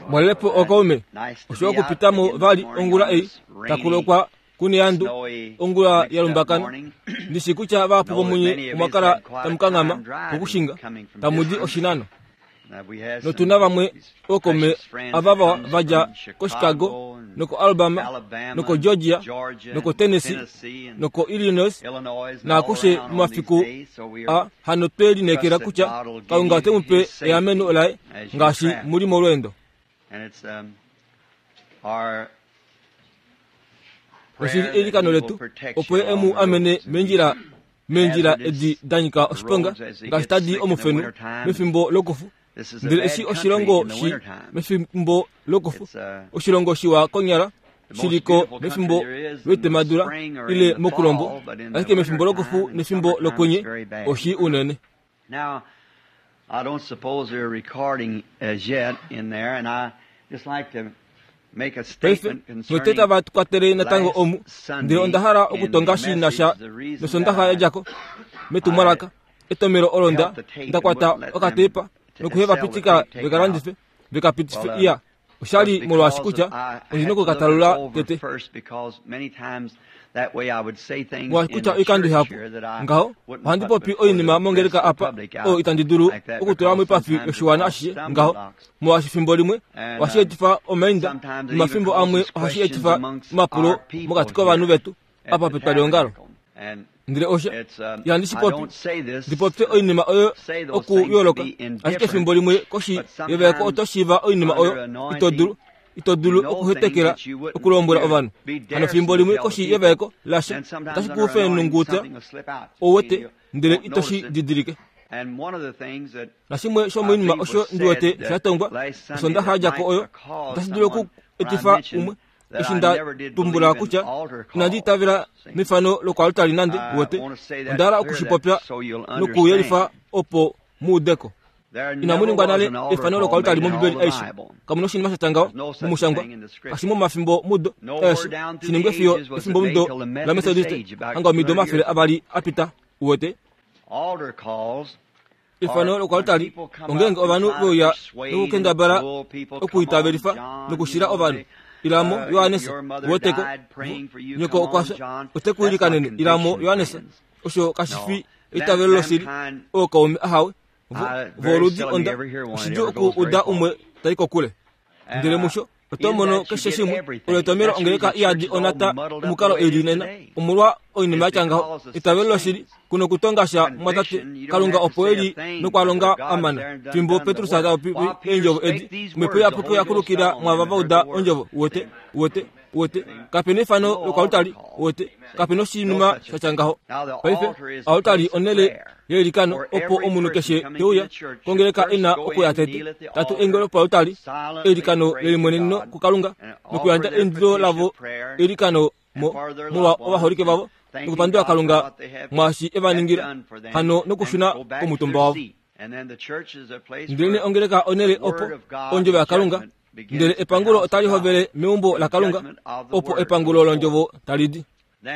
Mwalelepo okaume osho okupitamo vali ongula ei takulokwa kuniyandu ongula ya lumbakana ndishi kutya vahapu vomunye omwa kala tamu kanghama kokushinga tamu di oshinano notuna vamwe ookaume ava vawa va dja koChicago nokoAlabama nokoGeorgia nokoTennessee nokoIllinois naakushe momafiku a hano twe lineekela kutya Kalunga ote mu pe eameno laye ngaashi mu li molweendo. Oshi li eilikano letu opo ye e mu amene meendjila meendjila edi da nyika oshiponga ngaashi tadi omufenu mefimbo lokufu ndele eshi oshilongo shi mefimbo lokufu oshilongo shiwa konyala shi li ko mefimbo loitemadula ile mokulombo ashike mefimbo lokufu nefimbo lokwenye oshi unene Now, I don't suppose they're recording as yet in there, and I just like to make a paife statement note concerning tava kwatele natango omu ndele onda hala okutonga shi na sha nosondaxa ya dja ko metumwalaka etomelo olo nda nda kwata okatepa nokuhe va pitika ve ka landife ve ka pitife iya osha li molwaashi kutya ondi na oku ka talula tete molwaashi kutya oikando ihapu ngaho ohandi popi oinima mongeleka apa oyo itandi dulu okutula moipafi yoshiwana ashishe ngaho molwaashi fimbo limwe ohashi etifa omainda nomafimbo amwe ohashi etifa omapulo mokati kovanhu vetu apa petwaliongalo ndele osha ihandi shi popi ndi popye oinima oyo okuyooloka ashike efimbo limwe koshi yevaeko oto shiiva oinima oyo ito dulu ito dulu okuhetekela okulombwela ovanhu hano fimbo limwe koshi yevaeko lasha otashi ku fenunguta ou wete ndele ito shi didilike nashimwe shomoinima osho ndi wete sha tongwa osondaxa ya dja ko oyo otashi dulu oku etifa umwe eshi nda tumbula kutya inandi itavela mefano lokoaltari nande wote onda hala oku shi popya nokuyelifa opo mu ude ko inamu ningwa nale efano lokoaltari mombibeli aishe kamu na oshinima sha tya ngaho momushangwa kashi momafimbo mudo eshi shi ningwe fiyo efimbo mudo lamethodiste hanga omido 200 a pita uwete Efano lokoaltari ongeenge ovanhu ve uya nokukendabala okuitavelifa nokushila ovanhu. Ilamo, Johannes, weteko, nyoko okwa fya, ote ku ilikanene. Ilamo, Johannes, osho kashi fi eitavelo loshili, ookaume ahawe, vo, voludi onda, oshidjuu oku uda umwe tai kokule. Ndele musho, Oto mono keshe shimwe olo etomelo ongeleka iyadi onata omukalo eli nena omolwa oinima yatya ngaho. Eitavelo loshili ku nokutonga sha mwatate Kalunga opo e li nokwa longa a mana. Fimbo Petrus ta popi eendjovo edi, Omhepo Iyapuki oya kulukila mwaava va uda ondjovo. Uwete? Uwete? Uwete? Kape na efano lokoaltari. Uwete? Kape na oshinima sha tya ngaho. Paife, oaltari onhele yeilikano opo omunhu keshe te uya kongeleka e na okuya tete tatu eingelo poaltari eilikano lelimweneneno kuKalunga nokuyandja eindilo lavo eilikano molwa ovaholike vavo nokupandula Kalunga mwaashi e va ningila hano nokushuna komutumba wavo. Ndelenee ongeleka onhele opo ondjovo yaKalunga ndele epangulo otali hovele meumbo laKalunga opo epangulo londjovo tali di.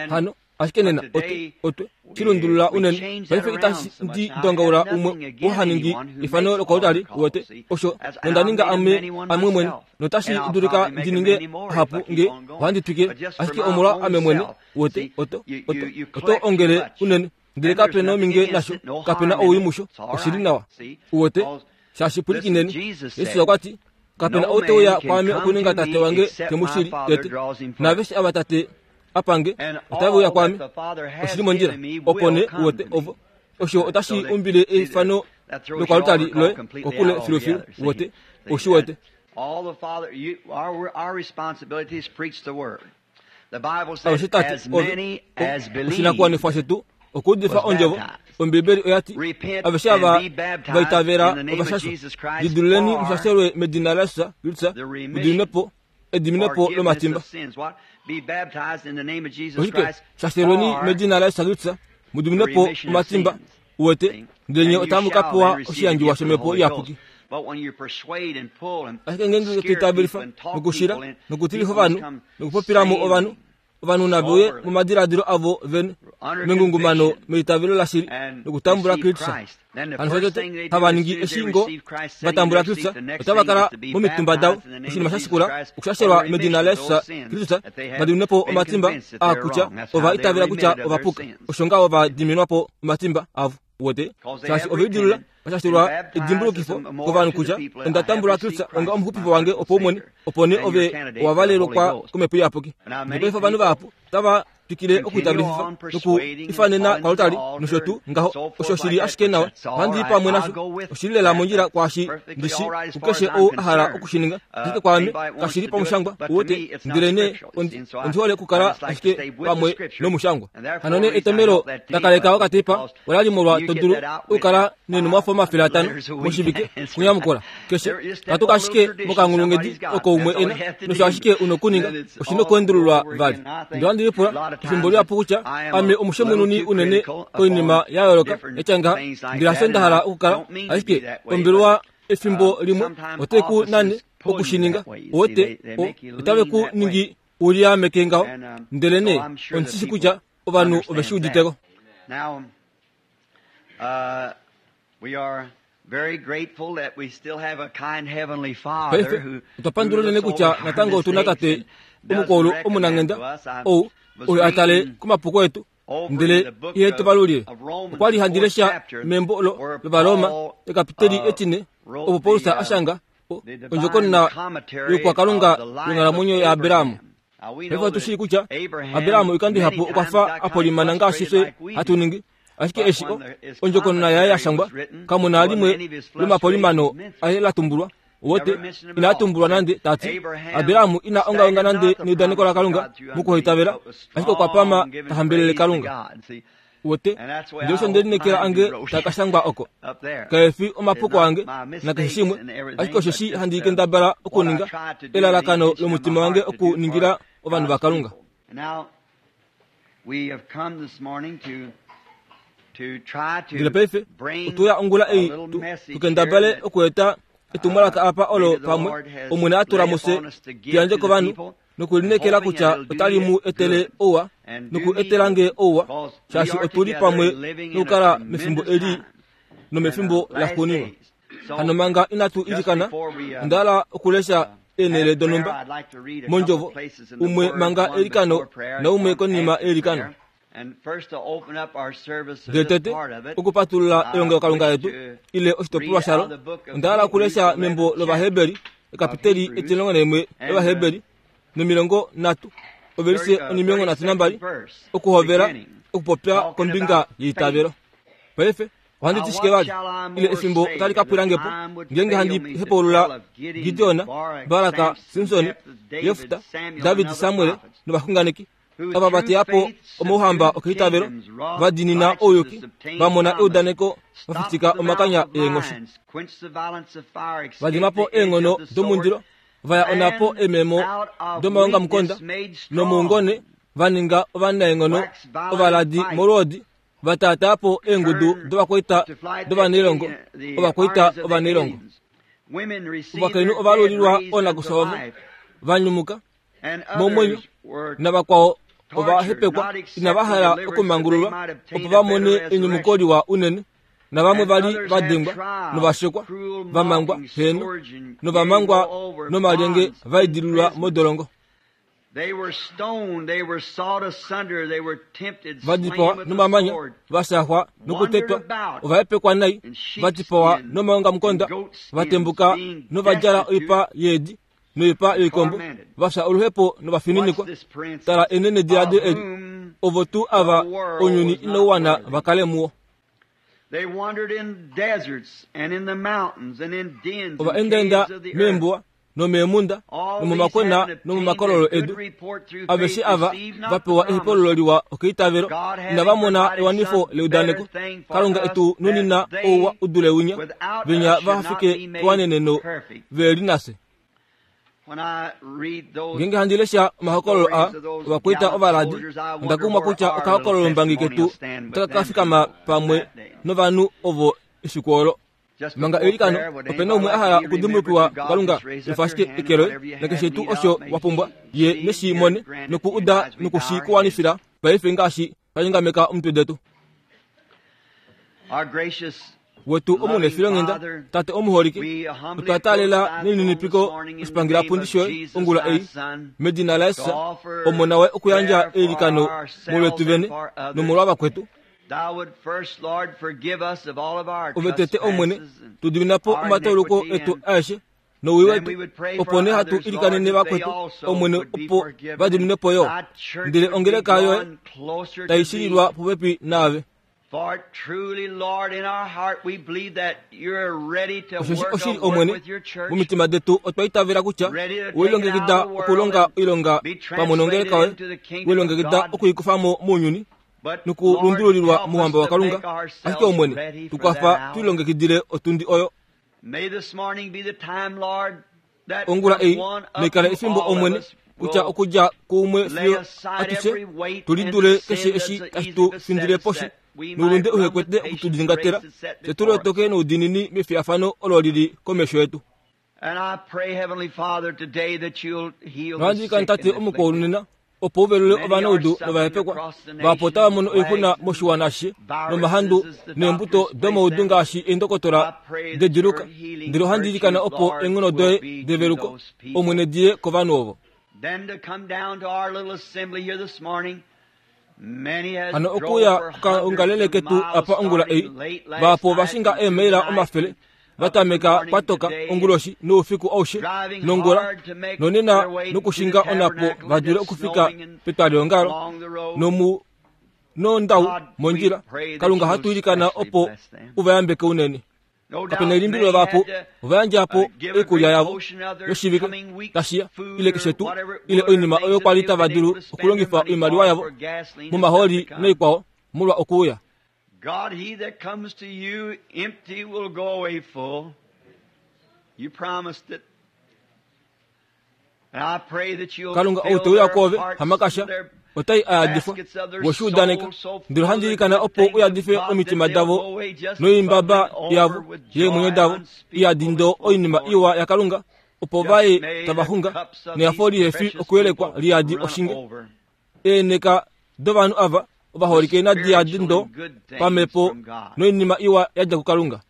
Hano ashike nena otwe otwe shi lundulula unene paife itashi ndi dongaula umwe oo ha ningi efano lokoaltari uwete osho nonda ninga ame amwe mwene notashi dulika ndi ninge hapu nge ohandi twikile ashike omolwa ame mwene uwete oto oto oto ongele unene ndele kape na ominge nasho kape na owii musho oshi li nawa uwete shaashi pwilikineni jesus okwa ti kape na ou te uya kwaame okuninga tate wange te mu shili tete naaveshe ava tate a pange otave uya kwaame oshi li mondjila opo nee uwete ovo osho otashi umbile eifano lokoaltari loye kokule filufilu uwete ou shi wete Alushe tate ove oshinakuwanifwa shetu okuudifa ondjovo Ombibeli oya ti aveshe ava va itavela ova shashwa lidululeni mushashelwe medina laJesus Kristus mudiminwe po ediminepo lomatimba oshike shashelweni medina laJesus Kristus mudiminwe po omatimba uwete ndele nye otamu ka pewa oshiyandjiwa shomhepo iyapuki ashike ngeenge to itavelifa nokushila nokutilifa ovanhu nokupopila mo ovanhu Ovanhu nave uye momadiladilo avo vene mengungumano meitavelo lashili nokutambula Kristus. Hano shotete hava ningi eshi ngo va tambula Kristus, otava kala momitumba davo. Oshinima sha shikula okushashelwa medina laJesus Kristus, va diminwe po omatimba aa kutya ova itavela kutya ova puka. Osho ngaho va diminwa po omatimba avo. Uwete? Shaashi ove lidilula vashashelwa edimbulukifo kovanhu kutya onda tambula Kristus onga omuxupifi wange opaumwene, opo nee ove owa valelwa komhepo iyapuki. Nopaife ovanhu vahapu otava twikile okuitavelififa noku ifanena kwalutali nosho tuu ngaho. Osho shi li ashike nawa, ohandi i pamwe nasho. Oshi li lela mondjila kwaashi ndi shi kukeshe ou a hala oku shi ninga, ashike kwaame kashi li pamushangwa, uwete. Ndelenee ondi, ondi hole okukala ashike pamwe nomushangwa. Hano nee etomelo la kaleka okateipa ola li molwa to dulu okukala neenhumwafo 500 moshivike kunyamukula keshe. Katuka ashike mokanghulunghedi oko umwe e na, nosho ashike u nokuninga, oshi nokuendululwa vali. Ndele ohandi lipula efimbo lihapu kutya ame omushemununi unene koinima ya yooloka ya tya ngaha, ndele hasho nda hala okukala, ashike ombelewa efimbo limwe otai ku nane oku shi ninga. Uwete, otave ku ningi u liameke ngaho, ndelenee ondi shi shii kutya ovanhu ove shi udite ko. Now, we are very grateful that we still have a kind heavenly Father Paife who otwa pandula unene who looks kutya over our natango otu na mistakes Tate and doesn't omukwaulu reckon them omunanghenda to us. I ou was oyo a tale reading komapuko etu over in ndele the book ihe tu of, valulile. of Romans, Okwa li the handi fourth lesha chapter, membo lo where lOvaroma Paul ekapiteli etine wrote opo Paulus the, a shanga the divine ondjokonona commentary youkwakalunga of the life of yonghalamwenyo yaAbraham. Abraham. Now we Paife know otu that shii kutya Abraham Abraham oikando many ihapu okwa times fa got a kind of polimana ngaashi frustrated fye like we hatu do. ningi. Ashike But eshi when his ondjokonona yaye ya commentary shangwa, was written, kamu na wasn't limwe any of his lomapolimano frustrations mentioned. aye la tumbulwa. Uwete, Never mentioned him at ina all. tumbulwa nande ta ti, Abraham Abraham ina ongaonga staggered nande not the neudaneko promise of laKalunga God through unbelief, mokuhaitavela, but was ashike okwa pama strong, giving ta hambelele praise to Kalunga. God. See, Uwete, and that's the way ndele I osho hope nde lineekela mine be ange wrote taa ka shangwa oko. up there. Kae fi It's omapuko not ange my nakeshe mistakes shimwe, and ashike everything, osho but shi just handi kendabala what I okuninga try to do, the elalakano intention of my lomutima wange heart to do for okuningila ovanhu God's vaKalunga. people. And now we have come this morning to try Ndele to paife bring otwe uya ongula a ei little tu message here kendabale that okueta etumwalaka apa olo maybe the pamwe Lord has Omwene a tula laid mufye upon us to tu give yandje to the kovanhu people, nokulineekela hoping kutya that it'll do otali mu you etele good ouwa and do noku me etela nge good, ouwa because we shaashi are otu li together pamwe living in a nokukala mefimbo tremendous eli time and nomefimbo last laxuuninwa. days. So Hano manga inatu just ilikana, before we onda hala okulesha eenhele have prayer, donhumba I'd like to read a couple mondjovo, of places in the umwe Word, manga one eilikano before prayer and naumwe one konima after eilikano. prayer. And first to open up our service of Ndele this tete part of it, okupatulula I elongelokalunga wish letu to ile oshitopolwa read out shalo, of the book of onda hala Hebrews, okulesha the membo 11th chapter lOvaheberi of ekapiteli Hebrews, 11 and lOvaheberi no30 ovelise 32nd 32 verse, okuhovela beginning, okupopya talking kombinga about yeitavelo. faith. Paife ohandi Now ti shike what vali shall I ile more efimbo say otali that ka the pwila nge po time would ngeenge fail handi me to tell hepaulula of Gideon, Gideon, Barak, Baraka, Samson, Simson, Jephthah, David, Jefta, Samuel, and David, other Samuel prophets, novaxunganeki who ava va through teya po faith omauhamba subdued okeitavelo, kingdoms, wrought va diinina righteousness, ouyuki, obtained va mona promise, eudaneko, va stopped fitika the mouth omakanya of eenghoshi, lions, quenched the violence of fire, va escaped dima po the edge eenghono of the sword, domundilo, va ya onhapo and eememo out of domaongamukonda, weakness made nomoungone strong, va ninga ovanaenghono waxed violent in ovaladi fight, molwoodi, va taataa po eengudu turned dovakwaita to flight the dovanailongo, alien, the ovakwaita armies of the ovanailongo. aliens. Women received Ovakainhu their ova dead lulilwa raised unto oonakufya vavo, life, va nyumuka and momwenyo, others were navakwao ova tortured, hepekwa not inava accepting hala deliverance that they okumangululwa might obtain opo a va better mone enyumuko resurrection. liwa unene. Navamwe And va li others va had dengwa trials, novashekwa, cruel va mangwa mocking, heno, scourge, and yea, novamangwa moreover, nomalyenge bonds, va idililwa imprisonment. modolongo. They were stoned, they were sawed asunder, they were tempted, Va slain dipawa with the nomamanya, sword, va shaxwa wandered nokutetwa, about ova hepekwa nai, in va dipawa sheepskin and nomaongamukonda, va goatskins, tembuka being nova djala destitute oipa yeedi noipa and yoikombo, tormented. va fya oluhepo Watch novafininikwa. this prince, Tala enenediladilo of eli, whom ovo tuu the ava world ounyuni was inau not wana worthy. va kale muwo. They wandered in deserts and in the mountains and in dens Ova and endaenda caves of the earth. meembuwa nomeemhunda All these nomomakwena having obtained a nomomakololo good edu. report through Aveshe faith ava received va not the pewa promise, ehepululo liwa okeitavelo, God having inava mona provided ewanifo some better leudaneko. thing for Kalunga us etu that nunina ouwa they u dule winya, without venya us va should not fike be made kewaneneno perfect. ve li nafye. When I read those Ngeenge handi lesha omahokololo aa stories of those ovakwaita gallant ovaladi, soldiers, I onda wonder kumwa where kutya our little okahokololombangi testimony ketu will stand with otaka ka them fikama people pamwe that day. novanhu ovo efiku olo. Manga eilikano, ope na umwe a hala okudimbulukiwa kuKalunga, efa ashike eke loye, nakeshe tuu osho wa pumbwa, ye neshi mone, noku uda noku shi ku wanifila paife ngaashi twa nyongameka omitwe detu. Wetu omunefilonghenda, Tate omuholike, otwa taalela nelininipiko oshipangelapundi shoye ongula ei, medina laJesus, Omona waye okuyandja eilikano molwetu vene nomolwa vakwetu. Ove tete Omwene, tu dimina po omatauluko etu aeshe nowii wetu, opo nee hatu ilikanene vakwetu, Omwene, opo va dimine po yo. Ndele ongeleka yoye tai shililwa popepi naave. Osheshi oshili Omwene, momitima detu otwa itavela kutya we lilongekida okulonga oilonga pamwe nongeleka yoye, we lilongekida okuikufa mo mounyuni nokulundululilwa mouhamba waKalunga. Ashike Omwene, tu kwafa tu lilongekidile otundi oyo. Ongula ei naikale efimbo Omwene, kutya okudja kuumwe fiyo atushe tu lidule keshe eshi tashi tu findile poshi noulunde uhe kwete oku tu dingatela, fye tu lotoke noudiinini mefiyafano olo li li komesho yetu. Nohandi ilikana Tate omukwaulu nena opo u velule ovanaudu novahepekwa vahapu otava mono oixuna moshiwana ashishe nomahandu neembuto domaudu ngaashi eendokotola dediluka ndele ohandi ilikana opo eenghono doye develuko omwene diye kovanhu ovo hano okuuya kokaongalele ketu apa ongula ei vahapu ova shinga eemaila omafele va tameka kwatoka onguloshi noufiku aushe nongula nonena nokushinga onapo va dule okufika petwalihongalo nomu nondau mondjila. Kalunga ohatu ilikana opo u va yambeke unene. Kape na elimbililo vahapu ova yandja po oikulya yavo yoshivike tashi ya ile keshe tuu ile oinima oyo kwa li tava dulu okulongifa oimaliwa yavo momahooli noikwao molwa okuuya. God, he that comes to you empty will go away full. You promised it. And I pray that you'll Kalunga ou fill te uya their kwoove hearts, hamakasha their otai a yadifwa baskets of their we shi udaneka soul so ndele ohandi full of ilikana the opo good u things of yadife God that omitima they'll davo go away just noimbaba bubbling over yavo with yeemwenyo joy davo unspeakable iyadi ndo and full of oinima glory. iwa yaKalunga opo Just vaye may tava the xunga cups of nehafo these lihe fi precious okuyelekwa people liyadi run oshinge over. Eeneka dovanhu ava ovaholike The nadi yadi spiritual ndo and good things pamhepo from God. noinima iwa ya dja kuKalunga.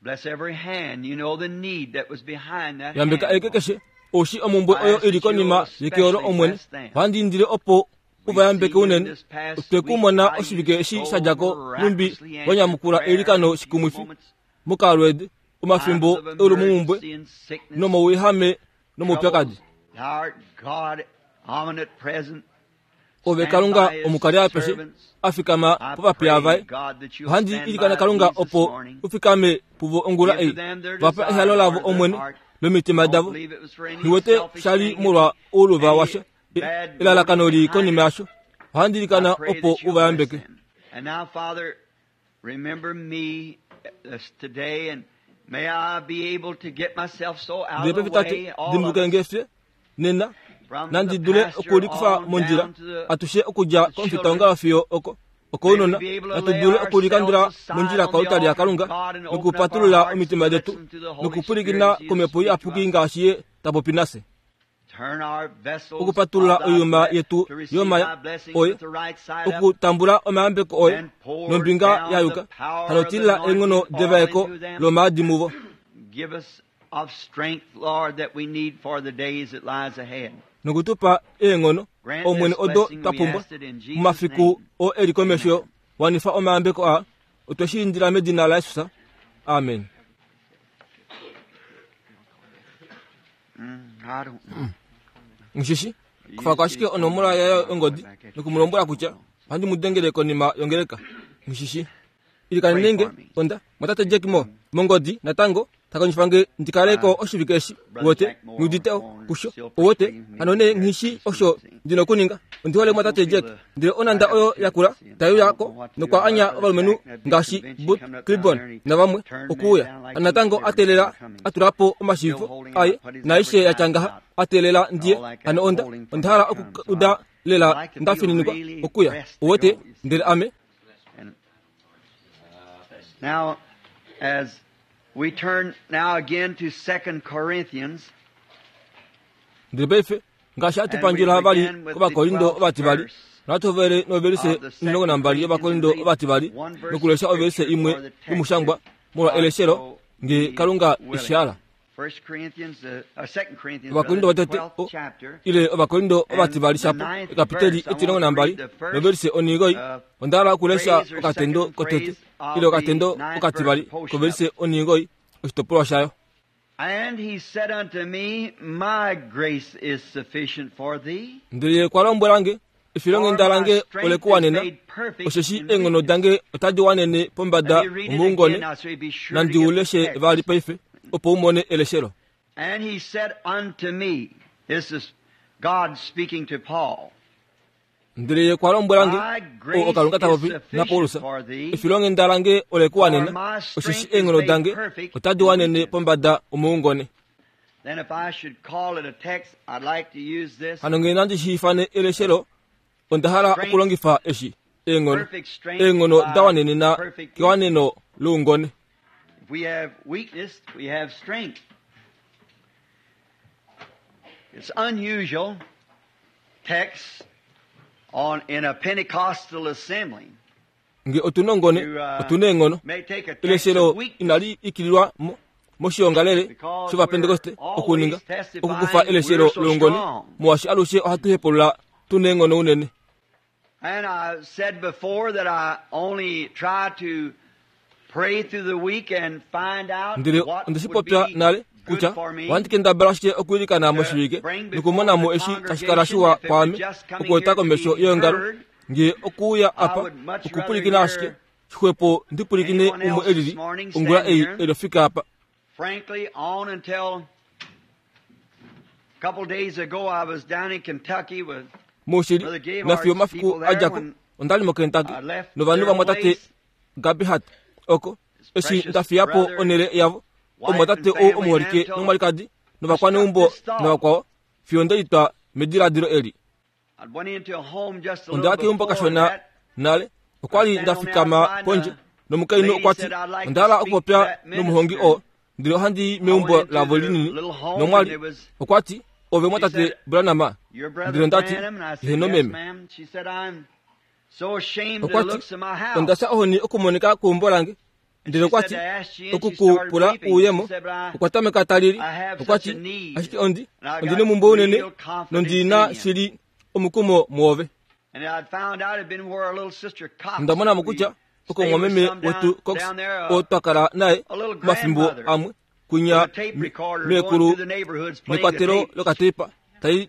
Bless every hand. You know the need that was behind that Yambeka hand, eke Lord. keshe oushi omumbwe I oyo ask i li that you'll konima yeke olo especially Omwene. bless them. Ohandi indile opo u va We've yambeke seen you unene. this past Otwe ku week mona how you oshivike eshi so sha dja ko nhumbi miraculously wa answered nyamukula prayer eilikano in a few shikumwifi moments, mokaalweedi, times omafimbo of eulumomhumbwe emergency and sickness, nomouyehame nomoupyakadi. troubles. Thou art God, omnipresent. Ove Stand Kalunga by his omukali apeshe servants. a fikama I povapiya pray, vaye. God, that you'll Ohandi stand ilikana by Kalunga these this opo morning. u fikame puvo ongula Give to ei. them their Va pa desire, ehalo lavo Lord, of their Omwene heart. lomitima Don't davo. believe it was for any Niwete selfish sha li thing, molwa ouluva any washa bad elalakano motive li behind konima it. yasho. Ohandi I ilikana pray opo that u you'll va bless yambeke. them. And now, Father, remember me today, and may I be able to get myself so out Ndele of the paife Tate, way, all of dimbuluke us, nge fye nena from nandi the dule pastor okulikufa on mondjila down to the atushe okudja the komufitaongalo children. fiyo oko May we okounona be able to natu lay dule okulikandula ourselves aside mondjila on the koaltari altar of yaKalunga God and open up our nokupatulula hearts omitima to detu listen to the Holy nokupwilikina Spirit as He komhepo speaks to iyapuki us. ngaashi ye ta popi nafye Turn our vessels okupatulula of thy oiyuma ble- yetu to receive yomaya thy blessings oye with the right side up, okutambula omayambeko oye and pour nombinga down ya the yuka power hano of the tilila eenghono anointing oil devaeko into them. lomaadi muvo Give us of strength, Lord, that we need for the days that lies ahead. Noku tu pa eenghono, Grant Omwene, this odo blessing, twa we pumbwa ask it in Jesus' momafiku name. oo e li komesho. Amen. Wanifa omayambeko aa. Otwe shi indila medina laJesus. Amen. I don't know. Nghi shi Kufa ko ashike onomola yaye yongodi noku mu lombwela kutya ohandi mu dengele konima yongeleka. Nghi shi Ilikanene nge, onda, Mwatate Jack Moore, mongodi, natango, ta kondjifa nge ndi kale ko oshivike eshi, uwete, nghi udite o, kusho, uwete, hano nee nghi shii osho ndi na okuninga. Ondi hole Mwatate Jack. Ndele onhanda oyo yakula tai uya ko, nokwa anya ovalumenhu ngaashi Booth Clibborn navamwe okuuya. Hano natango a teelela a tula po omashiivifo aye naaishe ya tya ngaha, a teelela ndiye. Hano onda, onda hala okuuda lela nda fininikwa okuya, uwete, ndele ame. Now, as We turn now again to 2 Corinthians. Ndele paife ngaashi hatu pandjula vali kOvakorindo ovativali, nohatu hovele novelise 12 yOvakorindo ovativali nokulesha ovelise imwe yomushangwa molwa eleshelo nge Kalunga eshihala. Ovakorindo vatete ile Ovakorindo ovativali shapo ekapiteli 12 novelise 9, onda hala okulesha okatendo kotete ile okatendo okativali kovelise 9 oshitopolwa shayo. And he said unto me, My grace is sufficient for thee. Ndele ye okwa lombwela nge, Efilonghenda lange ole ku wanena, osheshi eenghono dange otadi wanene pombada omoungone. Nandi u leshe vali paife, opo u mone eleshelo. And he said unto me, this is God speaking to Paul. Ndele ye okwa lombwela nge, oo oKalunga ta popi naPaulus, Efilonghenda lange ole ku wanena, osheshi eenghono dange otadi wanene pombada omoungone. Hano ngee nandi shi ifane eleshelo, onda hala okulongifa eshi, eenghono, eenghono da wanenena kewaneno loungone. It's unusual text on in a Pentecostal assembly. Nge otu na ongone, otu na eenghono. Eleshelo inali ikililwa mo moshiongalele shOvapentekoste okuninga okukufa eleshelo loungone, molwaashi alushe ohatu hepulula tu na eenghono unene. And I said before that I only try to pray through the week and find out Ndele what onde shi would popya be nale good kutya for me ohandi kendabala ashike okwiilikana moshivike nokumona mo eshi tashi kala shiwa kwaame okueta komesho yeongalo nge okuuya apa okupwilikina ashike xwepo ndi pwilikine umwe elili ongula ei elofika apa. Frankly, on until a couple days ago I was down in Kentucky with Moshili, nafiyo omafiku a dja ko, onda li moKentucky novanhu vamwatate Gabehart oko, eshi nda fiya po onhele yavo, omumwatate ou omuholike nomwalikadi novakwaneumbo navakwao, fiyo nde litwa mediladilo eli. Onda ya keumbo kashona nale, okwa li nda fikama pondje, nomukainhu okwa ti, Onda hala okupopya nomuhongi oo, ndele ohandi i meumbo lavo linini. Nomwa li, okwa ti, Ove mwatate Branham? Ndele onda ti, Heeno, meme. Okwa ti, Onda fya ohoni okumonika kweumbo lange. Ndele okwa ti, Oku ku pula uuyemo. Okwa tameka ta lili. Okwa ti, Ashike ondi, ondi nomumbwe unene, nondi na shili omukumo muove. Onda mona mo kutya oko omumwameme wetu Cox, oo twa kala naye omafimbo amwe, kwinya meekulu nekwatelo lokateipa tai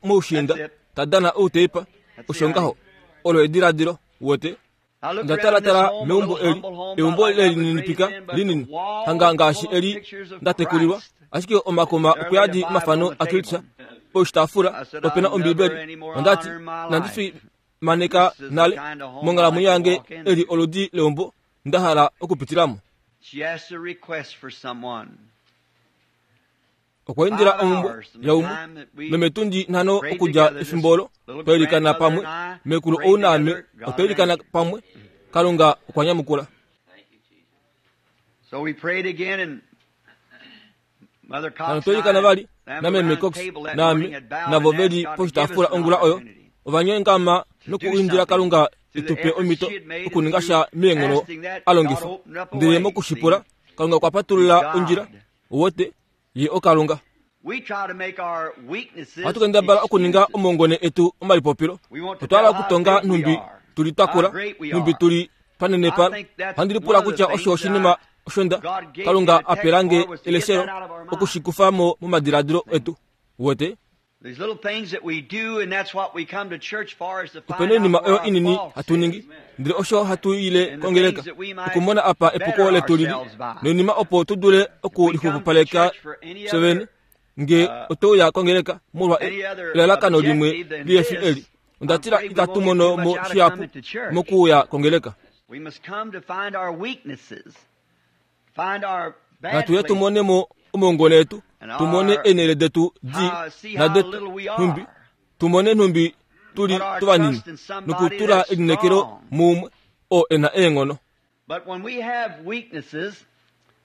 moushiinda ta dana outeipa, osho ngaho. Olo ediladilo, wote. Onda talatala meumbo eli, eumbo lelininipika linini, hanga ngaashi eli nda tekulilwa, ashike omakoma okuyadi omafano aKristus poshitaafula ope na Ombibeli. Onda ti, Inandi fimaneka nale monghalamwenyo yange eli oludi leumbo nda hala okupitila mo. Okwa indila omhumbwe yaumwe, nometundi nhano okudja efimbo olo twa ilikana pamwe, mekulu ou naame otwa ilikana pamwe, Kalunga okwa nyamukula. Hano twa ilikana vali nameme Cox naame navo ve li poshitaafula ongula oyo, ova nyengama nokuindila Kalunga e tu pe omhito okuninga sha meenghono a longifa. Ndele mokushipula, Kalunga okwa patulula ondjila Uwete, Ye oKalunga. Ohatu kendabala okuninga omongone etu omalipopilo. Otwa hala okutonga nhumbi tu li twa kula, nhumbi tu li twa nenepala. Ohandi lipula kutya osho oshinima osho nda, Kalunga a pela nge eleshelo oku shi kufa mo momadiladilo etu. Uwete? Ope na oinima oyo inini hatu ningi, ndele osho hatu ile kongeleka okumona apa epuko letu lili, noinima opo tu dule okulixupupaleka fye vene. Nge otwe uya kongeleka molwa elalakano limwe lihe fi eli, onda tila itatu mono mo shihapu mokuuya kongeleka. Natu ye tu mone mo omaungone etu, tu mone eenhele detu di nadetu nhumbi, tu mone nhumbi tu li tovanini, nokutula elineekelo muumwe oo e na eenghono.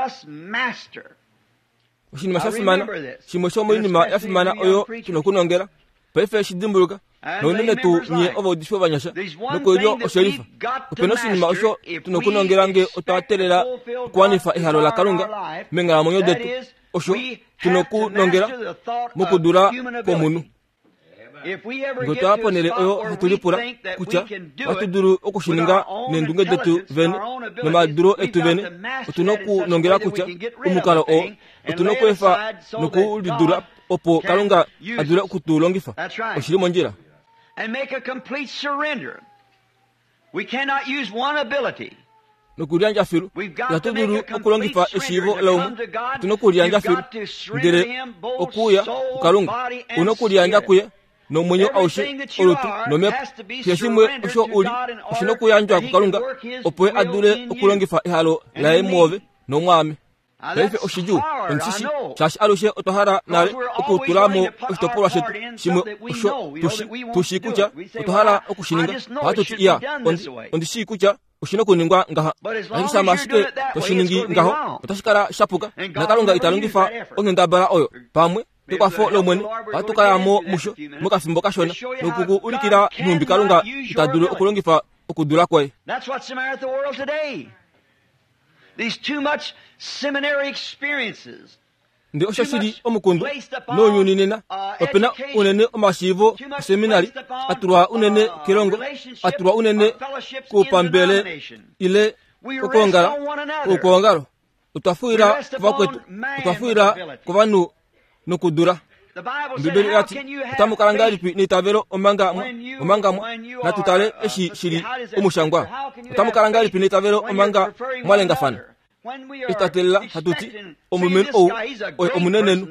must master. Oshinima sha fimana, shimwe shomoinima ya fimana oyo tu na okunongela paife shi dimbuluka, nounene tuu nye ovaudifi ovanyasha nokoilyo oshelifa. Ope na oshinima osho tu na okunongela nge otwa teelela okuwanifa ehalo laKalunga meenghalamwenyo detu, osho tu na okunongela mokudula kwomunhu. Nge otwa ya ponhele oyo hatu lipula kutya ohatu dulu oku shi ninga neendunge detu vene nomadulo etu vene, otu na okunongela kutya omukalo oo otu na okweefa noku lidula opo Kalunga a dule oku tu longifa. Oshi li mondjila. Nokuliyandja filu. Ihatu dulu okulongifa eshiivo laumwe. Otu na okuliyandja filu. Ndele okuuya kuKalunga, u na okuliyandja kuye nomwenyo aushe, olutu nomhepo. Keshe shimwe osho u li, oshi na okuyandjwa kuKalunga opo ye a dule okulongifa ehalo laye mwoove nomwaame. Paife oshidjuu, ondishi shaashi alushe otwa hala nale okutula mo oshitopolwa shetu shimwe osho tushi tu shii kutya otwa hala oku shi ninga. Ohatu ti, Iya, ondi, ondi shii kutya oshi na okuningwa ngaha. Ashike shama ashike to shi ningi ngaho, otashi kala sha puka, naKalunga ita longifa onghendabala oyo. Pamwe, kekwafo lOmwene, ohatu ka ya mo musho mokafimbo kashona noku ku ulikila nhumbi Kalunga ita dulu okulongifa okudula kwoye. That's what's the matter with the world today. These too much seminary experiences. Ndele osho shi li omukundu nounyuni nena, ope na unene omashiivo oseminari a tulwa unene kelongo, a tulwa unene koupambele ile kokwoongala koukwaongalo. Otwa fuwila kuvakwetu, otwa fuwila kovanhu nokudula. Ombibeli oya ti, Otamu kala ngahelipi neitavelo omanga mwa, omanga mwa, natu tale eshi shi li omushangwa. Otamu kala ngahelipi neitavelo omanga mwa lengafana? Eshi twa teelela hatu ti, Omulumenhu ou oye omunenenhu,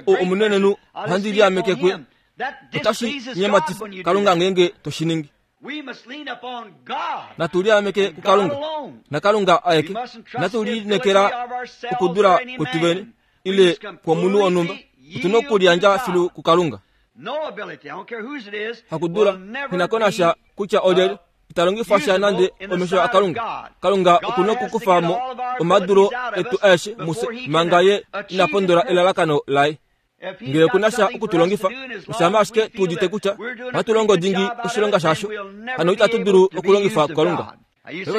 ou omunenenhu, ohandi liameke kuye. Otashi nyematifa Kalunga ngeenge to shi ningi. Natu liameke kuKalunga, naKalunga aeke. Natu lineekela okudula kwetu vene ile kwomunhu wonhumba. Otu na okuliyandja filu kuKalunga. Hakudula, nghi ko nasha kutya olyelye, ita longifa sha nande omesho aKalunga. Kalunga oku na okukufa mo omadulo etu aeshe mufye manga ye ina pondola elalakano laye. Ngele oku na sha oku tu longifa, oshama ashike tu udite kutya ohatu longo dingi oshilonga shasho, hano itatu dulu okulongifwa kuKalunga.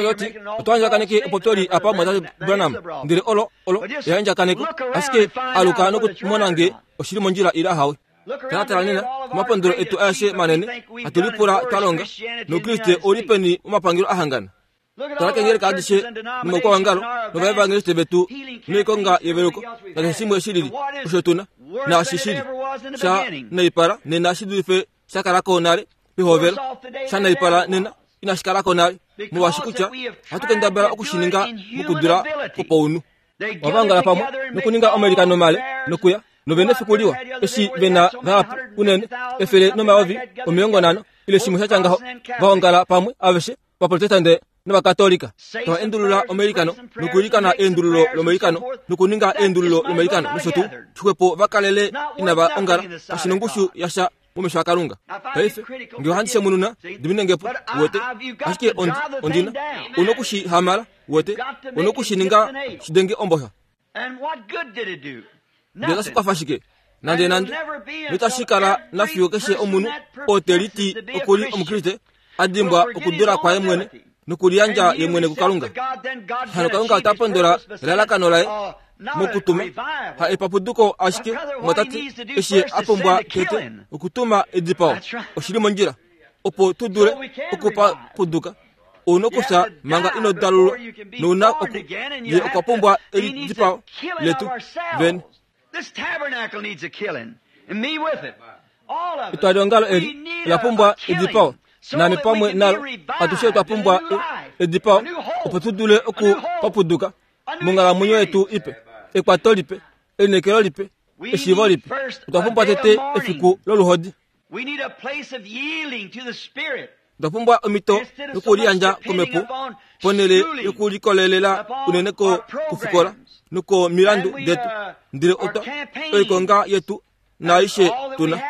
Oti otwa andjakaneke opopyoli apa mwatate Branham, ndele olo olo eandjakaneko, ashike aluka nokumona nge oshili mondjila ile ahawe. Talatala nena komapondolo etu aeshe manene hatu lipula twa longa, nOukriste ouli peni momapangelo a hangana? Tala keengeleka adishe nomaukwaongalo novaevangeliste vetu noikonga yeveluko nakeshe shimwe shi lili osho tu na, naashi shi li sha naipala nena shi dulife sha kala ko nale pehovelo, sha naipala nena inashi kala ko nale, molwaashi kutya ohatu kendabala oku shi ninga mokudula kwopaunhu. Ova ongala pamwe nokuninga omailikano male nokuya nove nefiku liwa eshi ve na vahapu unene 150 ile shimwe sha tya ngaho va ongala pamwe aveshe Ovaprotestante nOvakatolika tava endulula omailikano nokuilikana eendululo lomailikano nokuninga eendululo lomailikano nosho tuu, xwepo va kalele inava ongala, kashi nongushu yasha momesho aKalunga. Paife, nge ohandi shemununa, dimine nge po, uwete. Ashike ondi, ondi na, u noku shi hamala, uwete, u noku shi ninga shi denge omboxa. Ndele otashi kwafa shike? Nandenande. Noitashi kala nafiyo keshe omunhu oo te liti oku li Omukriste a dimbwa okudula kwaye mwene nokuliyandja ye mwene kuKalunga. Hano Kalunga ota pondola elalakano laye mokutuma, ha epapuduko ashike, mwatate, eshi ye a pumbwa tete okutuma edipao. Oshi li mondjila opo tu dule okupapuduka. Ou na okufya manga ino dalulwa, nou na oku, ye okwa pumbwa elidipao letu vene. Etwaliongalo eli ola pumbwa edipao, naame pamwe nalo. Atushe otwa pumbwa edipao opo tu dule okupapuduka monghalamwenyo yetu ipe, ekwato lipe, elineekelo lipe, eshiivo lipe. Otwa pumbwa tete efiku loluhodi. Otwa pumbwa omhito yokuliyandja komhepo ponhele yokulikolelela unene kofikola nokomilandu detu, ndele otwa oikonga yetu naaishe tu na.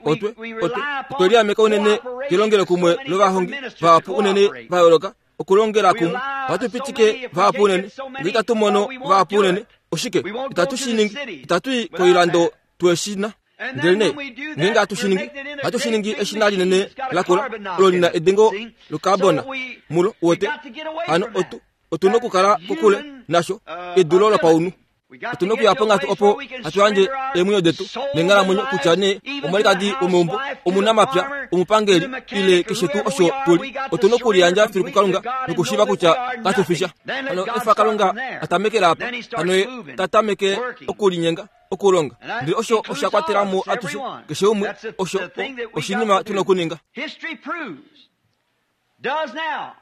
Otwe otwe otwe liameka unene kelongelokumwe lovahongi vahapu unene va yooloka okulongela kumwe. Ohatu pitike vahapu unene, nge itatu mono vahapu unene. Oshike itatu shi ningi? Itatu i koilando twe shi na. Ndelenee ngeenge hatu shi ningi, ohatu shi ningi eshina linene lakula olo li na edengo lokarbona mulo, uwete. Hano otu, otu nokukala kokule nasho, edulo lopaunhu. Otu na okuya ponghatu opo hatu yandje eemwenyo detu neenghalamwenyo kutya nee omwalikadi womeumbo, omunamapya, omupangeli ile keshe tuu osho tu li. Otu na okuliyandja filu kuKalunga nokushiiva kutya katu fi sha. Hano efa Kalunga a tamekele apa, hano ye ta tameke okulinyenga, okulonga. Ndele osho osha kwatela mo atushe, keshe umwe, osho oshinima tu na okuninga.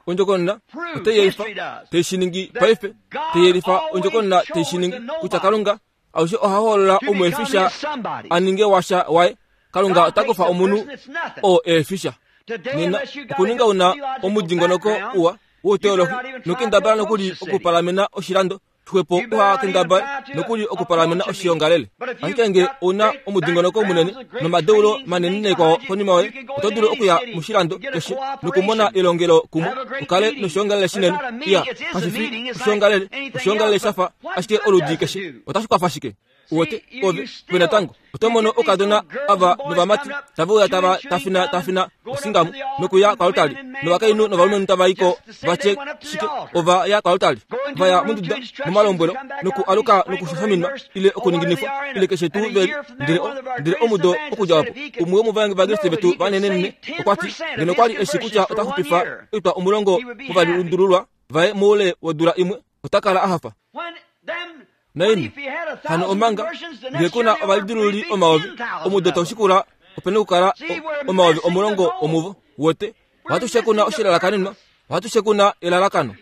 Ondjokonona otai yelifa, tai shi ningi paife, tai yelifa ondjokonona tai shi ningi kutya Kalunga alushe oha hoolola omuefisha a ninge washa waye. Kalunga ota kufa omunhu oo eefisha nena okuninga una omudingonoko uwa wouteolohi nokendabala nokuli okupalamena oshilando xwepo uha kendabale nokuli okupalamena oshiongalele. Ashike nge ou na omudingonoko munene nomadeulo manene naikwao konima yoye, oto dulu okuya moshilando keshe nokumona elongelo kumwe, u kale noshiongalele shinene. Iya, kashi fi oshiongalele, oshiongalele sha fa ashike oludi keshe. Otashi kwafa shike? Uwete, ove, ove natango oto mono oukadona ava novamati tave uya tava tafina tafina osingamu nokuya koaltari, novakainhu novalumenhu tava i ko va tye shike? Ova ya koaltari, va ya monduda momalombwelo noku aluka nokushoshomina ile okuninginifwa ile keshe tuu veli. Ndele o, ndele omudo okudja opo, umwe womovaevangeliste vetu vanenenene okwa ti, ngeno okwa li e shi kutya ota xupifa oitwa omulongo movalundululwa vaye moule wodula imwe, ota kala a hafa. Naini hano omanga nge ku na ovalidilululi omayovi omudo tau shikula ope na okukala omayovi omulongo omuvo wote ohatu shekuna oshilalakanenwa ohatu shekuna elalakano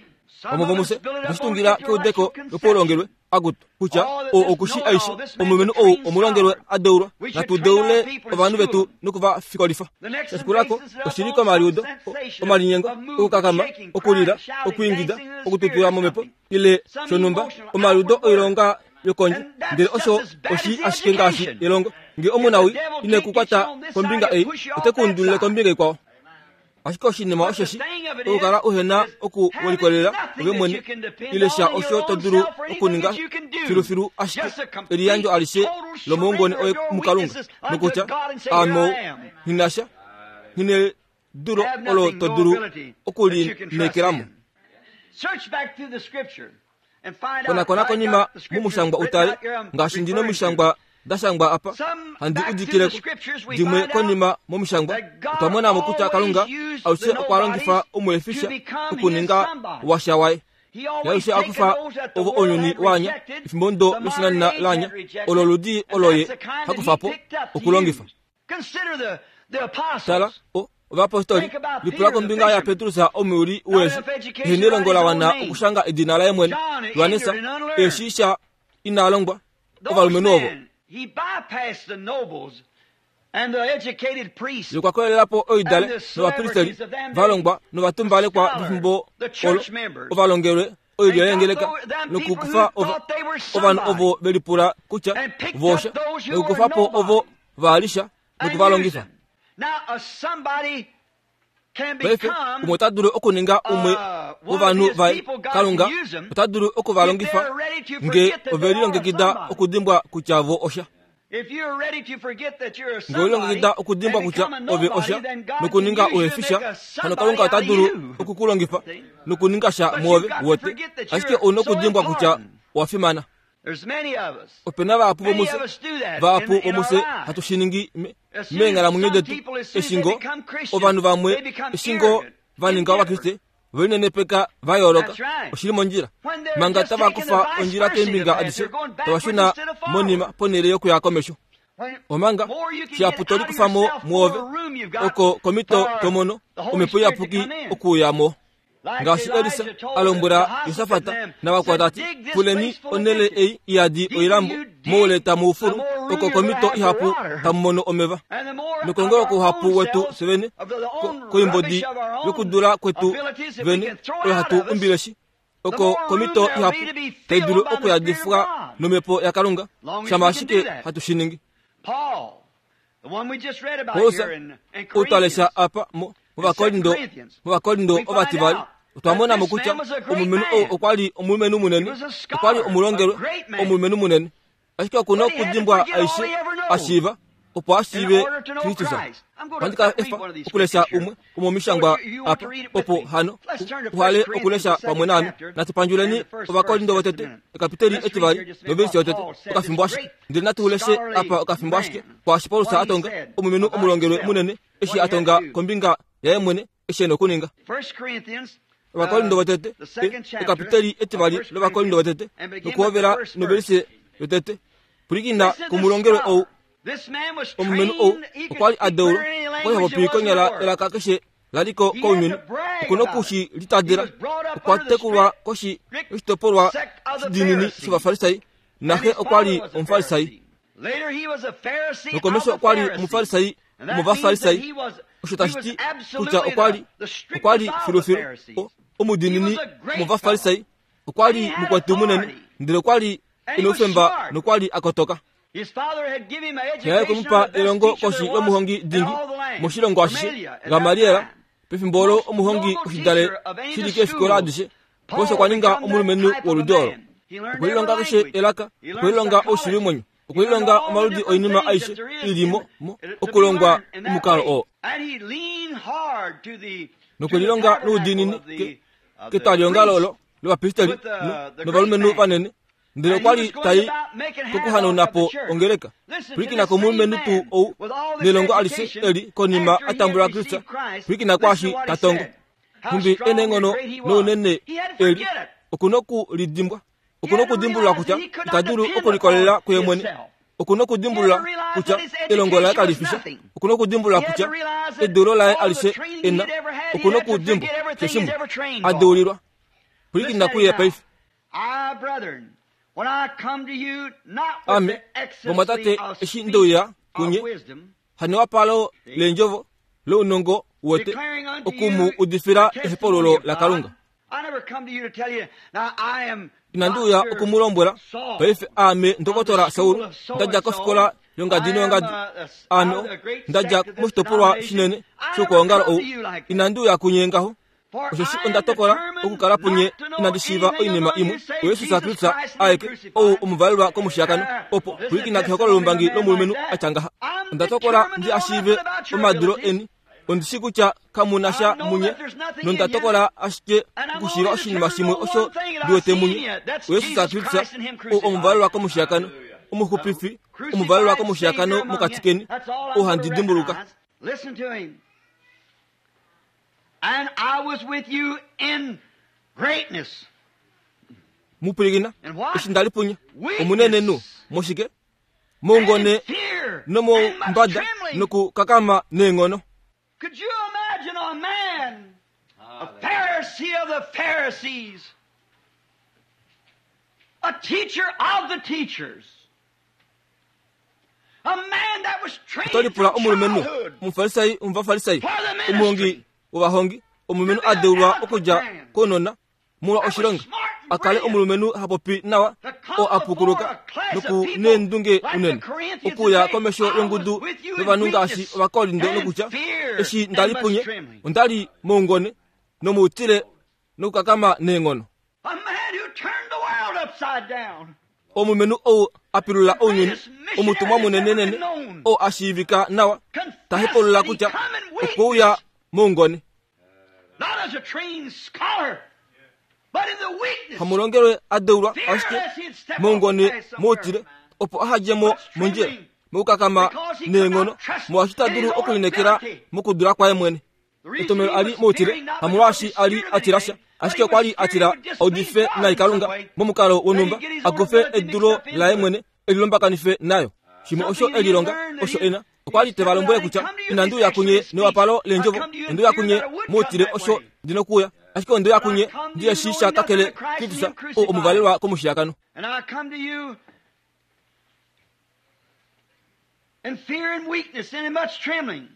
vamwe vomufye otwe shi tungila keudeko lopaulongelwe akutu kutya oo oku shi aishe omulumenhu ou omulongelwe a deulwa natu deule ovanhu vetu noku va fikolifa sha shikulako oshi li komaliudo omalinyengo okukakama okulila okwiingida okututula momhepo ile shonhumba omaliudo oilonga yokondje ndele osho oshi ashike ngaashi elongo nge omunawi ine ku kwata kombinga ei ote ku undulile kombinga ikwao ashike oshinima osheshi okukala uhe na oku welikolelela ove mwene ile sha osho to dulu okuninga filufilu ashike eliyandjo alishe lomoungone oye mukalunga nokutya ame ou nghi na sha nghi nedulo olo to dulu okulineekelamo Konakona konima momushangwa u tale, ngaashi ndi nomishangwa da shangwa apa, handi udikile ko. Dimwe konima momishangwa, otwa mona mo kutya Kalunga alushe okwa longifa omuefisha okuninga washa waye. Ye alushe a kufa ovo ounyuni wa anya, efimbo ndo loshinanena la anya, olo oludi olo ye ha kufa po okulongifa. Tala, o, ovapostoli, lipula kombinga yaPetrus omuyuli weeshi, ehe nelongo la wana okushanga edina laye mwene, Johannes, eshi sha ina longwa, ovalumenhu ovo. Ye okwa koyelela po oidale novapristeli va longwa novatumbalekwa vefimbo olo ovalongelwe oilyo yeengeleka nokukufa ovanhu ovo ve lipula kutya voosha nokukufa po ovo va li sha noku va longifa. Paife umwe ota dulu okuninga umwe wovanhu vaye. Kalunga ota dulu oku va longifa nge ove lilongekida okudimbwa kutya vo osha. Nge owe lilongekida okudimbwa kutya ove osha nokuninga uhefi sha, hano Kalunga ota dulu oku ku longifa nokuninga sha mwoove, wote. Ashike ou na okudimbwa kutya owa fimana. Ope na vahapu vomufye, vahapu vomufye hatu shi ningi meenghalamwenyo detu. Eshi ngoo ovanhu vamwe, eshi ngoo va ninga Ovakriste, ove linenepeka va yooloka. Oshi li mondjila. Manga tava kufa ondjila keembinga adishe, tava shuna monima ponhele yokuya komesho. Omanga shihapu to likufa mo mwoove, oko komhito to mono Omhepo Iyapuki okuuya mo. Ngaashi Elisa a lombwela Josafat navakwao ta ti, Fuleni onhele ei i yadi oilambo, moule tamu fulu, oko komhito ihapu tamu mono omeva. Nokongoloko uhapu wetu fye vene, koimbodi yokudula kwetu vene oyo hatu umbileshi, oko komhito ihapu tai dulu okuyadifwa nomhepo yaKalunga, shama ashike hatu shi ningi. Paulus, ou twa lesha apa movakorinto ovativali, Otwa mona mo kutya omulumenhu ou okwa li omulumenhu munene, okwa li omulongelwe, omulumenhu munene. Ashike oku na okudimbwa aishe a shiiva opo a shiive Kristus. Ohandi ka efa okulesha umwe womomishangwa apa, opo hano u hale okulesha pamwe naame. Natu pandjuleni Ovakorinto votete, ekapiteli etivali novelisi yotete, okafimbo ashike. Ndele natu leshe apa okafimbo ashike kwaashi Paulus a tonga, omulumenhu omulongelwe munene, eshi a tonga kombinga yaye mwene eshi e na okuninga. Ovakorinto votete, ekapiteli etivali lOvakorinto votete, nokuhovela novelise yotete. Pwilikina komulongelwe ou. Omulumenhu ou okwa li a deulwa, okwa li ha popi konyala elaka keshe la li ko kounyuni. Oku noku shi litadela. Okwa tekulwa koshi yoshitopolwa shidiinini shOvafarisai, naxe okwa li Omufarisai. Nokomesho okwa li Omufarisai womOvafarisai, osho tashi ti kutya okwa li okwa li filufilu omudiinini womOvafarisai. Okwa li mukwetu munene, ndele okwa li e noufemba nokwa li a kotoka. Xe yaye okwe mu pa elongo koshi yomuhongi dingi moshilongo ashishe, Gamaliel, pefimbo olo omuhongi oshidale shi li keefikola adishe. Paulus okwa ninga omulumenhu woludi olo. Okwe lilonga keshe elaka, okwe lilonga oushivimwenyo, okwe lilonga omaludi oinima aishe i li mo, mo okulongwa omukalo oo. Nokwe lilonga noudiinini ke, ketwaliongalo olo lovapristeli novalumenhu vanene ndele okwa li tai kokuhanauna po ongeleka. Pwilikina komulumenhu tuu ou nelongo alishe eli konima a tambula Kristus. Pwilikina kwaashi ta tongo. Nhumbi e neenghono nounene eli, oku noku lidimbwa. Oku nokudimbulula kutya ita dulu okulikolelela kuye mwene. Oku nokudimbulula kutya elongo laye kali fi sha. Oku nokudimbulula kutya edeulo laye alishe e na, oku nokudimbwa keshe shimwe a deulilwa. Pwilikina kuye paife. Ame, vamwatate, eshi nde uya kunye, hanewapalo leendjovo lounongo wete oku mu udifila ehepaululo laKalunga. Inandi uya oku mu lombwela paife aame ndokotola Saul, nda dja kofikola yongadi noyongadi, aame nda dja moshitopolwa shinene shoukwaongalo ou. Inandi uya kunye ngaho. Osheshi onda tokola okukala punye inandi shiiva oinima imwe, oYesus Kristus aeke, ou omuvalelwa komushiyakano, opo pwilikina kehokololombangi lomulumenhu a tya ngaha. Onda tokola ndi a shiive omadilo eni, ondi shii kutya kamu na sha munye, nonda tokola ashike okushiiva oshinima shimwe osho ndi wete munye, oYesus Kristus, ou omuvalelwa komushiyakano, omuxupifi omuvalelwa komushiyakano mokati keni, ou handi dimbuluka. Listen to him. And I was with you in greatness. Mu pwilikina, eshi nda li punye, omunenenhu, moshike? Moungone nomombada nokukakama neenghono. Could you imagine a man, a Pharisee of the Pharisees, a teacher of the teachers, Oto lipula omulumenhu omufarisai womovafarisai, omuhongi wovahongi, omulumenhu a deulwa okudja kounona molwa oshilonga, a kale omulumenhu ha popi nawa, oo a pukuluka noku neendunge unene, okuuya komesho yongudu yovanhu ngaashi Ovakorinto nokutya, Eshi nda li punye, onda li moungone nomoutile nokukakama neenghono. Omulumenhu ou a pilula ounyuni, omutumwa munenenene oo a shiivika nawa, ta hepaulula kutya okwe uya moungone. Hamulongelwe a deulwa ashike moungone moutile opo aha dje mo mondjila mokukakama neenghono molwaashi ta dulu okulineekela mokudula kwaye mwene. Etomhelo a li moutile hamolwaashi a li a tila sha, ashike okwa li a tila a udife nai Kalunga momukalo wonhumba, a kufe edulo laye mwene e lilombakanife nayo. Shimwe osho e lilonga osho e na, okwa li te va lombwele kutya, Inandi uya kunye newapalo leendjovo, onde uya kunye moutile osho ndi nokuuya, ashike onde uya kunye ndi eshi sha kakele Kristus, ou omuvalelwa komushiyakano. In fear and weakness and in much trembling.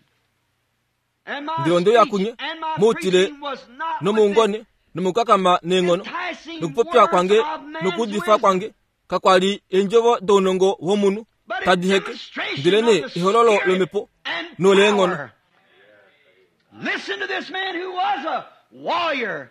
Ndele onde uya kunye moutile nomoungone nomokukakama neenghono, nokupopya kwange nokuudifa kwange kakwa li eendjovo dounongo womunhu tadi heke, ndelenee ehololo lOmhepo noleenghono. Listen to this man who was a warrior.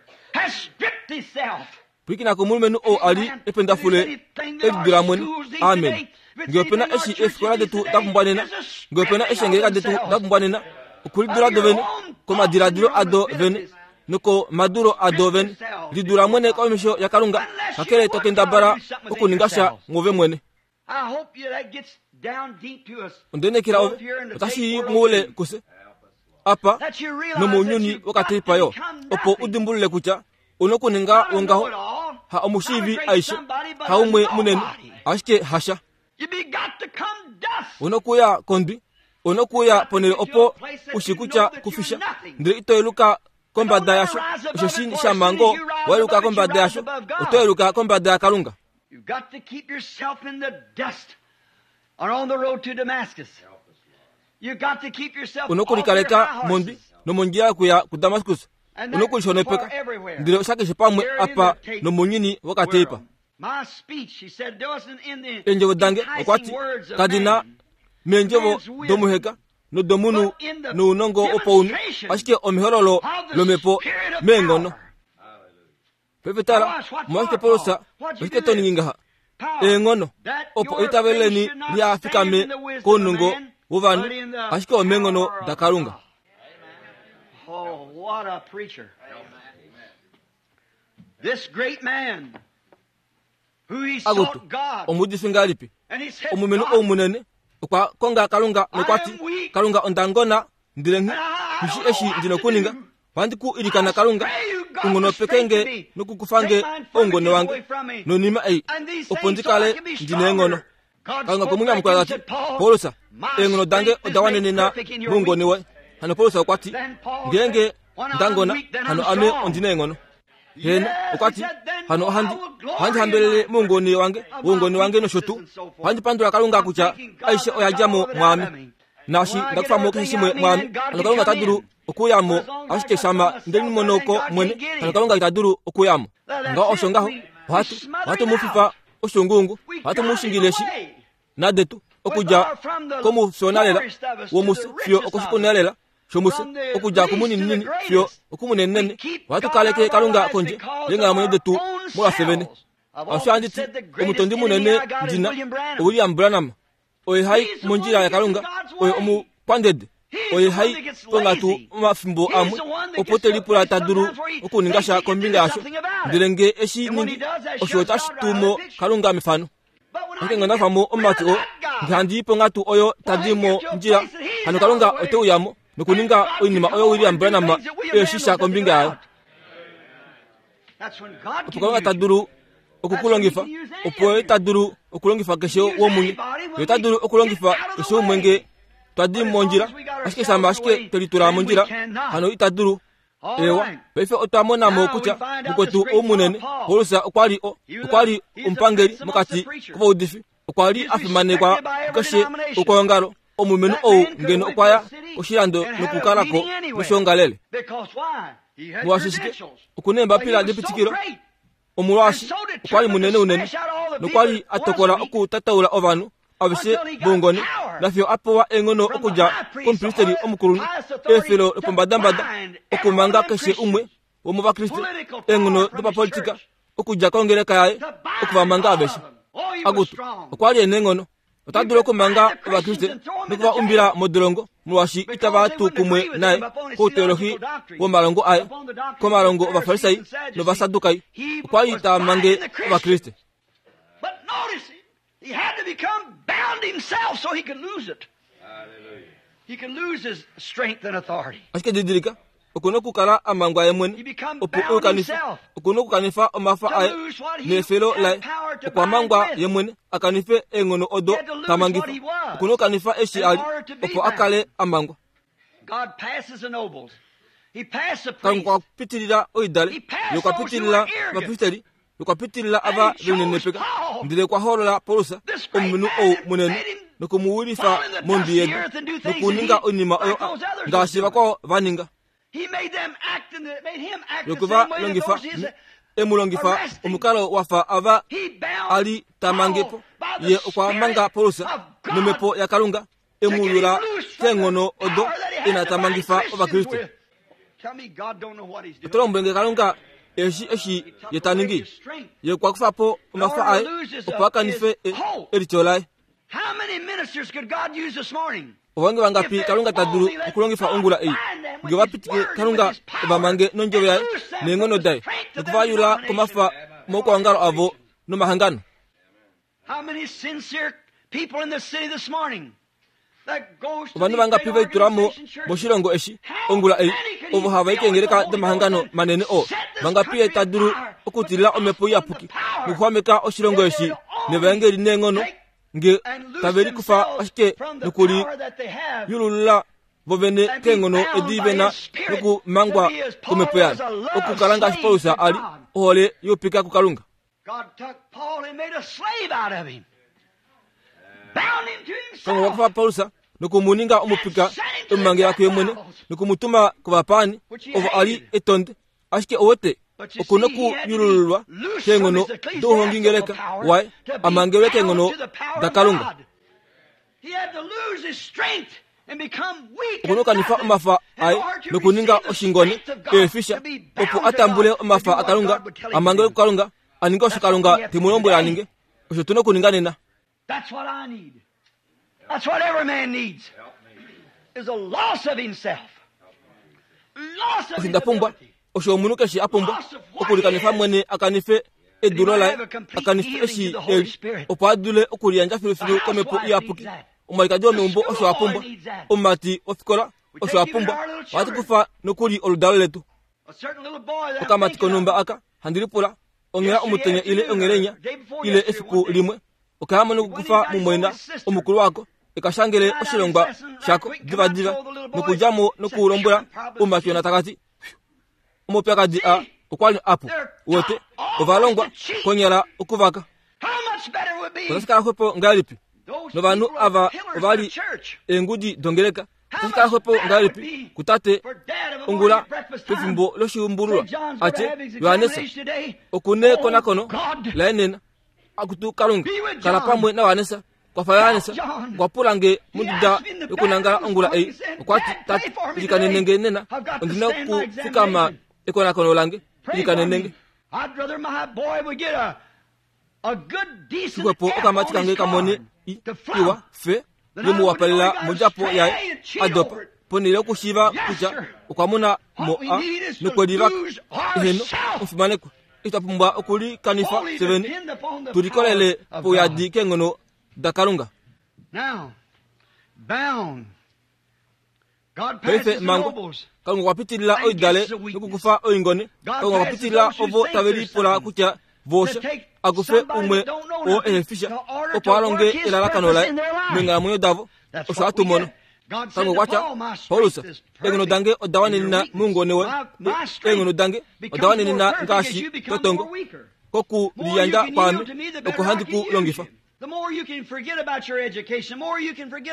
Pwilikina komulumenhu ou a li ependafule elidula mwene. Amen. Nge opena eshi eefikola detu da pumbwa nena, nge opena eshi eengeleka detu da pumbwa nena, okulidula do vene komadiladilo ado vene nokomadulo ado vene. Lidula mwene komesho yaKalunga, kakele to kendabala okuninga sha mwove mwene. Ondenekela ove otashi yi muule kuse apa nomounyuni wokateipa yo, opo u dimbulule kutya u nokuninga wongaho, ha omushiivi aishe, haumwe munene, ashike hasha. U nokuya kondwi, u nokuya ponhele opo u shi kutya kufisha, ndele ito yeluka kombada yasho, osheshi shama ngoo wa yeluka kombada yasho, oto yeluka kombada yaKalunga. You've got to keep yourself in the dust or on the road to Damascus. You've got to keep yourself u nokulikaleka mondwi nomondjila yokuya kuDamaskus. U nokulishonopeka ndele osha keshe pamwe apa nomounyuni wokateipa. Eendjovo dange, okwa ti, kadi na meendjovo domuheka nodomunhu nounongo wopaunhu, ashike omehololo lomhepo meenghono. Paife tala, omolwashike Paulus, oshike to ningi ngaha? Eenghono, opo eitavelo leni liha fikame kounongo wovanhu, ashike omeenghono daKalunga. Oh, what a preacher. This great man who he Akutu, sought God omuudifi ngahelipi? and he said, Omulumenhu God, ou munene okwa konga Kalunga nokwa ti, Kalunga onda ngona ndele nghi shi eshi ndi nokuninga. Ohandi ku ilikana Kalunga, u nghonopeke nge nokukufa nge oungone wange noinima ei, opo ndi kale ndi neenghono. Kalunga okwe mu nyamukula ta ti, Paulus, eenghono dange oda wanenena moungone woye. Hano Paulus okwa ti, Ngeenge nda ngona, hano ame ondi neenghono. Heeno, okwa ti, hano ohandi, ohandi hambelele moungone wange, woungone wange nosho tuu. Ohandi pandula Kalunga kutya aishe oya dja mo mwaame. Naashi nda kufa mo keshe shimwe mwaame, hano Kalunga ota dulu okuuya mo, ashike shama nde limono ko mwene, hano Kalunga ita dulu okuuya mo. Ngaho osho ngaho, ohatu, ohatu mu fifa oshuunguungu, ohatu mu shingile shi nadetu, okudja komufyonalela womufye fiyo okoshipunalela shomufye, okudja kumunininini fiyo okumunenenene. Ohatu kaleke Kalunga kondje yeenghalamwenyo detu molwafye vene. Osho handi ti, omutondi munene ndi na, oWilliam Branham. Oye hai mondjila yaKalunga, oye omukwandede, oye hai ponghatu omafimbo amwe opo te lipula ta dulu okuninga sha kombinga yasho, ndele nge eshi ningi, osho otashi tu mo Kalunga mefano. Ashike nge onda kufa mo omumati oo, nge handi i ponghatu oyo ta di mondjila, hano Kalunga ote uya mo nokuninga oinima oyo William Branham e shi sha kombinga yayo. Opo Kalunga ta dulu oku ku longifa, opo ye ta dulu okulongifa keshe womunye. Ye ota dulu okulongifa keshe umwe nge twa di mondjila, ashike shama ashike twe litula mondjila, hano ita dulu. Ewa, paife otwa mona mo kutya mukwetu ou munene, Paulus, okwa li o, okwa li omupangeli mokati kovaudifi. Okwa li a fimanekwa kukeshe okwoongalo. Omulumenhu ou ngeno okwa ya koshilando nokukala ko noshoongalele. Molwaashi shike? Oku na eembapila depitikilo. Omolwaashi okwa li munene unene nokwa li a tokola okutataula ovanhu aveshe voungone nafiyo a pewa eenghono okudja komupristeli omukulunhu, eefelo lopombadambada okumanga keshe umwe womOvakriste, eenghono dopapolitika okudja kongeleka yaye oku va manga aveshe. Akutu, okwa li e neenghono. Ota dulu okumanga Ovakriste noku va umbila modolongo molwaashi itava tu kumwe naye kouteolohi womalongo aye, komalongo Ovafarisai nOvasadukai. Okwa li ta mange Ovakriste. But notice, he had to become bound himself so he could lose it. He could lose his strength and authority. Ashike didilika, oku na okukala a mangwa ye mwene opo e u kanife. Oku na okukanifa omafa aye neefelo laye. Okwa mangwa ye mwene a kanife eenghono odo ta mangifa. Oku na okukanifa eshi a li opo a kale a mangwa. Kalunga okwa pitilila oidale, ye okwa pitilila ovapristeli, okwa pitilila ava ve linenepeka, ndele okwa hoolola Paulus, omulumenhu ou munene, noku mu wilifa mondwi yedu, nokuninga oinima oyo ngaashi vakwao va ninga. Noku va longifa, e mu longifa omukalo wa fa ava a li ta mange po. Ye okwa manga Paulus nomhepo yaKalunga e mu yula keenghono odo ina ta mangifa Ovakriste. Oto lombwele nge Kalunga. Eshi eshi ye ta ningi, ye okwa kufa po omafa aye opo a kanife e, elityo laye. Ovahongi vangapi Kalunga ta dulu okulongifa ongula ei nge ova pitike Kalunga ova mange nondjovo yaye neenghono daye noku va yula komafa moukwaongalo avo nomahangano? Ovanhu vangapi ve litula mo moshilongo eshi ongula ei ovo hava i keengeleka domahangano manene oo? Vangapi ye ta dulu okutilila omhepo iyapuki nokuxwameka oshilongo eshi nevaengeli neenghono nge tave likufa ashike nokuliyululula vo vene keenghono edi ve na nokumangwa komhepo yaye, okukala ngaashi Paulus a li, ohole youpika kuKalunga. Kalunga okwa kufa Paulus noku mu ninga omupika e mu mangela kuye mwene noku mu tuma kovapaani ovo a li e tonde. Ashike owete oku nokuyulululwa keenghono douhongingeleka waye a mangelwe keenghono daKalunga. Oku nokukanifa omafa aye nokuninga oshingone eefisha opo a tambule omafa aKalunga, a mangelwe kuKalunga, a ninge osho Kalunga te mu lombwele a ninge. Osho tu na okuninga nena. That's what I need. That's what every man needs. Is a loss of himself. Loss of Osho nda pumbwa, osho omunhu keshe a pumbwa, okulikanifa mwene a kanife edulo laye, a kanife eshi e li, opo a dule okuliyandja filufilu komhepo iyapuki. Omwalikadi womeumbo osho a pumbwa, omumati wofikola osho a pumbwa. Ohatu kufa nokuli oludalo letu. Okamati konhumba aka, handi lipula, onghela omutenya ile onghelenya ile efiku limwe okaya mono okukufa mumwaina omukulu wako eka shangele oshilongwa shako divadiva nokudja mo nokulombwela oumatyona taka ti omaupyakadi a okwa li apu wete ovalongwa konyala okuvaka otashi kala xwepo ngahelipi novanhu ava ova li eengudi dongeleka Otashi kala xwepo ngahelipi kutate ongula pefimbo loshiumbululwa a tye, Johannes oku nekonakono laye nena. Akutu Kalunga, kala pamwe naJohannes. Kwafa Johannes. Okwa pula nge monduda yokunangala ongula ei. Okwa ti, Tate, ilikanene nge nena. Ondi na okufikama ekonakono lange. Ilikanene nge. Xwepo okamati kange ka mone iwa fe ye mu wapalela mondjapo yaye a dopa ponhele yokushiiva kutya okwa mona mo a nokwe livaka. Eheno, omufimanekwa, eshi twa pumbwa okulikanifa fye vene tu likolele pouyadi keenghono daKalunga. Paife mangwa, Kalunga okwa pitilila oidale nokukufa oingone. Kalunga okwa pitilila ovo tave lipula kutya voosha a kufe umwe oo ehe fi sha opo a longe elalakano laye meenghalamwenyo davo. Osho hatu mono. Kalunga okwa tya, Paulus, eenghono dange oda wanenena moungone woye. Eenghono dange oda wanenena ngaashi totongo. Kokuliyandja kwaame oko handi ku longifa.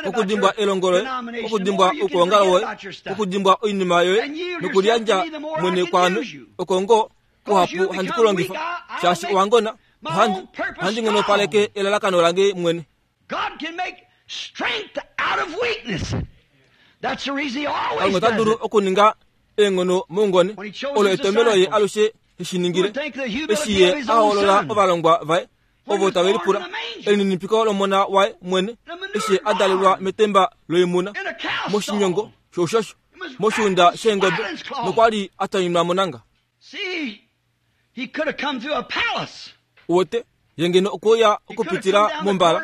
Okudimbwa elongo loye, okudimbwa oukuongalo woye, okudimbwa oinima yoye nokuliyandja mwene kwaame, oko ngoo kuhapu handi ku longifa, shaashi owa ngona, ohandi, ohandi nghonopaleke elalakano lange mwene. Kalunga ota dulu okuninga eenghono moungone, olo etomelo ye alushe he shi ningile, eshi ye a hoolola ovalongwa vaye ovo tave lipula elininipiko lomona waye mwene eshi a dalelwa metemba loimuna moshinyongo shoushosho moshuunda sheengobe nokwa li a tanyunwa monanga. Uwete, ye ngeno okwe uya okupitila mombala,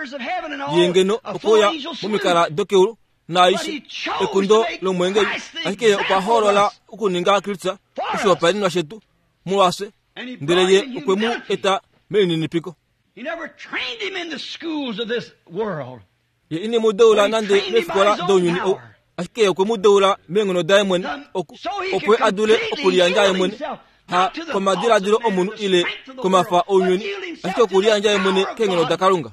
ye ngeno okwe uya momikala dokeulu naaishe, ekundo lomweengeli, ashike ye okwa hoolola okuninga Kristus oshihopaenenwa shetu molwafye. Ndele ye okwe mu eta melininipiko. Ye ine mu deula nande meefikola dounyuni ou, ashike ye okwe mu deula meenghono daye mwene, opo ye a dule okuliyandja ye mwene, ha komadiladilo omunhu ile komafa ounyuni, ashike okuliyandja ye mwene keenghono daKalunga.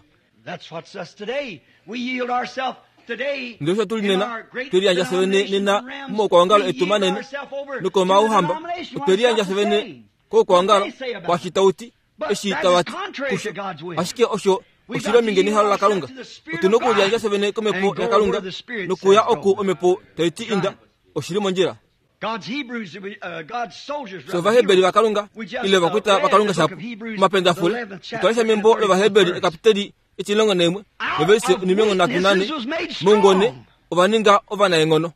Ndele osho tu li nena, twe liyandja fye vene nena momaukwaongalo etu manene nokomauhamba, otwe liyandja fye vene koukwaongalo kwaashi tau ti, eshi tava ti kusho. Ashike osho oshi li ominge nehalo laKalunga. Otu na okuliyandja fye vene komhepo yaKalunga nokuya oku omhepo tai ti inda. Oshi li mondjila. Fye Ovaheberi vaKalunga ile ovakwita vaKalunga shapu. Omapendafule otwa lesha membo lOvaheberi ekapiteli etilongo naimwe novelise onimilongo nhatu nane moungone ova ninga ovanaenghono.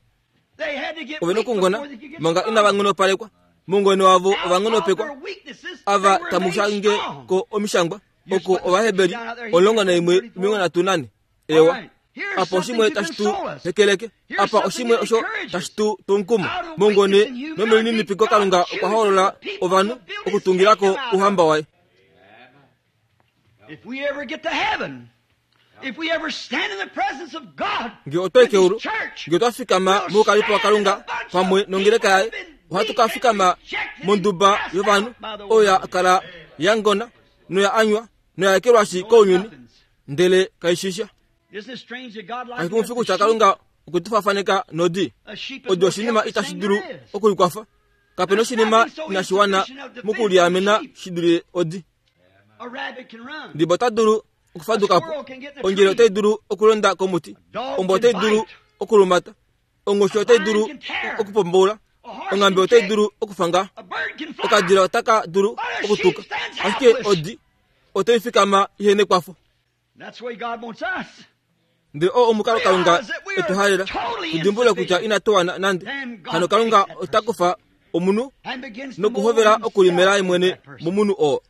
Ove nokungona manga inava nghonopalekwa. Moungone wavo ova nghonopekwa. Ava tamu shange ko omishangwa oko Ovaheberi 11 34. Ewa. Apa oshimwe tashi tu hekeleke. Apa oshimwe osho tashi tu tu omukumo. Mongone nomelininipiko Kalunga okwa hoolola ovanhu okutungila ko ouhamba waye. Nge otwa i keulu, nge otwa fikama moukalipo waKalunga pamwe nongeleka yaye, ohatu ka fikama monduba yovanhu oyo ya kala ya ngona noya anywa noya ekelwashi kounyuni. ndele kaishisha kashi kutya Kalunga okwe tu fafaneka nodi. Odi oshinima itashi dulu okulikwafa. Kape noshinima inashi wana mokuliamena shi dule odi. Ndiba ota dulu okufaduka po, ondjele otai dulu okulonda komuti, ombwa otai dulu okulumata, onghoshi otai dulu okupomboula, onghambe otai dulu okufanga, okadila otaka dulu okutuka, ashike odi otai fikama ihe nekwafo. Ndele oo omukalo Kalunga e tu halela, tu dimbulule kutya inatu wana nande. Hano Kalunga ota kufa omunhu nokuhovela okulimela ye mwene momunhu oo.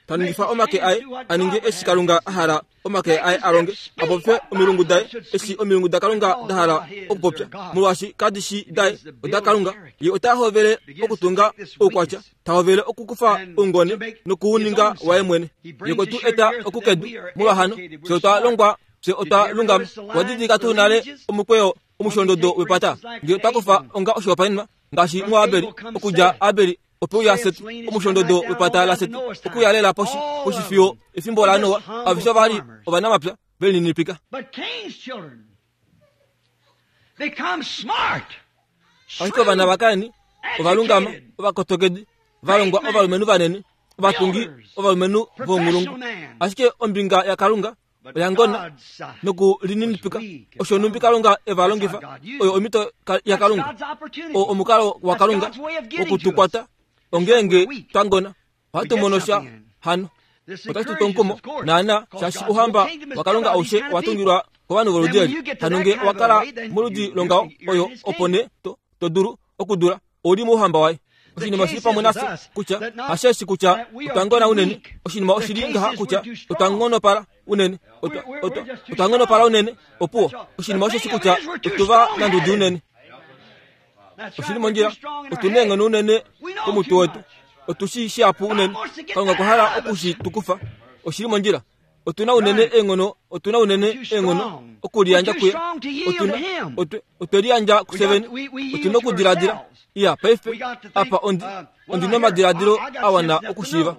Ta ningifa omake aye a ninge eshi Kalunga a hala omake aye a longe, a popye omilungu daye eshi omilungu daKalunga da hala okupopya, molwaashi kadi shi daye, odaKalunga. Ye ota hovele okutunga oukwatya ta hovele okukufa oungone nokuuninga waye mwene. Ye okwe tu eta oku kedu, molwahano fye otwa longwa, fye otwa lungama. Owa didilika tuu nale omukweyo omusholondodo wepata? Ngee otwa kufa onga oshihopaenenwa ngaashi muAbeli, okudja Abeli ope uya Set, omusholondodo wepata laSet, okuya lela poshi, poshi fiyo efimbo laNoa, aveshe ova li ovanamapya ve lininipika. Ashike ovana vaKain ova lungama, ovakotokedi, va longwa ovalumenhu vanene, ovatungi, ovalumenhu vounghulungu. Ashike ombinga yaKalunga oya ngona nokulininipika. Osho nhumbi Kalunga e va longifa, oyo omhito yaKalunga, oo omukalo waKalunga woku tu kwata, ongeenge twa ngona. Ohatu mono sha hano. Otashi tu omukumo naana shaashi ouhamba waKalunga aushe owa tungilwa kovanhu voludi eli. Hano nge owa kala moludi longaho oyo opo nee to, to dulu okudula ou li mouhamba waye. Oshinima oshili pamwe nafye kutya hasheshi kutya otwa ngona unene. Oshinima oshili ngaha kutya otwa ngonopala unene. Otwa, otwa, otwa ngonopala unene. Opuwo. Oshinima osheshi kutya otu va nandudi unene. Oshili mondjila. Otu na eenghono unene komutwe wetu. Otu shi shihapu unene. Kalunga okwa hala oku shi tu kufa. Oshili mondjila. Otu na unene eenghono, otu na unene eenghono okuliyandja kuye. Otu na, otwe, otwe liyandja kufye vene. Otu na okudiladila. Iya, paife, apa ondi, ondi na omadiladilo a wana okushiiva.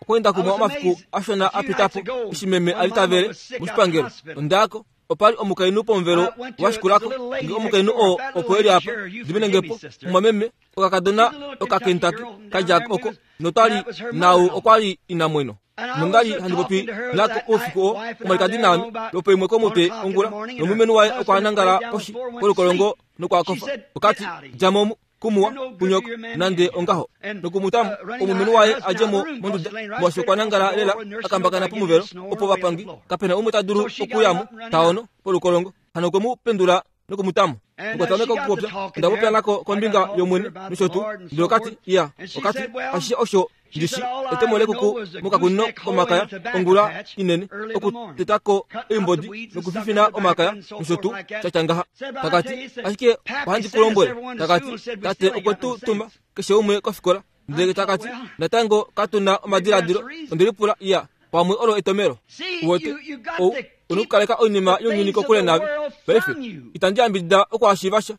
Okweenda kumwe omafiku ashona a pita po, eshi meme a li ta vele moshipangelo, onda ya ko. Opa li omukainhu pomuvelo wa shikula ko. Nge omukainhu oo opo e li apa, diminenge po, mumwameme, okakadona Okakentucky ka dja oko, notwa li naau okwa li inamweno. Nonda li handi popi nako oufiku oo, omwalikadi naame, lwopoimwe komutwe ongula, nomulumenhu waye okwa nangala poshi kolukolongo nokwa kofa. Okati, Dja mo kumuwa kunyoko nande ongaho nokumutamo omulumenhu waye a dje mo monduda molwaashi okwa nangala lela a kambakana pomuvelo opo vapangi kapena umwe ta dulu okuya mo ta ono polukolongo hano okwe mu pendula nokumutamo okwa tameka okupopya onda popya nako kombinga yomwene nosho tuu ndele okati iya okati ashishe osho Ndishi etemo lekuku mokakunino komakaya ongula inene okuteta ko oimbodi nokufifina omakaya nosho tuu sha tya ngaha. Takati, ashike ohandi ku lombwele, takati, tate okwe tu tuma keshe umwe kofikola. Ndele takati, natango katu na omadiladilo. Onde lipula, iya, pamwe olo etomelo. Uwete, ou una okukaleka oinima younyuni kokule naave. Paife, itandi yambidida okuhashiiva sha,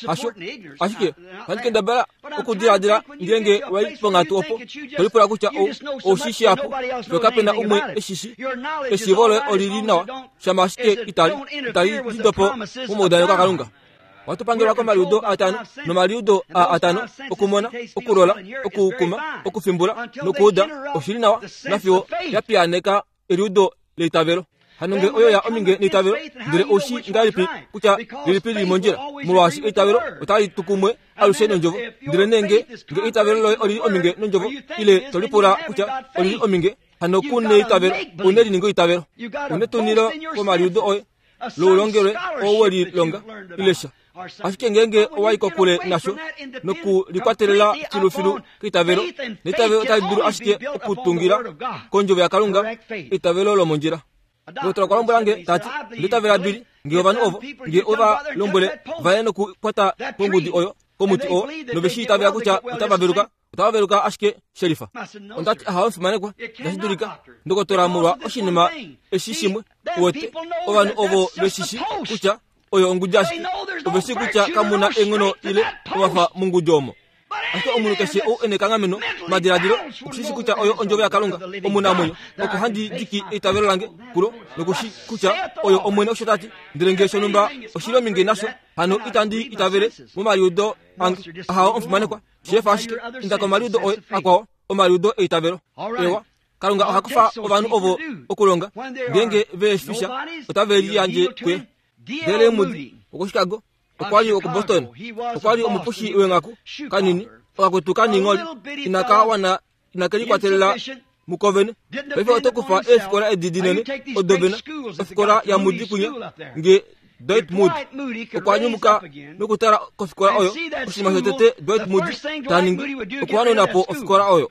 hasho. Ashike ohandi kendabala okudiladila ngeenge wa i ponghatu opo to lipula kutya ou, ou shi shihapu, fiyo kape na umwe e shi shi. Eshiivo loye oli li nawa, shama ashike itali, itali lidopo momaudaneko aKalunga. Ohatu pangelwa komaliudo atano, nomaliudo a atano okumona, okulola, okukuma, okufimbula nokuuda oshi li nawa nafiyo ya piyaaneka eliudo leitavelo. Hano nge oyo ya ominge neitavelo, ndele oushi ngahelipi kutya lilipi lili mondjila? Molwaashi eitavelo otali tu kumwe alushe nondjovo. Ndele nee nge, nge eitavelo loye olili ominge nondjovo, ile to lipula kutya olili ominge, hano ku neitavelo, une li ninga eitavelo. Une tunilo komaliudo oye loulongelwe oo we lilonga, ile sha. Ashike ngeenge owa i kokule nasho nokulikwatelela filufilu keitavelo, neitavelo otali dulu ashike okutungila kondjovo yaKalunga, eitavelo lomondjila. Ndokotola okwa lombwela nge, ta ti, Onda itavela Billy, nge ovanhu ovo, nge ova lombwele va ye nokukwata kongudi oyo, komuti oo, nove shi itavela kutya otava veluka, otava veluka ashike shelifa. Onda ti, Ahawe, mufimanekwa, itashi dulika. Ndokotola, molwa oshinima eshi shimwe, uwete, ovanhu ovo ve shi shi kutya oyo ongudi ashike, ove shii kutya kamu na eenghono ile omafa mongudi omo. Ashike omunhu keshe ou e nekanghameno madiladilo oku shi shi kutya oyo ondjovo yaKalunga omunamwenyo, oko handi diki eitavelo lange kulo, noku shi kutya oyo Omwene osho ta ti. Ndele ngee shonhumba oshi li ominge nasho, hano itandi itavele momaliudo ange. Ahawo, omufimanekwa, sheefa ashike, inda komaliudo oye akwao, omaliudo eitavelo. Ewa. Kalunga oha kufa ovanhu ovo okulonga, ngeenge ve shi sha, otave liyandje kuye. Ndele Moody wokoChicago okwa li wokuBoston, okwa li omupushi weenghaku kanini, okakwetu kaniingholi, inaka wana inake likwatelela muko vene. Paife oto kufa eefikola edi dinene odo vena, ofikola yaMoody kunya, nge Dwight Moody okwa nyumuka nokutala kofikola oyo, oshinima shotete Dwight Moody ta ningi okuhanuna po ofikola oyo.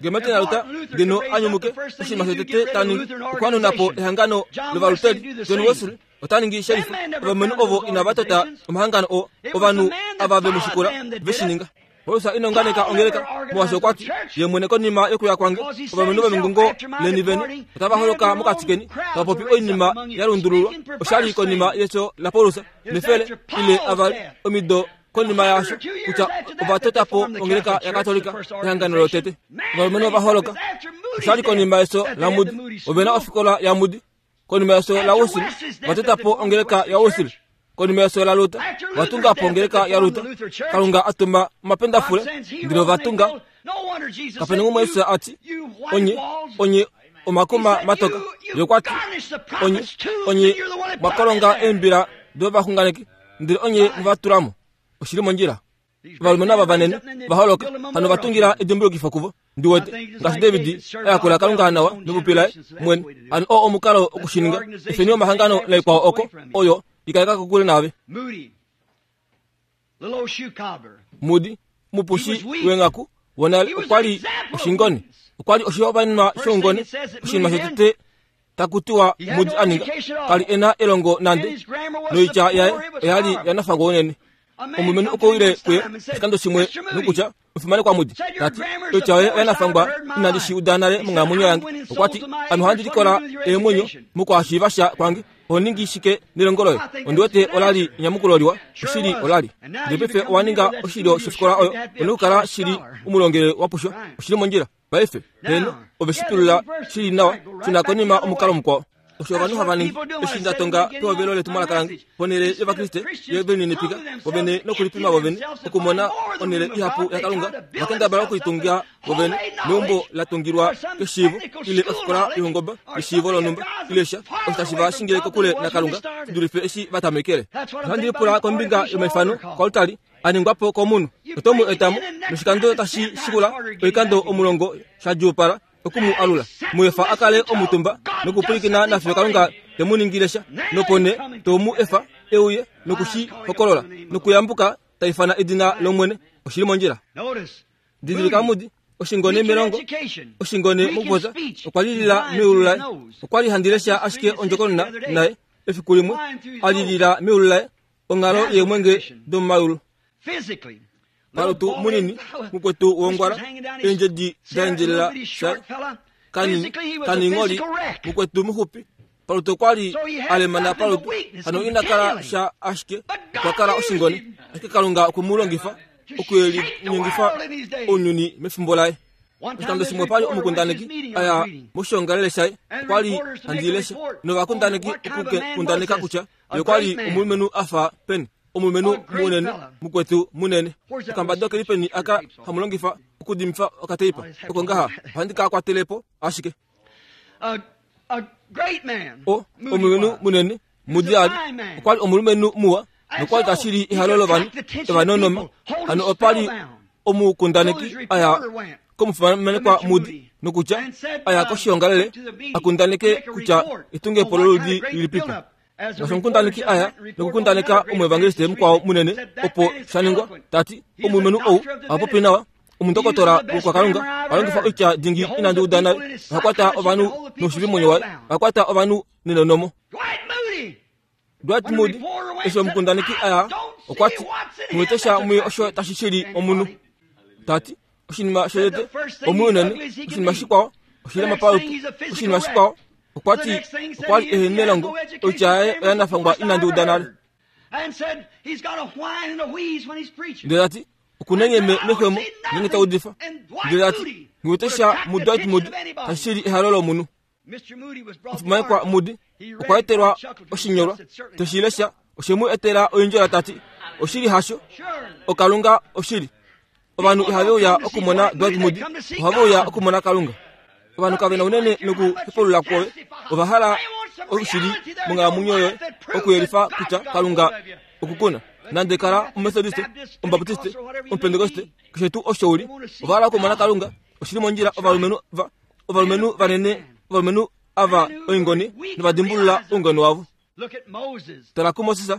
Nge Martin Luther ngeno a nyumuke, oshinima shotete ta ningi okuhanuna po ehangano lOvaluteri. John Wesley ota ningi sherifa. Ovalumenhu ovo inava tota omahangano oo, ovanhu ava ve mu shikula ve shi ninga. Paulus ina unganeka ongeleka, molwaashi okwa ti, Ye mwene konima yokuya kwange, ovalumenhu vomengungo leni vene otava holoka mokati keni, tava popi oinima ya lundululwa. Osha li konima yefyo laPaulus nefele ile avali omido konima yaasho kutya ova tota po ongeleka yaKatolika, ehangano lotete. Ovalumenhu ova holoka. Osha li konima yefyo laMoody, ove na ofikola yaMoody. Konima yefyo laWesley, ova tota po ongeleka yaWesley. Konima yefyo laLuther, ova tunga po ongeleka yaLuther. Kalunga a tuma omapendafule, ndele ova tunga. Kape na umwe Jesus a ti, Onye, onye omakuma matoka. Ye okwa ti, Onye, onye mwa kolonga eembila dovaxunganeki, ndele onye mwe va tula mo. Oshi li mondjila. Ovalumenhu ava vanene va holoka hano va tungila edimbulukifo kuvo. Ndi wete ngaashi David a yakula Kalunga nawa mepupi laye mwene. Hano oo omukalo oku shi ninga. Efeni omahangano naikwao oko, oyo i kaleka kokule naave. Moody, omupushi weenghaku wonale, okwa li oshingone. Okwa li oshihopaenenwa shoungone. Oshinima shotete taku tiwa Moody a ninga, ka li e na elongo nande, noitya yaye oya li ya nafangwa unene. Omulumenhu okwe uyile kuye oshikando shimwe nokutya, Omufimanekwa Moody, ta ti, oitya yoye oya nafangwa inandi shi uda nale monghalamwenyo yange. Okwa ti, Ame ohandi likola eemwenyo mokuhashiiva sha kwange. Oho ningi shike nelongo loye? Ondi wete ola li enyamukulo liwa. Oshili, ola li. Ndele paife owa ninga oshilyo shofikola oyo, u na okukala shili umulongele wa pushwa. Oshi li mondjila. Paife, heeno, ove shi tulula shi li nawa, shuna konima omukalo mukwao. Osho ovanhu hava ningi. Eshi nda tonga pehovelo letumwalaka lange, ponhele yOvakriste ye lininipika vovene nokulipima vovene, okumona onhele ihapu yaKalunga, ova kendabala okulitunga vovene meumbo la tungilwa keshiivo, ile ofikola youngoba yeshiivo lonhumba, ile sha, osho tashi va shingile kokule naKalunga shi dulife eshi va tamekele. Ohandi lipula kombinga yomaifano koaltari a ningwa po komunhu. Oto mu eta mo, noshikando tashi shikula oikando omulongo sha djuupala oku mu alula. Mu efa a kale omutumba nokupwilikina nafiyo Kalunga te mu ningile sha, nopo nee to mu efa e uye noku shi hokolola nokuyambuka ta ifana edina lOmwene. Oshi li mondjila. Didilika Moody, oshingone melongo, oshingone mokupopya, okwa lilila meulu laye. Okwa li handi lesha ashike ondjokonona naye efiku limwe, a lilila meulu laye onghalo yeemwenge domomayulu. Palutu munini, mukwetu wongwala, eendjedi da endjelela shaye, kanini, kaningholi, mukwetu muxupi, palutu okwa li a lemana palutu, hano ina kala sha ashike okwa kala oshingone, ashike Kalunga okwe mu longifa okuyelinyengifa ounyuni mefimbo laye. Oshikando shimwe opa li omukundaneki a ya moshiongalele shaye, okwa li handi lesha novakundaneki okukundaneka kutya ye okwa li omulumenhu a fa peni, omulumenhu munene, mukwetu munene. Okambado keli peni aka hamu longifa okudimifa okateipa oko ngaha? Ohandi ka kwatele po ashike. O omulumenhu munene Moody a li, okwa li omulumenhu muwa nokwa li tashili ehalo lovanhu evanonoma. Hano opa li omukundaneki a ya komufimanekwa Moody nokutya a ya koshiongalele a kundaneke kutya etungepo loludi lilipipo. Ngaashi omukundaneki a ya nokukundaneka omuevangeliste mukwao munene opo sha ningwa, ta ti, Omulumenhu ou oha popi nawa, omundokotola wokwakalunga, oha longifa oitya dingi inandi uda nale, oha kwata ovanhu noushili momwenyo waye, oha kwata ovanhu nenonomo. Dwight Moody, eshi omukundaneki a ya, okwa ti, Nghi wete sha muye osho tashi shili omunhu. Ta ti, Oshinima shotete, omunhu unene. Oshinima shikwao, oshilema palutu. Oshinima shikwao, okwa ti, okwa li ehe nelongo, oitya yaye oya nafangwa inandi uda nale. Ndele ta ti, Oku na enyeme mexwemo ngeenge ta udifa. Ndele ta ti, Nghi wete sha muDwight Moody tashi shili ehalo lomunhu. Omufimanekwa Moody okwa etelwa oshinyolwa te shi lesha oshe mu etela oindjola ta ti, Oshili hasho, oKalunga oshili. Ovanhu ihave uya okumona Dwight Moody, ohave uya okumona Kalunga. Ovanhu kave na unene nokuhepulula kwoye, ova hala oshili monghalamwenyo yoye okuyelifa kutya Kalunga okukuna. Nande kala Omumethodiste, Omubaptiste, Omupentekoste, keshe tuu osho u li, ova hala okumona Kalunga. Oshili mondjila ovalumenhu va ovalumenhu vanene, ovalumenhu ava oingone, novadimbulula oungone wavo. Tala kuMoses,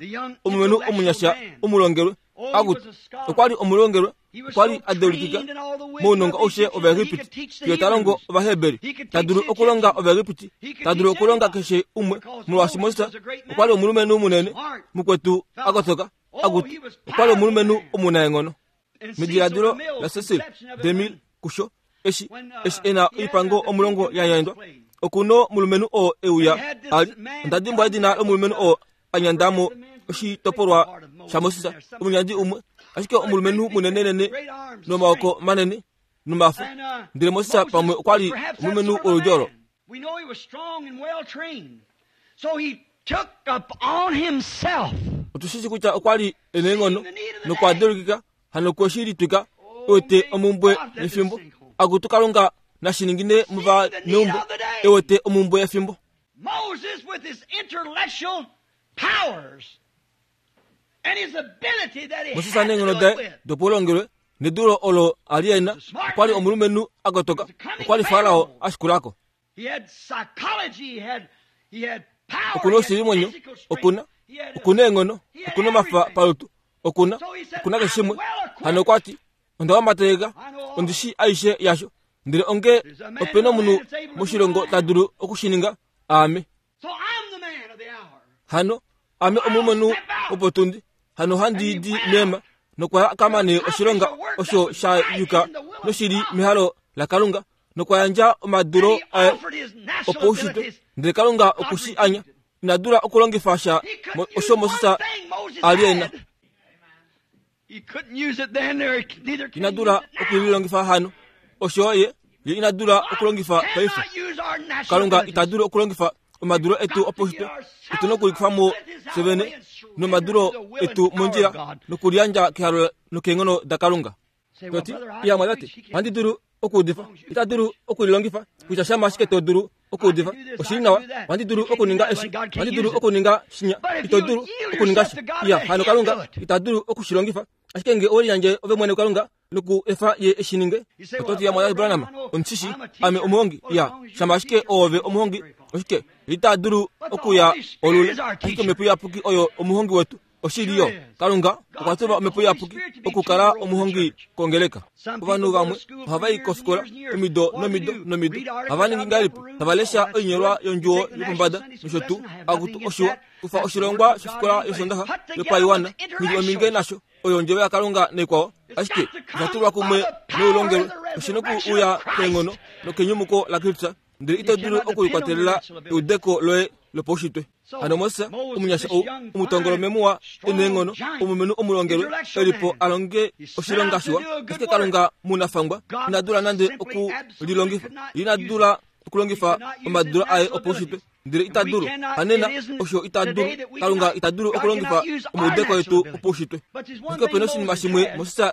omulumenhu omunyasha omulongelwe, akutu, okwa li omulongelwe, okwa li a deulikika mounongo aushe Ovaegipiti, fiyo ta longo Ovaheberi, ta dulu okulonga Ovaegipiti, ta dulu okulonga keshe umwe, molwaashi Moses okwa li omulumenhu munene, mukwetu a kotoka, akutu, okwa li omulumenhu omunaenghono. Mediladilo laCecil DeMille kusho eshi eshi e na oipango omulongo ya yandjwa oku nomulumenhu oo e uya a li onda dimbwa edina lomulumenhu oo a nyanda mo oshitopolwa shaMoses omunyandi umwe ashike omulumenhu munenenene nomaoko manene nomafo ndele Moses pamwe okwa li omulumenhu woludi olo. We know he was strong and well trained. So he took upon himself. Otu shi shi kutya okwa li e na eenghono nokwa deulikika hano kwe shi litwika e wete omumbwe yefimbo. Akutu Kalunga nashi ningine movaneumbo e wete omumbwe yefimbo. Moses with his intellectual powers and his ability that he Moses had to neenghono do it daye with. dopaulongelwe nedulo olo a li e na, okwa li omulumenhu a kotoka, okwa li Farao a shikula ko. He had psychology, he had, he had power, Oku na he had oshilimwenyo, physical strength, oku na he had, oku na eenghono, oku na omafa palutu, oku na oku na keshe shimwe. Hano okwa ti, Onda wambateka, ondi shii aishe yasho, ndele onge ope na omunhu moshilongo ta dulu oku shi ninga, aame. So I'm the man of the hour. Hano ame omulumenhu wopotundi, hano handi di meema, nokwa ka mane oshilonga osho sha yuka noshi li mehalo laKalunga, nokwa yandja omadulo And he aye offered his natural opoushitwe, abilities. ndele Kalunga oku shi anya. Ina dula okulongifa sha He couldn't mo- use osho Moses one thing Moses a li e na. had. He couldn't use it then, or neither can Ina he dula use it now. okulilongifa hano. Osho ye, ye ina dula okulongifa God paife. cannot use our natural Kalunga abilities. ita dulu okulongifa omadulo etu opaushitwe. Otu na okulifa mo fye vene nomadulo etu mondjila nokuliyandja kehalo nokeenghono daKalunga. Say, well, Toti, brother, I iya can mwatate, preach. He can't ohandi dulu okuudifa. Ita dulu okulilongifa kutya shama ashike to dulu okuudifa. Oshili nawa, ohandi dulu okuninga eshi, ohandi dulu okuninga shinya. Ito dulu okuninga shi. Iya, hano Kalunga ita dulu oku shi longifa. Ashike nge owe liyandje ove mwene kuKalunga noku efa ye e shi ninge, oto ti, Iya, mwatate Branham, ondi shi shii, ame omuhongi. Iya, shama ashike oove omuhongi, oshike, ita dulu okuya olule. Ashike Omhepo Iyapuki oyo omuhongi wetu. Oshili yo, Kalunga okwa tuma Omhepo Iyapuki okukala omuhongi kongeleka. Ovanhu vamwe ohava i kofikola omido nomido nomido. Ohava ningi ngahelipi? Tava lesha oinyolwa yondjuwo yopombada nosho tuu. Akutu, oshiwa, kufa oshilongwa shofikola yOsoondaxa yopaiwana, nghili ominge nasho, oyo Ondjovo yaKalunga naikwao. Ashike osha tulwa kumwe noulongelwe, oshi noku uya keenghono nokenyumuko laKristus, ndele ito dulu okulikwatelela eudeko loye lopaushitwe. Hano Moses, omunyasha ou, omutongolome muwa e neenghono, omulumenhu omulongelwe, e li po a longe oshilonga shiwa, ashike Kalunga munafangwa ina dula nande oku lilongifa. Ye ina dula okulongifa omadulo aye opaushitwe, ndele ita dulu. Hanena, osho ita dulu. Kalunga ita dulu okulongifa omaudeko etu opaushitwe. Ashike ope na oshinima shimwe Moses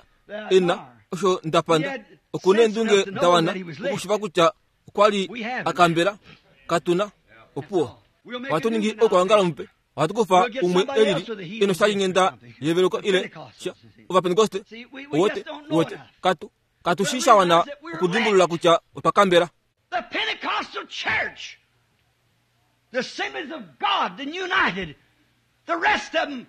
e na, osho nda panda. Oku neendunge da wana okushiva kutya okwa li a kambela. Katu na. Opuwo. Ohatu ningi oukwaongalo mupe. Ohatu kufa umwe elili e noshalinghenda yeveluko ile sha Ovapentekoste. Uwete, uwete, katu, katu shii sha wana okudimbulula kutya otwa kambela. The Pentecostal church, the Assemblies of God, the United, the rest of them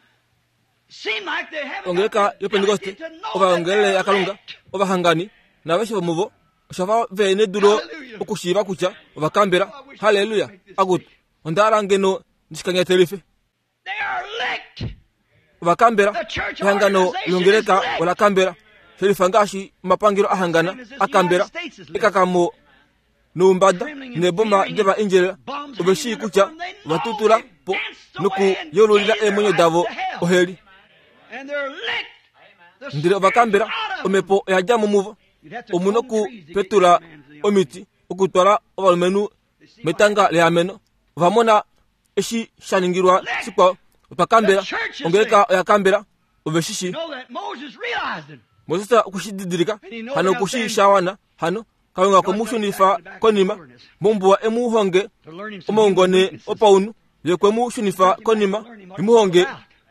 seem like they haven't Ongeleka yoPentekoste, ovaongelele yaKalunga, ovahangani, naaveshe vomuvo, osha fa ve nedulo okushiiva kutya ova kambela. Halleluya! Akutu, onda hala ngeno ndi shi kanyatelife. They are licked. Ova kambela. Ehangano longeleka ola kambela. Shelifa ngaashi omapangelo a hangana a kambela. Ekakamo noumbada neeboma deva endjelela. Ove shii kutya ova tutula po nokuyeululila eemwenyo davo oheli. And they're licked. The Ndele ova kambela. Omhepo oya dja mo muvo. Omu nokupetula omiti okutwala ovalumenhu metanga leameno. Ova mona eshi sha ningilwa shikwao. Otwa kambela. Ongeleka oya kambela. Ove shi shii. Know that Moses realized it. Moses okwe shi didilika. Hano oku shii sha wana. Hano Kalunga okwe mu shunifa konima mombuwa e mu honge To learn him some human omaungone weaknesses. opaunhu. Ye okwe mu shunifa konima e mu honge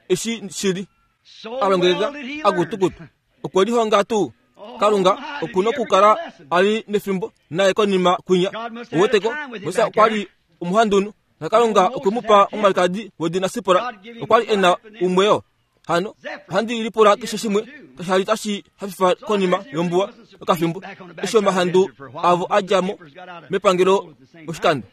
eshi shili. So A well longeleka did he a learn. kutukutu. Okwe lihonga tuu. Kalunga oku nokukala a li nefimbo naye konima kwinya. Uweteko, Moses okwa li omuhandunhu, naKalunga okwe mu pa omwalikadi wedina Sipora. Okwa li e na umwe yo. Hano, ohandi lipula keshe shimwe kasha li tashi hafifa konima yombuwa okafimbo, eshi omahandu avo a dja mo mepangelo oshikando.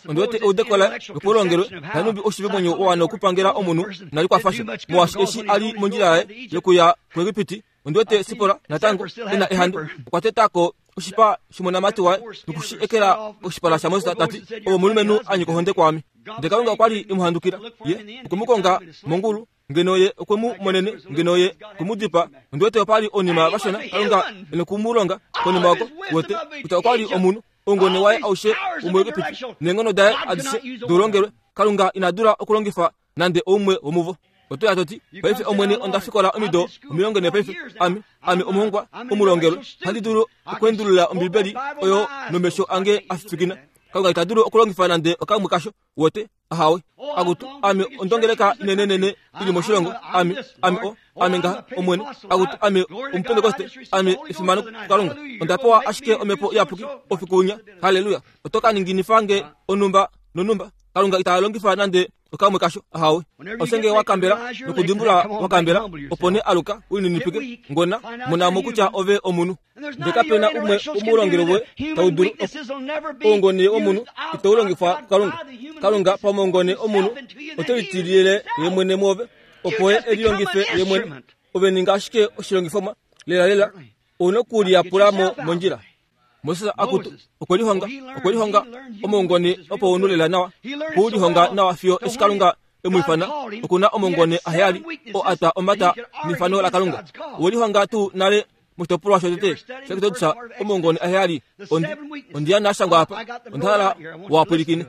Ondi wete eudeko laye lopaulongelwe nanhumbi oshivemwenyo wa wana okupangela omunhu inali kwafa sha, molwaashi eshi a li mondjila yaye yokuya kuEgipiti, ondi wete Sipora natango e na ehandu. Okwa teta ko oshipa shomonamati waye noku shi ekela koshipala shaMoses ta ti, Ove omulumenhu a nyika ohonde kwaame. Ndele Kalunga okwa li e mu handukila. Ye okwe mu konga mongulu, ngeno ye okwe mu monene, ngeno ye okwe mu dipaa. Ondi wete opa li oinima vashona Kalunga e noku mu longa konima oko, uwete, kutya okwa li omunhu. Oungone waye aushe womuEgipiti neenghono daye adishe doulongelwe, Kalunga ina dula okulongifa nande oumwe womuvo. Oto ya to ti, Paife, Omwene, onda fikola omido 40 paife. Ame, ame omuhongwa omulongelwe. Ohandi dulu okweendulula Ombibeli oyo nomesho ange a fifikina. Kalunga ita dulu okulongifa nande okamwe kasho. Uwete? Ahawe. Akutu, ame ondongeleka inenenene i li moshilongo. Ame, ame o, ame ngaha, Omwene. Akutu, ame Omupentekoste. Ame efimano kuKalunga. Onda pewa ashike Omhepo Iyapuki oufiku winya. Halleluya! Oto ka ninginifa nge onhumba nonhumba. Kalunga ita longifa nande okamwe kasho. Ahawe. Ose nge wa kambela nokudimbula wa kambela, opo nee aluka u lininipike. Ngona, mona mo kutya ove omunhu. Ndele kape na umwe womulongelo woye tau dulu oungone womunhu itau longifwa kuKalunga. Kalunga pamaungone omunhu ote litilile ye mwene mwoove, opo ye e lilongife ye mwene. Ove ninga ashike oshilongifomwa lelalela, ou nokuliyapula mo mondjila. Moses akutu okwe lihonga, okwe lihonga omaungone opaunhu lela nawa, okwe u lihonga nawa fiyo eshi Kalunga e mu ifana. Oku na omaungone aheyali oo a twa omhata neifano laKalunga. Owe lihonga tuu nale moshitopolwa shotete shaExodus omaungone aheyali? Ondi, ondi a na shangwa apa, onda hala wa pwilikine.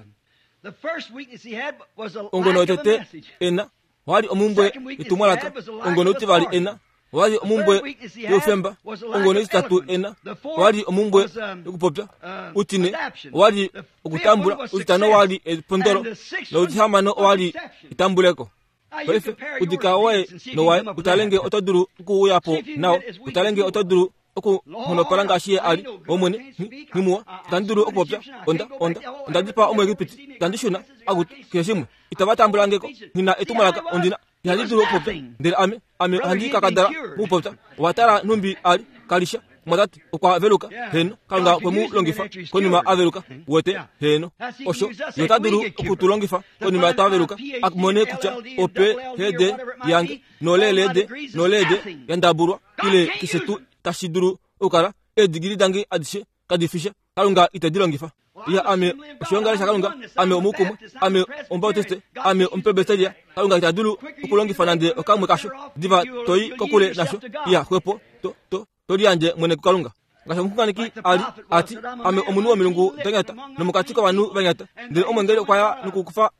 Oungone wotete e na Owali omumbwe yetumwalaka, ongono otivali ena. Owali omumbwe youfemba, ongono ititatu ena. Owali omumbwe yokupopya, utine owali okutambula, utitano owali epondolo, noutihamano owali etambuleko. Paife udika woye nowaye, utale nge oto dulu okuuya po nao, utale nge oto dulu oku nghonopala ngaashi ye a li. Omwene, nghi, nghimuwa, itandi dulu okupopya. Onda, onda, onda dipaa Omuegipiti. Itandi shuna. Akutu, keshe shimwe. Itava tambula nge ko. Nghi na etumwalaka, ondi na. Ihandi dulu okupopya. Ndele ame, ame ohandi kakadala mokupopya. Owa tala nhumbi a li, ka li sha. Omwatate, okwa veluka. Heeno, Kalunga okwe mu longifa konima a veluka. Uwete? Heeno. Osho, Ye ota dulu oku tu longifa konima twa veluka, a mone kutya oPhD yange nolelede nolede ya ndabulwa ile keshe tuu tashi dulu okukala, eedigili dange adishe kadi fi sha. Kalunga ite di longifa. Iya, ame oshiongalele shaKalunga, ame omukumwe, ame Omubautiste, ame Omupresbiteria. Kalunga ita dulu okulongifa nande okamwe kasho. Diva to i kokule nasho. Iya, xwepo to, to, to liyandje mwene kuKalunga. Ngaashi omuxunganeki a li a ti, Ame omunhu womilungu da nyata, nomokati kovanhu va nyata. Ndele omweengeli okwa ya nokukufa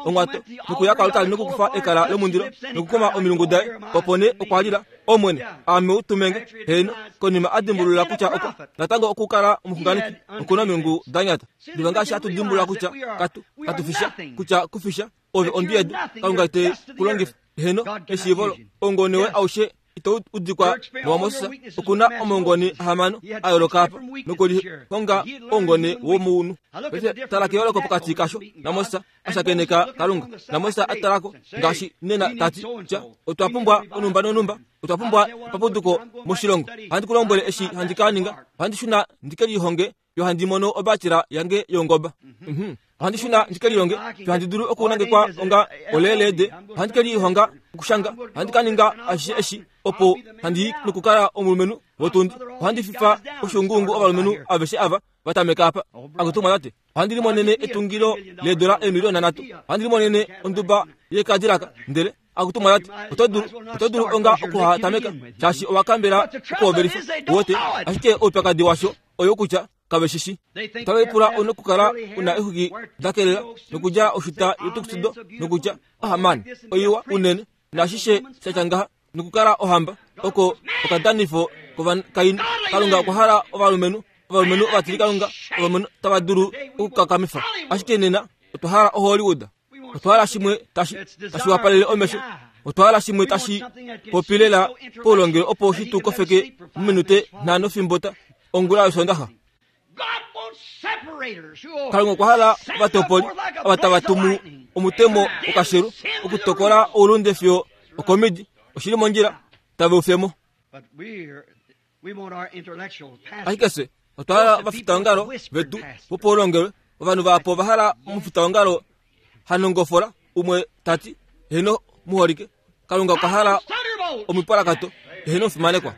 onghwato, nokuya koaltari nokukufa ekala lomundilo, nokukoma omilungu daye. Opo nee okwa lila. Omwene, aame u tumenge. Heeno, konima a dimbulula kutya okwa natango okukala omuxunganeki, oku na omilungu da nyata. Diva ngaashi hatu dimbulula kutya katu, katu fisha, kutya ku fisha, ove ondwi yedu, Kalunga ite ku longifa. Heeno, eshiivo oungone woye aushe ito udikwa nowaMoses oku na omaungone ahamano a yooloka apa nokulihonga oungone womounhu. Paife tala keyooloko pokati kasho naMoses a shakeneka Kalunga, naMoses a tala ko ngaashi nena ta ti, Tya, otwa pumbwa onhumba nonhumba, otwa pumbwa epapuduko moshilongo. Ohandi ku lombwele eshi handi ka ninga, ohandi shuna ndi ke lihonge yo handi mono obatila yange yongoba. Mhm. Ohandi shuna ndi ke lilonge yo handi dulu okunangekwa onga oleelede. Ohandi ke lihonga okushanga. Ohandi ka ninga ashishe eshi opo handi yi nokukala omulumenhu wotundi. Ohandi fifa oshuunguungu ovalumenhu aveshe ava va tameka apa. Akutu mwatate, ohandi limonene etungilo leedola eemiliona nhatu. Ohandi limonene onduba yekadilaka. Ndele Akutu mwalati, oto dulu, oto dulu onga okuhatameka, shaashi owa kambela okuhovelifa. Uwete? Ashike oupyakadi washo oyo kutya kave shi shi. Otave pula u nokukala u na exwiki da kelela, nokudjala oshuta yotuxudo, nokutya, Ahamani, oiwa unene, naashishe sha tya ngaha, nokukala ohamba. Oko okadanifo kovakainhu. Kalunga okwa hala ovalumenhu, ovalumenhu ovatilikalunga, ovalumenhu tava dulu okukakamifa. Ashike nena otwa hala oHollywood. Otwa hala shimwe tashi tashi wapalele omesho. Otwa hala shimwe tashi popi lela poulongelo opo shi tu kofeke mominute nhano fimbo ta ongula yOsoondaxa. Kalunga okwa hala ovatopoli ava tava tumu omutemo wokashelu okutokola oulunde fiyo okomidi. Oshi li mondjila, tave u fye mo. Ashike fye otwa hala ovafitaongalo vetu vopaulongelwe. Ovanhu vahapu ova hala omufitaongalo ha nongofola umwe ta ti, Heeno, muholike, Kalunga okwa hala omipwalakato. Heeno, omufimanekwa.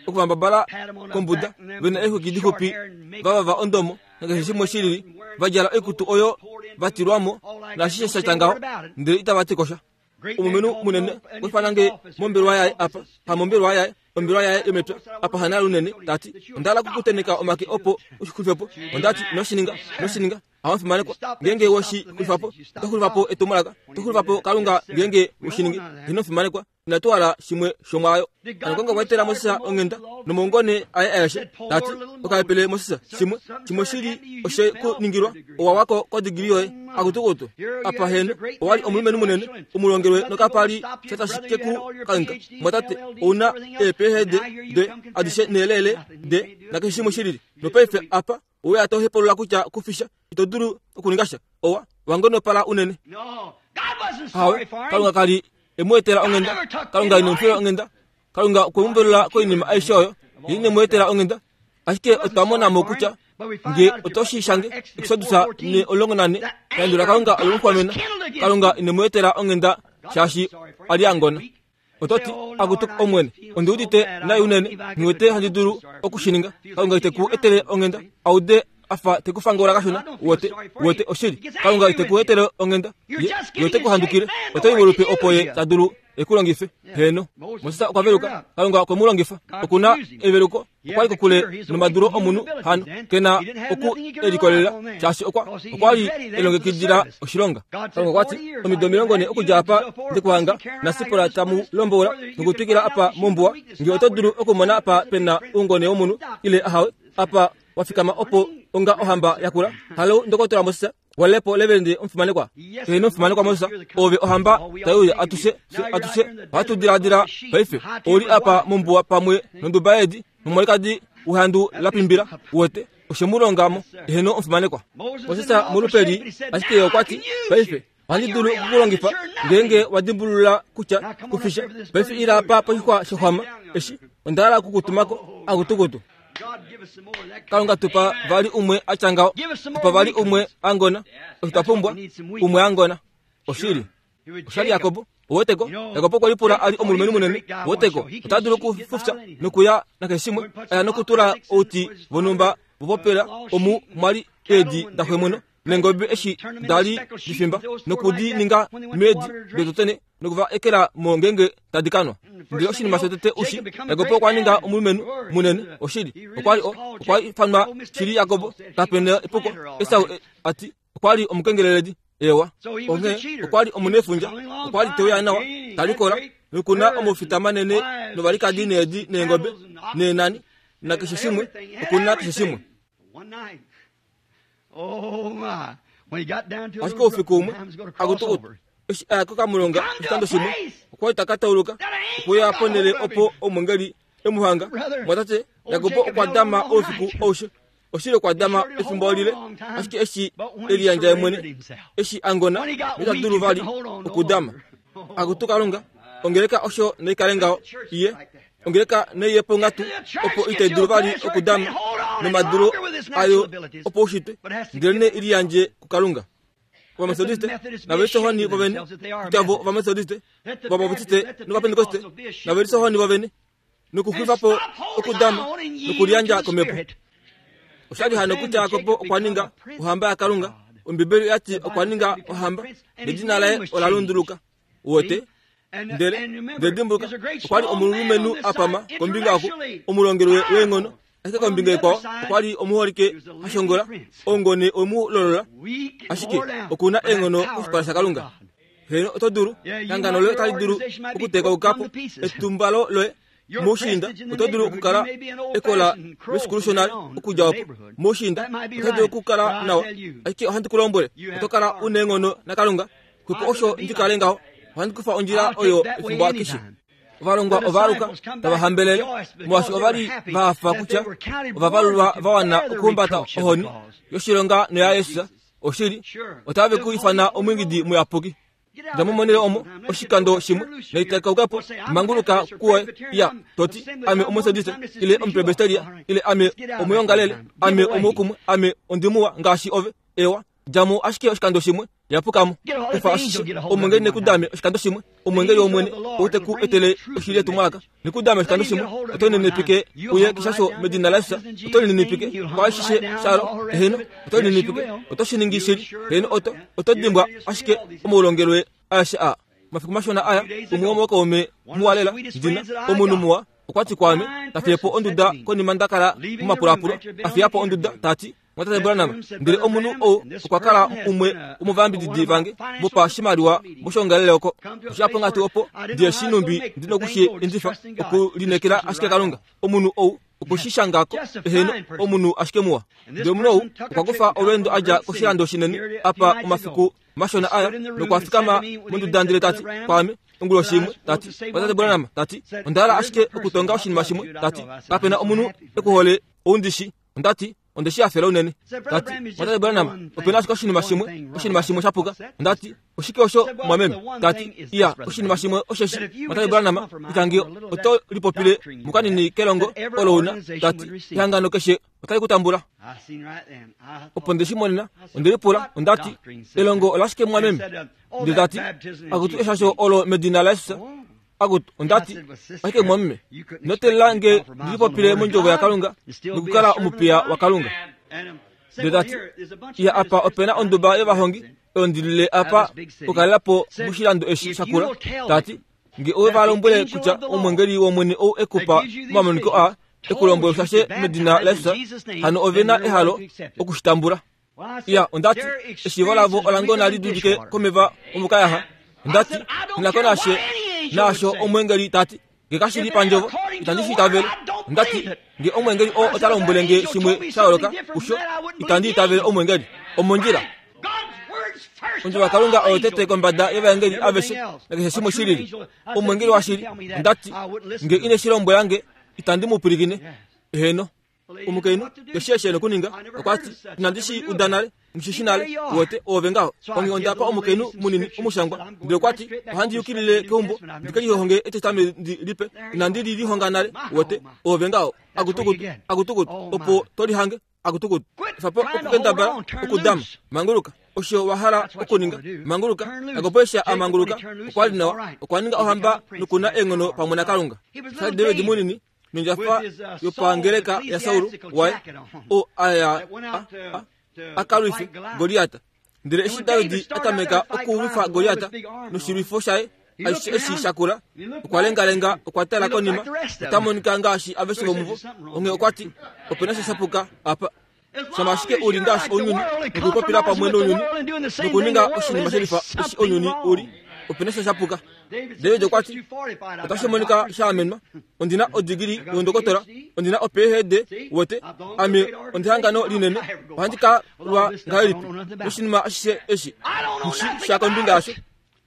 Okuvambabala kombuda, ve na eexwiki dixupi, va vava ondomo, nakeshe shimwe shi lili, va djala oikutu oyo va tilwa mo, naashishe sha tya ngaho, ndele itava ti ko sha. Omulumenhu munene okwa ifana nge mombelewa yaye apa, ha mombelewa yaye, ombelewa yaye yomepya, apa ha nale unene, ta ti, Onda hala okukuteneka omake opo u shi xulife po. Onda ti, Ino shi ninga, ino shi ninga. Hawafimanekwa, ngeenge we shi xulifa po, oto xulifa po etumwalaka, oto xulifa po Kalunga ngeenge we shi ningi. Ino fimanekwa. Inatu hala shimwe shomwaayo. Hano Kalunga okwa etela Moses onghenda nomaungone aye aeshe, ta ti, Okahepele Moses, shimwe, shimwe shili oshe ku ningilwa, owa wako kodigili yoye, akutukutu. Apa heno, owa li omulumenhu munene, umulongelwe nokapa li sha tashi ke ku kangheka. Mwatate, ou na eePhD de adishe neelele de nakeshe shimwe shilili. Nopaife apa owe ya to hepalula kutya ku fi sha, ito dulu okuninga sha. Owa, wa ngonopala unene. Ahawe, Kalunga ka li e mu etela onghenda. Kalunga ine mu fila onghenda. Kalunga okwe mu velula koinima aishe oyo. Ye ine mu etela onghenda. Ashike otwa mona mo kutya nge oto shi shange Exodus 14, ehandu laKalunga ole mu xwamena. Kalunga ine mu etela onghenda shaashi a li a ngona. Oto ti, Akutu Omwene, ondi udite nai unene, nghi wete handi dulu oku shi ninga. Kalunga ite ku etele onghenda, a ude a fa te ku fangola kashona. Uwete, uwete, oshili. Kalunga ite ku etele onghenda. Ye, ye ote ku handukile. Oto i molupe opo ye ta dulu e ku longife. Heeno. Moses okwa veluka. Kalunga okwe mu longifa. Oku na eveluko. Okwa li kokule nomadulo omunhu hano ke na oku e likolelela, shaashi okwa, okwa li e longekidila oshilonga. Kalunga okwa ti, Omido 40 okudja apa nde ku hanga, naSipora ta mu lombola nokutwikila apa mombuwa, nge oto dulu okumona apa pe na oungone womunhu ile ahawe, apa wa fikama opo onga ohamba yakula. Halo, Ndokotola Moses. Walepo levelende omufimanekwa. Heeno omufimanekwa Moses, ove ohamba tai uya atushe, fye atushe ohatu diladila paife. Ou li apa mombuwa pamwe nonduba yeedi nomwalikadi wehandu la pimbila, uwete, oshe mu longa mo. Heeno omufimanekwa. Moses molupeli, ashike ye okwa ti, Paife, ohandi dulu oku ku longifa ngeenge wa dimbulula kutya ku fi sha. Paife ila apa poshixwa shexwama eshi, onda hala oku ku tuma ko, akutukutu. Kalunga tupa vali umwe a tya ngaho, tupa vali umwe a ngona. Osho twa pumbwa, umwe a ngona. Oshili. Osha li Jakob. Uweteko, Jakob okwe lipula a li omulumenhu munene. Uweteko, ota dulu okufufya nokuya nakeshe shimwe, a ya nokutula outi vonhumba vopopela omu mwa li eedi daxwemweno neengobe eshi da li difimba, noku di ninga meedi dototene noku va ekela mo ngeenge tadi ka nwa. Ndele oshinima shotete ushi, Jakob okwa ninga omulumenhu munene. Oshili, okwa li o, okwa ifanwa shili Jakob, kape na epuko. Esau a ti, okwa li omukengeleledi. Ewa. Onghee okwa li omunefundja, okwa li te uya nawa, ta likola. Noku na omufita manene novalikadi needi neengobe neenani nakeshe shimwe, oku na keshe shimwe. Ashike oufiku umwe, akutukutu, eshi a ya kokamulonga oshikando shimwe, okwa li ta ka tauluka okuya ponhele opo omwengeli e mu hanga. Mwatate, Jakob okwa dama oufiku aushe. Oshili okwa dama efimbo lile, ashike eshi e liyandja ye mwene, eshi a ngona, noita dulu vali okudama. Akutu Kalunga, ongeleka osho naikale ngaho, iye. Ongeleka naiye ponghatu opo itai dulu vali okudama nomadulu ayo opaushitwe, ndelenee i liyandje kuKalunga. Ovametodiste nave lisohoni vovene, kutya vo Ovametodiste, Ovabaptiste nOvapentekoste nave lisohoni vovene, nokuxwifa po okudama nokuliyandja komhepo. Osha li hano kutya Jakob okwa ninga ohamba yaKalunga. Ombibeli oya ti okwa ninga ohamba, nedina laye ola lunduluka. Uwete? Ndele, ndele dimbuluka, okwa li omulumenhu a pama kombinga oku, omulongelwe weenghono, ashike kombinga ikwao okwa li omuholike ha shongola, oungone we mu lolola, ashike oku na eenghono koshipala shaKalunga. Heeno, oto dulu. Ehangano loye otali dulu okutekauka po. Etumbalo loye moushiinda oto dulu okukala ekola loshikulu shonale okudja opo. Moushiinda oto dulu okukala nawa. Ashike ohandi ku lombwele, oto kala u neenghono naKalunga. Xwepo osho ndi kale ngaho. Ohandi kufa ondjila oyo efimbo akeshe. Ovalongwa ova aluka tava hambelele molwaashi ova li va hafa kutya ova valulwa va wana okuhumbata ohoni yoshilonga noyaJesus. Oshili, otave ku ifana omwiingidi muyapuki. Dja mo monhele omo oshikando shimwe noitakauka po, manguluka kuoye, ya, to ti, Ame Omumetodiste, ile Omupresbiteria, ile ame omuyongalele, ame omuukumwe, ame ondimuwa ngaashi ove. Ewa, dja mo ashike oshikando shimwe, yapuka mo. Kufa ashishe, omwengeli ne ku dame oshikando shimwe, omwengeli wOmwene ou te ku etele oshili yetumwalaka. Ne ku dame oshikando shimwe, oto lininipike uye keshasho medina laJesus, oto lininipike kwaashishe shalo, eheno, oto lininipike, oto shi ningi shili, heeno, oto, oto dimbwa ashike omaulongelwe aeshe aa. Omafiku mashona aya, umwe womookaume muwa lela, ndina, omunhu muwa, okwa ti kwaame, ta fiye po onduda konima nda kala momapulaapulo, a fiya po onduda, ta ti, Mwatate Branham, ndele omunhu ou okwa kala umwe womovayambididi vange vopashimaliwa moshoongalele oko. Osha ponga tuu opo ndiye shi numbi ndi noku shi endifa, okulineekela ashike Kalunga. Omunhu ou okwe shi shanga ko, eheno, omunhu ashike muwa. Ndele omunhu ou okwa kufa olweendo a dja koshilando shinene apa omafiku mashona aya, nokwa fikama monduda ndele ta ti kwaame, onguloshi imwe, ta ti, Mwatate Branham, ta ti, onda hala ashike okutonga oshinima shimwe, ta ti, kape na omunhu e ku hole ou ndi shi. Onda ti, Onde shi hafela unene. Ta ti, Mwatate Branham, ope na ashike oshinima shimwe, oshinima shimwe sha puka. Onda ti, Oshike osho, mwameme? Ta ti, Iya, oshinima shimwe osheshi, Mwatate Branham, kutya nge oto lipopile mukanini kelongo olo u na, ta ti, ehangano keshe otali ku tambula. Opo nde shi monena, onde lipula, onda ti, Elongo olashike, mwameme? Ndele ta ti, Akutu eshasho olo medina laJesus. Akutu, onda ti, ashike mwameme, ino teelela nge ndi lipopile mondjovo yaKalunga nokukala omupiya waKalunga. Ndele ta ti, Iya apa ope na onduba yovahongi oyo ndi lile apa okukalela po moshilando eshi shakula. Ta ti, Nge owe va lombwele kutya omwengeli wOmwene ou e ku pa omamoniko aa, e ku lombwele ushashe medina laJesus, hano ove na ehalo oku shi tambula. Iya, onda ti, eshiivo lavo ola ngona li dulike komeva omokayaha. Onda ti, Nghi ko nashe naasho omweengeli ta ti. Nge kashi li pandjovo, itandi shi itavele. Onda ti, Nge omweengeli oo ota lombwele nge shimwe sha yooloka kusho, itandi itavele omweengeli. Omondjila. Ondjovo yaKalunga oyo tete kombada yovaengeli aveshe nakeshe shimwe shi lili. Omweengeli washili, onda ti, nge ine shi lombwela nge, itandi mu pwilikine. Eheno. Omukainhu eshi eshi e nokuninga, okwa ti, Inandi shi uda nale, nghi shi nale, uwete, oove ngaho. Onghee onda pa omukainhu munini omushangwa, ndele okwa ti, Ohandi yukilile keumbo ndi ke lihonge etestamenti lipe. Inandi li lihonga nale, uwete, oove ngaho. Akutukutu, akutukutu, opo to lihange, akutukutu. Efa po okukendabala okudama, manguluka. Osho wa hala okuninga, manguluka. Jakob eshi a manguluka, okwa li nawa, okwa ninga ohamba noku na eenghono pamwe naKalunga. Osha li David munini nondjafa yopangeleka yaSaul waye oo a ya a ka lwife Goliat. Ndele eshi David a tameka okulwifa Goliat noshilwifo shaye aishe eshi sha kula, okwa lengalenga, okwa tala konima, ota monika ngaashi aveshe vomuvo. Onghee okwa ti, Ope na sha sha puka apa. Shama ashike u li ngaashi ounyuni, nokupopila pamwe nounyuni, nokuninga oshinima shelifa eshi ounyuni u li. Ope na sha shapuka. David okwa ti, Otashi monika sha amenwa. Ondi na odigili youndokotola. Ondi na o-PhD, wote. Ame ondi hangano linene. Ohandi ka lwa ngahelipi noshinima ashishe eshi? Nghi shi sha kombinga yasho.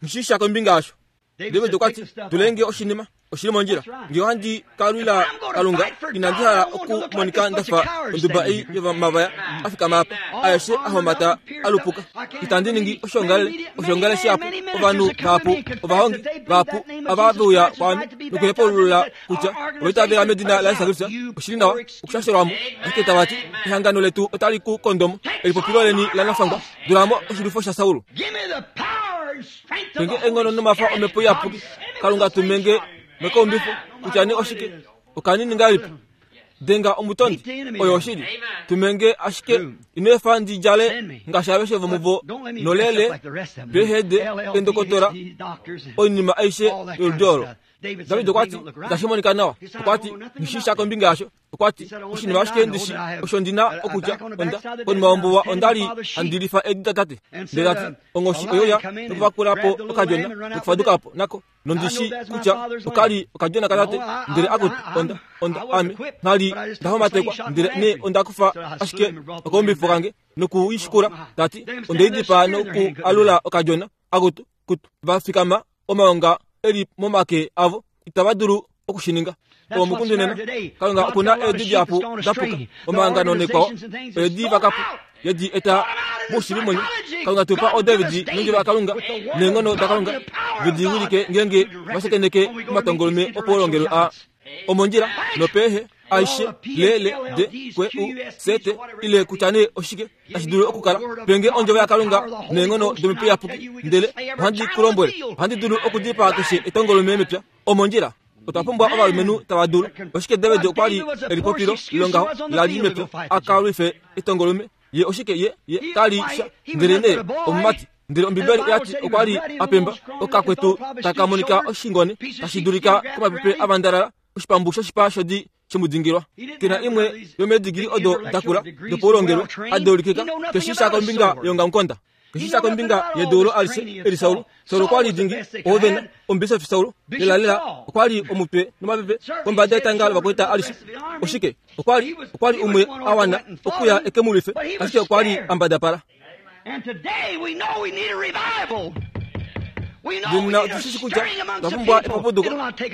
Nghi shi sha kombinga yasho. David okwa ti, Tulenge oshinima. Oshi li mondjila. Nge ohandi ka lwila Kalunga, inandi hala okumonika nda fa onduba ei yomavaya a fikama apa, aeshe a homata a lupuka. Itandi ningi oshoongalele, oshoongalele shihapu, ovanhu vahapu, ovahongi vahapu ava ve uya kwaame nokuhepaulula kutya ova itavela medina laJesus Kristus. Oshi li nawa okushashelwa mo, ashike tava ti, Ehangano letu otali ku kondo mo, elipopilo leni lanafangwa, dula mo oshilwifo shaSaul. Penge eenghono nomafa omhepo iyapuki. Kalunga tumenge mekaumbifo kutya nee oshike okanini ngahelipi. Denga omutondi, oyo oshili. Tumenge ashike ino efa ndi djale ngaashi aveshe vomuvo nolele, PhD, eendokotola, oinima aishe yoludi olo. David okwa ti, Itashi monika nawa. Okwa ti, Nghi shii sha kombinga yasho. Okwa ti, Oshinima ashike ndi shi osho ndi na okutya, onda, konima yombuwa onda li handi lifa eedi datate. Ndele ta ti, Onghoshi oyo ya nokuvakula po okadjona nokufaduka po nako, nondi shi kutya oka li okadjona katate. Ndele akutu, onda, onda, ame, ngha li nda homatekwa, ndele nee onda kufa ashike okaumbifo kange noku i shikula. Ta ti, Onde i dipaa noku alula okadjona. Akutu, kutu, va fikama omaonga e li momake avo, itava dulu oku shi ninga. Omukundu nena, Kalunga oku na eedi dihapu da puka, omahangano naikwao, eedi vakapu ye di eta moushili mwenyo. Kalunga tu pa oDavid nondjila yaKalunga neenghono daKalunga ve di wilike ngeenge va shakeneke omatongolume opoulongelwe aa. Omondjila nopehe aishe le le de kwe u se te ile kutya nee oshike tashi dulu okukala penge ondjovo yaKalunga neenghono domhepo iyapuki ndele ohandi ku lombwele ohandi dulu okudipaa keshe etongolume mepya omondjila. Otwa pumbwa ovalumenhu tava dulu. Oshike David okwa li elipopilo longaho la li mepya a ka lwife etongolume? Ye oshike ye ye ka li sha ndele nee omumati. Ndele Ombibeli oya ti okwa li a pemba okakwetu taka monika oshingone tashi dulika komapepe a vandalala oshipambu shoshipa shodi shemudingilwa. Ke na imwe yomeedigili odo da kula dopaulongelwe a deulikika keshi sha kombinga yeongamukonda. Keshi sha kombinga yedeulo alishe eli Saul. Saul okwa li dingi, oovena, omubisofi Saul, lelalela okwa li omutwe nomapepe kombada yetanga lovakwaita alishe. Oshike? Okwa li, okwa li umwe a wana okuya e ke mu lwife, ashike okwa li a mbadapala. Nena otu shi shi kutya otwa pumbwa epapuduko,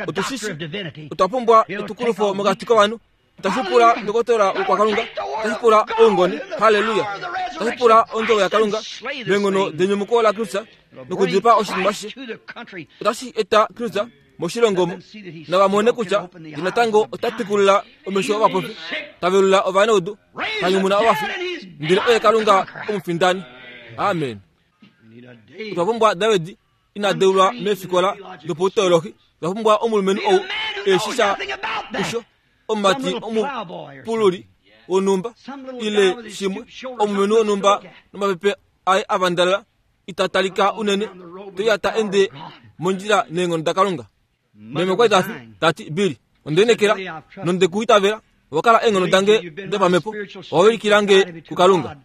otu shi shi otwa pumbwa etukulufo mokati kovanhu. Otashi pula ndokotola wokwakalunga, otashi pula oungone, haleluya, otashi pula ondjovo yaKalunga meenghono denyumuko laKristus nokudipaa oshinima ashishe. Otashi eta Kristus moshilongo omo nava mone kutya ye natango ota twikulula omesho ovapofi, ta velula ovanaudu, ta nyumuna ovafi, ndele oye Kalunga omufindani. Amen. Otwa pumbwa David ina deulwa meefikola dopautolohi. Otwa pumbwa omulumenhu ou e shi sha kusho, omumati omupululi wonhumba ile shimwe, omulumenhu wonhumba nomapepe aye a vandalala ita talika unene toya ta ende mondjila neenghono daKalunga. Meme okwa li ta fi, ta ti, Billy, onde lineekela nonde ku itavela. Owa kala eenghono dange dopamhepo. Owa wilikila nge kuKalunga.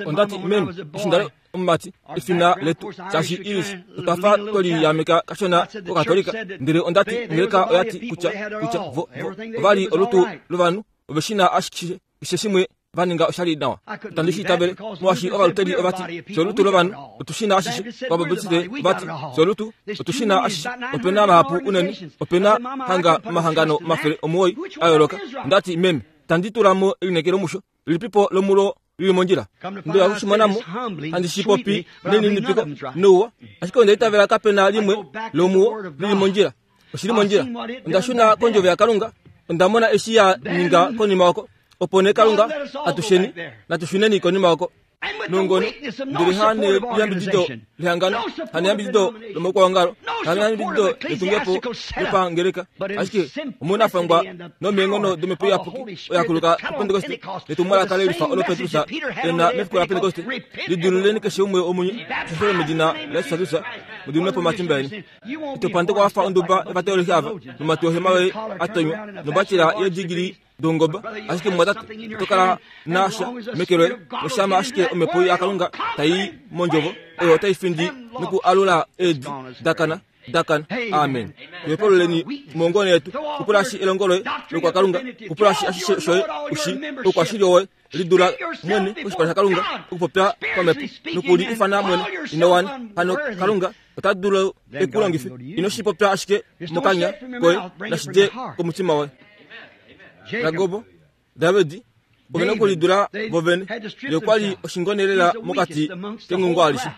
Onda ti, Meme, eshi nda li omumati, efina letu, shaashi Irish, otwa fa twe liyameka kashona kOkatolika. Ndele onda ti, Ongeleka oya ti kutya, kutya vo, vo, ova li olutu lovanhu, ove shi na ashishe, keshe shimwe va ninga osha li nawa. Itandi shi itavele, molwaashi Ovaluteri ova ti, Fye olutu lovanhu, otu shi na ashishe. Ovabaptiste ova ti, Fye olutu, otu shi na ashishe. Ope na mahapu unene, ope na hanga omahangano 900 a yooloka. Onda ti, Meme, itandi tula mo elineekelo musho. Lilipipo lomulo li li mondjila? Ndoya oku shi mona mo, handi shi popi nelininipiko nouwa, ashike onda itavela kape na limwe lomuwo li li mondjila. Oshi li mondjila. Onda shuna kOndjovo yaKalunga. Onda mona eshi ya ninga konima oko. Opo nee Kalunga, atusheni, natu shuneni konima oko. Nongono, ndele ha neyambidido lehangano, ha neyambidido lomaukwaongalo, ha neyambidido letungepo lopangeleka, ashike omunafangwa nomeenghono domhepo iyapuki oya kuluka kuPentekoste netumwalaka lelifa olo Petrus e na mefiku laPentekoste, lidiluleni keshe umwe womunye, shashele medina laJesus Kristus, mu diminwe po omatimba eni. Ito pandekwa wa fa onduba yovateolohi ava, nomatwi ohema yoye a tonywa, nombapila yeedigili. doungoba. Ashike mumwatate, oto kala na sha meke loye, noshama ashike Omhepo yaKalunga tai i mOndjovo, oyo otai findi nokualula eedi da kana, da kana. Amen. Tuhepaluleni mongone yetu. Kupulashi elongo loye lokwakalunga, kupulashi ashishe shoye u shii, oukwashili woye. Lidula mwene koshipala shaKalunga okupopya pamhepo noku li ifana mwene ino wana. Hano Kalunga ota dulu e ku longife. Ino shi popya ashike mokanya koye, nashi dje komutima woye. Jakob, David, ove na okulidula vo vene. Ye okwa li oshingone lela mokati kengungo alishe.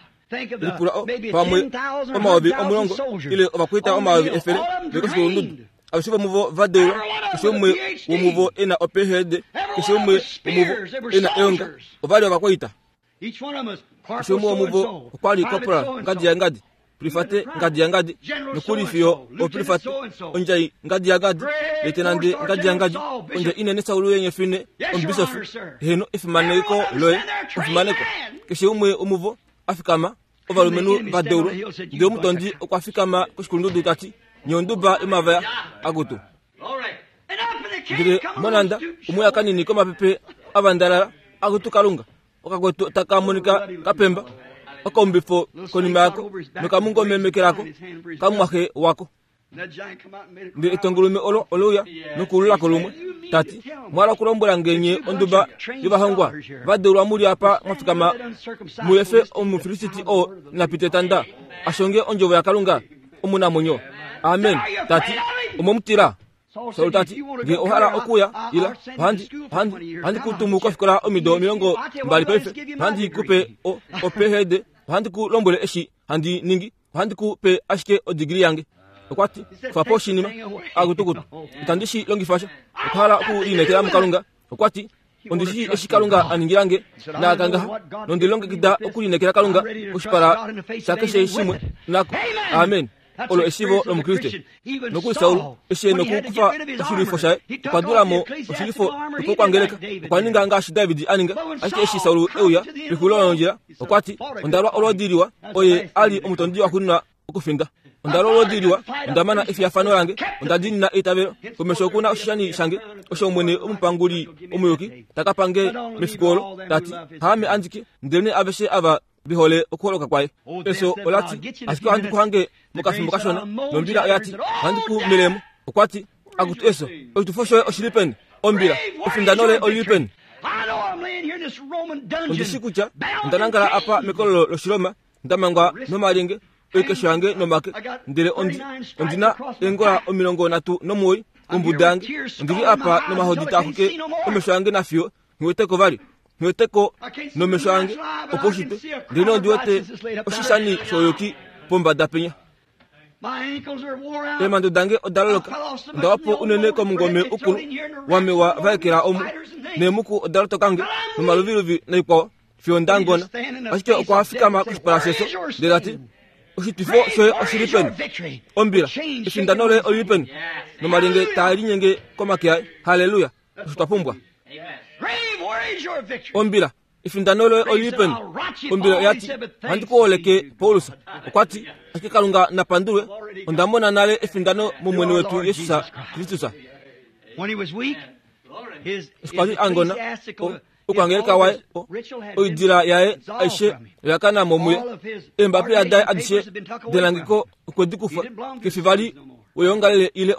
Lipula o, pamwe 10,000 ile ovakwaita 100,000 ve koshikulundudu. Aveshe vomuvo va deulwa, keshe umwe womuvo e na oPhD, keshe umwe womuvo e na eonga. Ova li ovakwaita. Keshe umwe womuvo okwa li corporal ngadi yangadi, prifate ngadi yangadi, nokuli fiyo oprifate, ondjai ngadi yangadi, letenande ngadi yangadi, ondjai inene Saulu yenyefine, omubisofi. Heeno, efimaneko loye, efimaneko. Keshe umwe womuvo a fikama, ovalumenhu va deulwa. Ndele omutondi okwa fikama koshikulundudu ta ti, Nye onduba yomavaya akutu. Ndele monhanda omwe ya kanini komapepe a vandalala, akutu Kalunga, okakwetu taka monika ka pemba, okaumbifo konima yako nokamungome meke lako kamumwaxe wako. Ndele etongolume olo ole uya nokuulula ko lumwe, ta ti, Mwa okulombwela nge nye onduba yovahongwa va deulwa mu li apa mwa fikama mu efe Omufilisiti oo ina pita etanda a shonge ondjovo yaKalunga omunamwenyo? Amen. Ta ti, Omwe mu tila? Saul ta ti, Nge owa hala okuya, ila, ohandi, ohandi, ohandi ku tumu kofikola omido 20 paife, ohandi ku pe o, oPhD, ohandi ku lombwele eshi handi ningi. Ohandi ku pe ashike odigili yange. Okwa ti, Kufa po oshinima. Akutukutu. Itandi shi longifa sha. Okwa hala okulineekela muKalunga. Okwa ti, Ondi shii eshi Kalunga a ningila nge, naaka ngaha, nondi longekida okulineekela Kalunga koshipala shakeshe shimwe nako. Amen. Olo eshiivo lOmukriste. Nokuli Saul, eshi e nokukufa oshilwifo shaye, okwa dula mo oshilwifo shopokwangeleka. Okwa ninga ngaashi David a ninga. Ashike eshi Saul e uya pexulilo londjila, okwa ti, Onda lwa olwoodi liwa. Oye a li omutondi waxuuninwa okufinda. Onda lwa olwoodi liwa, onda mana efiyafano lange, onda diinina eitavelo. Komesho oku na oshishani shange, osho Omwene omupanguli omuyuki ta ka pa nge mefiku olo, ta ti, Haame andike, ndelenee aveshe ava ve hole okuholoka kwaye. Efyo ola ti, Ashike ohandi ku hange mokafimbo kashona. Nombila oya ti, Ohandi ku mele mo. Okwa ti, Akutu efyo, oshitufo shoye oshi li peni? Ombila, efindano loye oli li peni? Ondi shii kutya onda nangala apa mekololo lOshiroma, nda mangwa nomalyenge, oikesho yange nomake, ndele ondi, ondi na eengola 39 kombuda yange. Ondi li apa nomahodi taa xuke omesho ange nafiyo nghi wete ko vali. Nghi wete ko nomesho ange opaushitwe, ndele ondi wete oshishani shouyuki pombada penya. Eemhando dange oda loloka, onda wa po unene komungome ukulu wamewa va ekela omu, neemuku oda lotoka nge, nomaluviluvi naikwao, fiyo nda ngona. Ashike okwa fikama koshipala shefyo, ndele ta ti, Oshitwifo shoye oshi li peni? Ombila, efindano loye oli li peni? Nomalyenge taa linyenge komake aye. Halleluya! Osho twa pumbwa. Ombila, efindano loye oli li peni? Ombila oya ti, Ohandi ku holeke, Paulus. Okwa ti, Ashike Kalunga na pandulwe, onda mona nale efindano mOmwene wetu Jesus Kristus. Eshi kwa li a ngona, okwangeleka waye, oidila yaye aishe oya kana mo muye. Eembapila daye adishe delangeko okwe di kufa. Kefi vali weyoongalele ile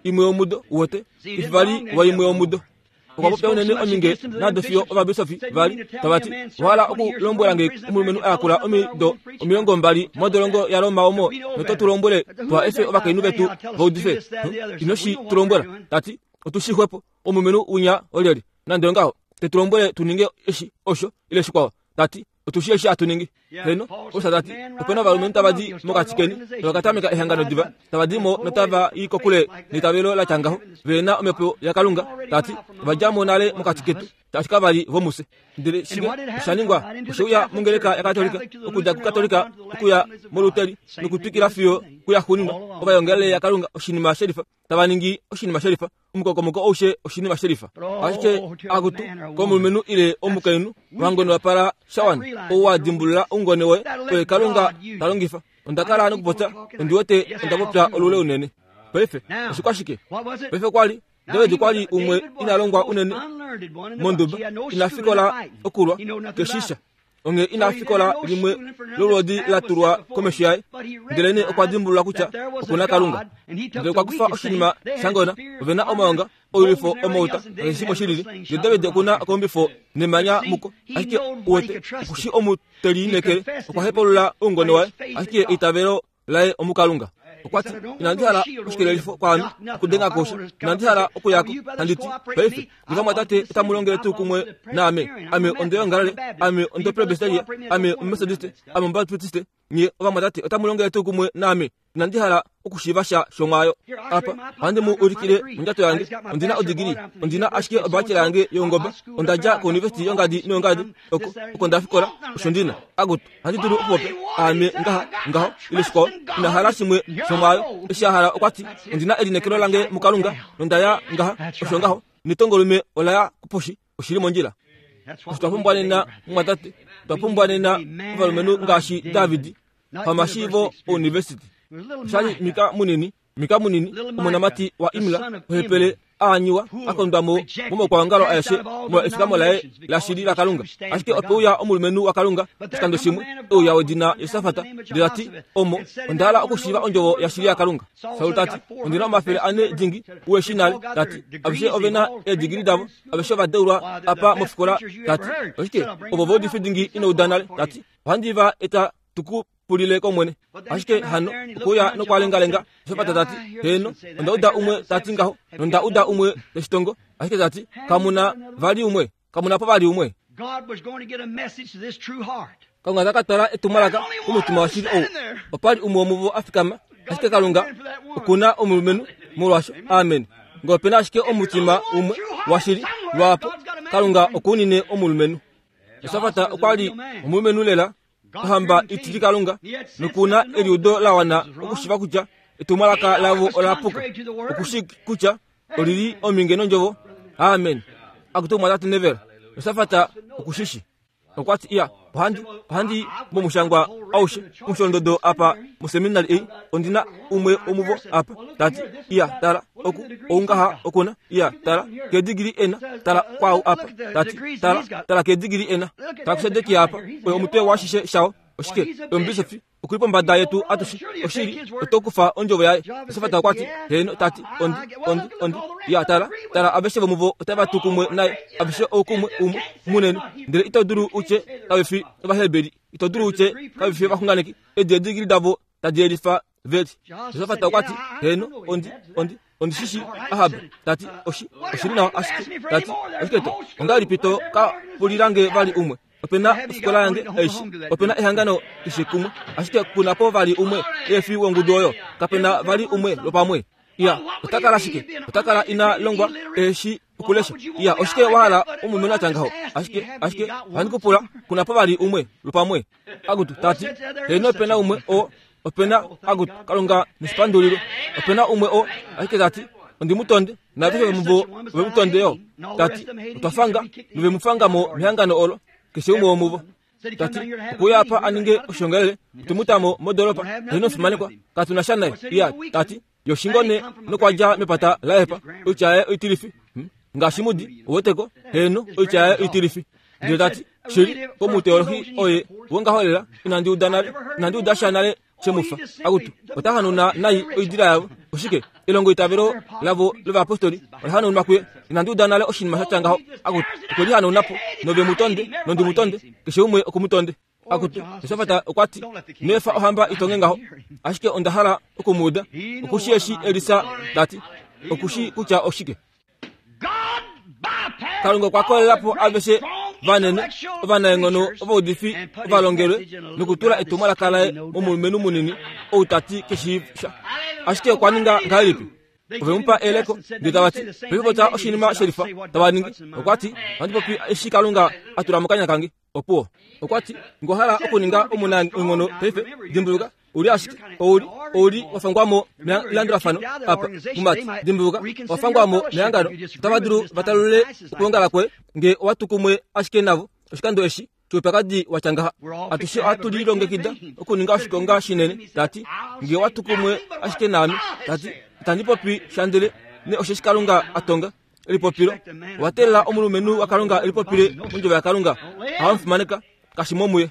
imwe yomudo, uwete, kefi vali waimwe yomudo. Okwa popya unene ominge nado fiyo ovabisofi va li tava ti, Owa hala okulombwela nge omulumenhu a yakula omido 20 modolongo yaRoma omo noto tu lombwele tuha efe ovakainhu vetu va udife? Ino shi tu lombwela. Ta ti, Otu shi xwepo, omulumenhu winya olyelye? Nande ongaho, te tu lombwele tu ninge eshi, osho, ile shikwao. Ta ti, Otu shii eshi hatu ningi. Heeno, Paulus ta ti, ope na ovalumenhu tava di mokati keni, tava ka tameka ehangano diva, tava di mo notava i kokule neitavelo la tya ngaho, ve na omhepo yaKalunga, ta ti, ova dja mo nale mokati ketu, shaashi kava li vomufye. Ndele shike osha ningwa? Oshe uya mongeleka yaKatolika, okudja kuKatolika okuya mOluteri, nokutwikila fiyo kuyaxuuninwa, ovaiongelele yaKalunga oshinima shelifa, tava ningi oshinima shelifa. Omukokomoko aushe oshinima shelifa. Ashike akutu komulumenhu ile omukainhu wangone wa pala shawana, ou wa dimbulula oungone woye, oye Kalunga ta longifa. Onda kala nokupopya, ondi wete onda popya olule unene. Paife, oshikwa shike? Paife kwa li. David okwa li umwe ina longwa unene monduba, ina fikola okulwa, keshisha. Onghee ina fikola limwe lolwoodi la tulwa komesho yaye, ndelenee okwa dimbulula kutya oku na Kalunga. Ndele okwa kufa oshinima shangona, ove na omaonga, oilwifo, omauta, nakeshe shimwe shilili. Ndele David oku na okombifo nemanya muko, ashike uwete, oku shi omu te liinekele. Okwa hepaulula oungone waye, ashike eitavelo laye omuKalunga. Okwa ti, Inandi hala oshikelelifo kwaame, okudenga kosha. Inandi hala okuya ko. Handi ti, Paife, nge vamwatate otamu longele tuu kumwe naame, ame ondeongalale, ame ondopresbiteria, ame omumetodiste, ame omubaptiste, nye ovamwatate otamu longele tuu kumwe naame, inandi hala okushiiva sha shomwaayo. Apa, ohandi mu ulikile mondjato yange. Ondi na odigili. Ondi na ashike obachelor yange youngoba. Onda dja kouniversity yongadi noyongadi, oko, oko nda fikola. Osho ndi na. Akutu, ohandi dulu okupopya, aame ngaha, ngaho, ile shikwao. Ina hala shimwe shomwaayo. Eshi a hala okwa ti, Ondi na elineekelo lange muKalunga, nonda ya ngaha. Osho ngaho. Netongolume ola ya kuposhi. Oshi li mondjila. Osho twa pumbwa nena, mumwatate. Otwa pumbwa nena ovalumenhu ngaashi David, pamashiivo ouniversity. Osha li Mika munini, Mika munini, omonamati waImla, ohepele a anyiwa, a kondwa mo momaukwaongalo aeshe molwa efikamo laye lashili laKalunga. Ashike ope uya omulumenhu waKalunga oshikando shimwe, e uya wedina Josafat, ndele ta ti, Omo, onda hala okushiiva ondjovo yashili yaKalunga. Saul ta ti, Ondi na 400 dingi, u e shii nale. Ta ti, Aveshe ove na eedigili davo, aveshe ova deulwa apa mofikola. Ta ti, Oshike, ovo vaudifi dingi ino uda nale. Ta ti, Ohandi va eta tu ku pulile kOmwene. Ashike hano okwe uya nokwa lengalenga Josafat ta ti, Heeno, onda uda umwe ta ti ngaho, nonda uda umwe te shi tongo. Ashike ta ti, Kamu na vali umwe? Kamu na po vali umwe? Kalunga ta ka twala etumwalaka komutima washili ou. Opa li umwe womuvo a fikama, ashike Kalunga oku na omulumenhu molwasho. Amen. Ngee ope na ashike omutima umwe washili lwaapo, Kalunga oku unine omulumenhu. Josafat okwa li omulumenhu lela ohamba itili Kalunga noku na eliudo la wana okushiva kutya etumwalaka lavo ola puka, okushi kutya oli li ominge nondjovo. Amen. Akutu omwatate Neville, Josafat okushishi. Okwa ti, Iya, ohandi, ohandi momushangwa aushe omusholondodo apa moseminari ei, ondi na umwe womuvo apa. Ta ti, Iya, tala, oku, oungaha okuna. Iya, tala, kedigili ena. Tala kwaau apa. Ta ti, Tala, tala kedigili ena. Tala kuSedekia apa, oye omutwe washishe shao. Oshike? Oye omubisofi. Oku li pombada yetu atushe. Oshili, oto kufa ondjovo yaye. Josafat okwa ti, Heeno, ta ti, ondi, ondi, ondi. Ya, tala, tala, aveshe vomuvo otava tu kumwe naye, aveshe oukumwe umwe munene. Ndele ito dulu u tye kave fi Ovaheberi, ito dulu u tye kave fi ovaxunganeki. Edi edigili davo tadi yelifa veli. Josafat okwa ti, Heeno, ondi, ondi, ondi shi shii. Ahab ta ti, Oshi, oshi li nawa ashike. Ta ti, Oshike to, ongahelipi to ka pulila nge vali umwe? Ope na ofikola yange aishe, ope na ehangano keshe kumwe, ashike ku na po vali umwe efi wongudu oyo. Kape na vali umwe lwopamwe. Iya, ota kala shike? Ota kala ina longwa eshi okulesha. Iya, oshike wa hala omulumenhu a tya ngaho? Ashike, ashike, ohandi ku pula, ku na po vali umwe lwopamwe? Akutu, ta ti, heeno ope na umwe o, ope na, akutu, Kalunga neshipandulilo. Ope na umwe o, ashike ta ti, ondi mu tonde, naaveshe vomuvo ove mu tonde yo. Ta ti, otwa fanga, nove mu fanga mo mehangano olo, keshe umwe womuvo. Ta ti, okwe uya apa a ninge oshiongalele, otwe mu ta mo modolopa, heeno omufimanekwa, katu na sha naye. Iya, ta ti, ye oshingone nokwa dja mepata laEfa, oitya yaye oitilifi. Hmm? Ngaashi mudi, uweteko, heeno, oitya yaye oitilifi. Ndele ta ti, shili, komuteolohi oye wongaho lela, inandi uda nale, inandi uda sha nale she mu fa. Akutu, ota hanauna nai oidila yavo. Oshike? Elongoitavelo lavo lovayapostoli ola hanaunwa kuye. Inandi uda nale oshinima sha tya ngaho. Akutu, okwe li hanauna po, nove mu tonde, nondi mu tonde, keshe umwe oku mu tonde. Akutu, Josafat okwa ti, Nefa ohamba i tonge ngaho, ashike onda hala oku mu uda. Oku shii eshi Elisa ta ti. Oku shii kutya oshike. Kalunga okwa kolela po aveshe vanene, ovanaenghono, ovaudifi, ovalongelwe, nokutula etumwalaka laye momulumenhu munini ou ta ti ke shii sha. Ashike okwa ninga ngahelipi? Ove mu pa eleko, ndele tava ti, Paife popya oshinima shelifa tava ningi. Okwa ti, Ohandi popi eshi Kalunga a tula mokanya kange. Opuwo. Okwa ti, Ngwa hala okuninga omunaenghono paife, dimbuluka, u li ashike, ou li, ou li wa fangwa mo melandulafano apa, mumati. Dimbuluka, owa fangwa mo mehangano. Otava dulu va talulule okwoongala kwoye, nge owa tu kumwe ashike navo oshikando eshi choupyakadi wa tya ngaha. Atushe ohatu lilongekida okuninga oshikonga shinene, ta ti, nge owa tu kumwe ashike naame, ta ti, itandi popi sha ndele. nee osheshi Kalunga a tonga elipopilo. Owa teelela omulumenhu waKalunga elipopile mondjovo yaKalunga. Ohava mu fimaneka, kashi mo muye.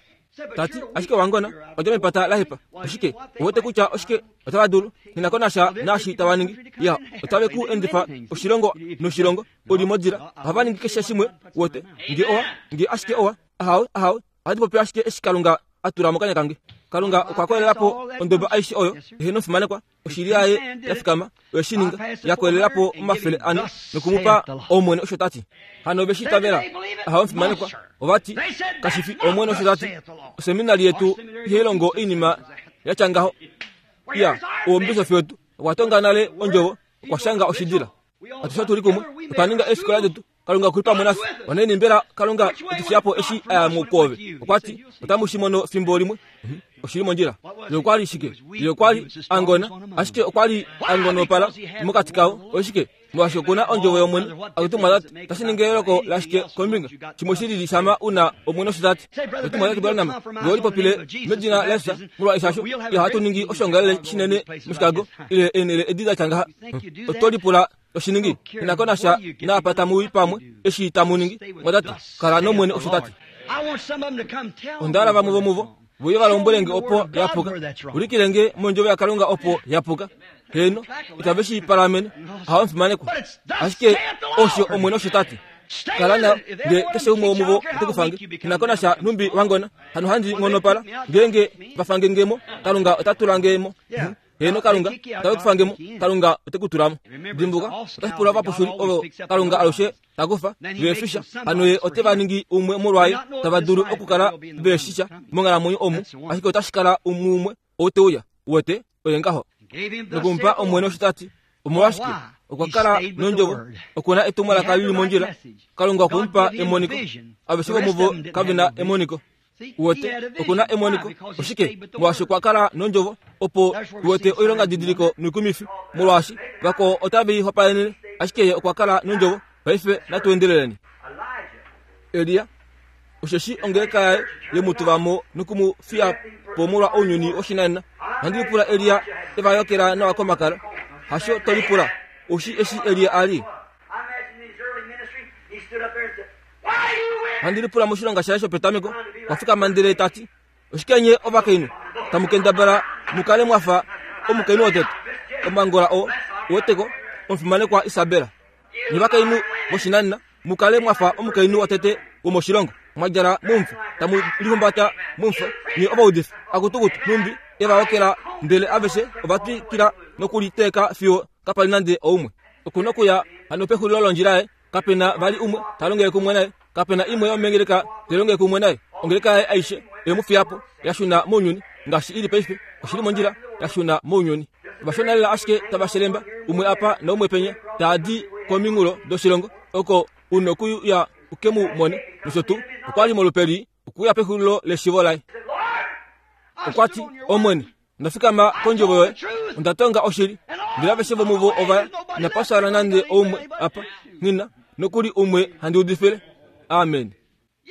Ta ti, ashike wangona, odja mepata la hepa. Oshike? Ouwete kutya oshike otava dulu? Nghi ko nasha naashi tava ningi. Ya, otave ku endifa oshilongo noshilongo, u li modila. Ohava ningi keshe shimwe, uwete. Nge owa, nge ashike owa. Ahawe, ahawe. Ohandi popi ashike eshi Kalunga a tula mokanya kange. Kalunga okwa kolelela po ondoba aishe oyo ehe nofimanekwa. Oshili yaye ya fikama, oye shi ninga, ya kolelela po 400 noku mu pa Omwene osho ta ti. Hano ove shi itavela? Ahawe omufimanekwa. Ova ti, Kashi fi Omwene osho ta ti. Oseminari yetu ihai longo oinima ya tya ngaho. Iya, omubisofi wetu okwa tonga nale ondjovo, okwa shanga oshidila. Atushe otu li kumwe, otwa ninga eefikola detu. Kalunga oku li pamwe nafye. Onaini mbela Kalunga e tu fiya po eshi a ya mo kwoove? Okwa ti, Otamu shi mono fimbo limwe. Mhm. Oshi li mondjila. Ye okwa li shike? Ye okwa li a ngona, ashike okwa li a ngonopala mokati kavo. Oshike? Molwaashi oku na ondjovo yOmwene. Akutu mwatate, tashi ningi eyooloko lashike kombinga shimwe shi lili shama u na Omwene osho ta ti? Akutu mwatate Branham, nge oli popile medina laJesus, molwa eshasho, ihatu ningi oshoongalele shinene moChicago ile eenhele edi da tya ngaha. Oto lipula oshiningi ina ko nasha naapa tamu i pamwe eshi tamu ningi mwatati kala nomwene osho tati onda hala vamwe vomuvo voye va lombwele nge opo ya puka ulikile nge mondjovo yakalunga opo ya puka heeno itave shi palamene ohava mufimanekwa ashike osho omwene osho tati kala na nge keshe umwe womuvo ote ku fange ina ko nasha nhumbi wangona hano handi nghonopala ngeenge va fange ngemo kalunga ota tula ngemo Heeno, Kalunga ota ku fange mo, Kalunga ote ku tula mo. Dimbuka, otashi pula ovapushuli ovo Kalunga alushe ta kufa ve shi sha. Hano ye ote va ningi umwe molwaye tava dulu okukala ve shi sha monghalamwenyo omu, ashike otashi kala umwe ou te uya. Uwete, oye ngaho. Noku mu pa Omwene osho ta ti. Omolwashike? Okwa kala nondjovo. Oku na etumwalaka li li mondjila. Kalunga okwe mu pa emoniko. Aveshe vomuvo kave na emoniko. Uwete, oku na emoniko. Oshike? Molwaashi okwa kala nondjovo, opo uwete oilonga didiliko noikumifi, molwaashi vakwao otave i hopaenene, ashike ye okwa kala nondjovo. Paife natu endeleleni. Elia, osheshi ongeleka yaye ye mu tuva mo noku mu fiya po molwa ounyuni woshinanena. Ohandi lipula Elia e va yokela nawa komakala. Hasho to lipula? Oushi eshi Elia a li? Handi lipula moshilonga shaye shopetameko, okwa fikama ndele ta ti, Oshike nye ovakainhu tamu kendabala mu kale mwa fa omukainhu wotete, omangola oo weteko, omufimanekwa Isabela? Nye ovakainhu voshinanena mu kale mwa fa omukainhu wotete womoshilongo, mwa djala momufo, tamu lihumbata momufo, nye ovaudifi, akutukutu, nhumbi e va okela, ndele aveshe ova twikila nokuliteeka fiyo kapa li nande oumwe. Oku nokuya hano pexulilo londjila yaye. Kape na vali umwe ta longele kumwe naye. Kape na imwe yomengeleka tai longele kumwe naye. Ongeleka yaye aishe oye mu fiya po, ya shuna mounyuni, ngaashi i li paife. Oshi li mondjila, ya shuna mounyuni. Ovashona lela ashike tava shelemba, umwe apa naumwe penya, taa di kominghulo doshilongo, oko u nokuya u ke mu mone, nosho tuu. Okwa li molupe lii, okuya pexulilo leshivo laye. Okwa ti, Omwene, Onda fikama kondjovo yoye, onda tonga oshili. Ndele aveshe vomuvo ova ya, inapa fyaala nande oumwe apa, nghi na nokuli umwe handi udifile. Amen.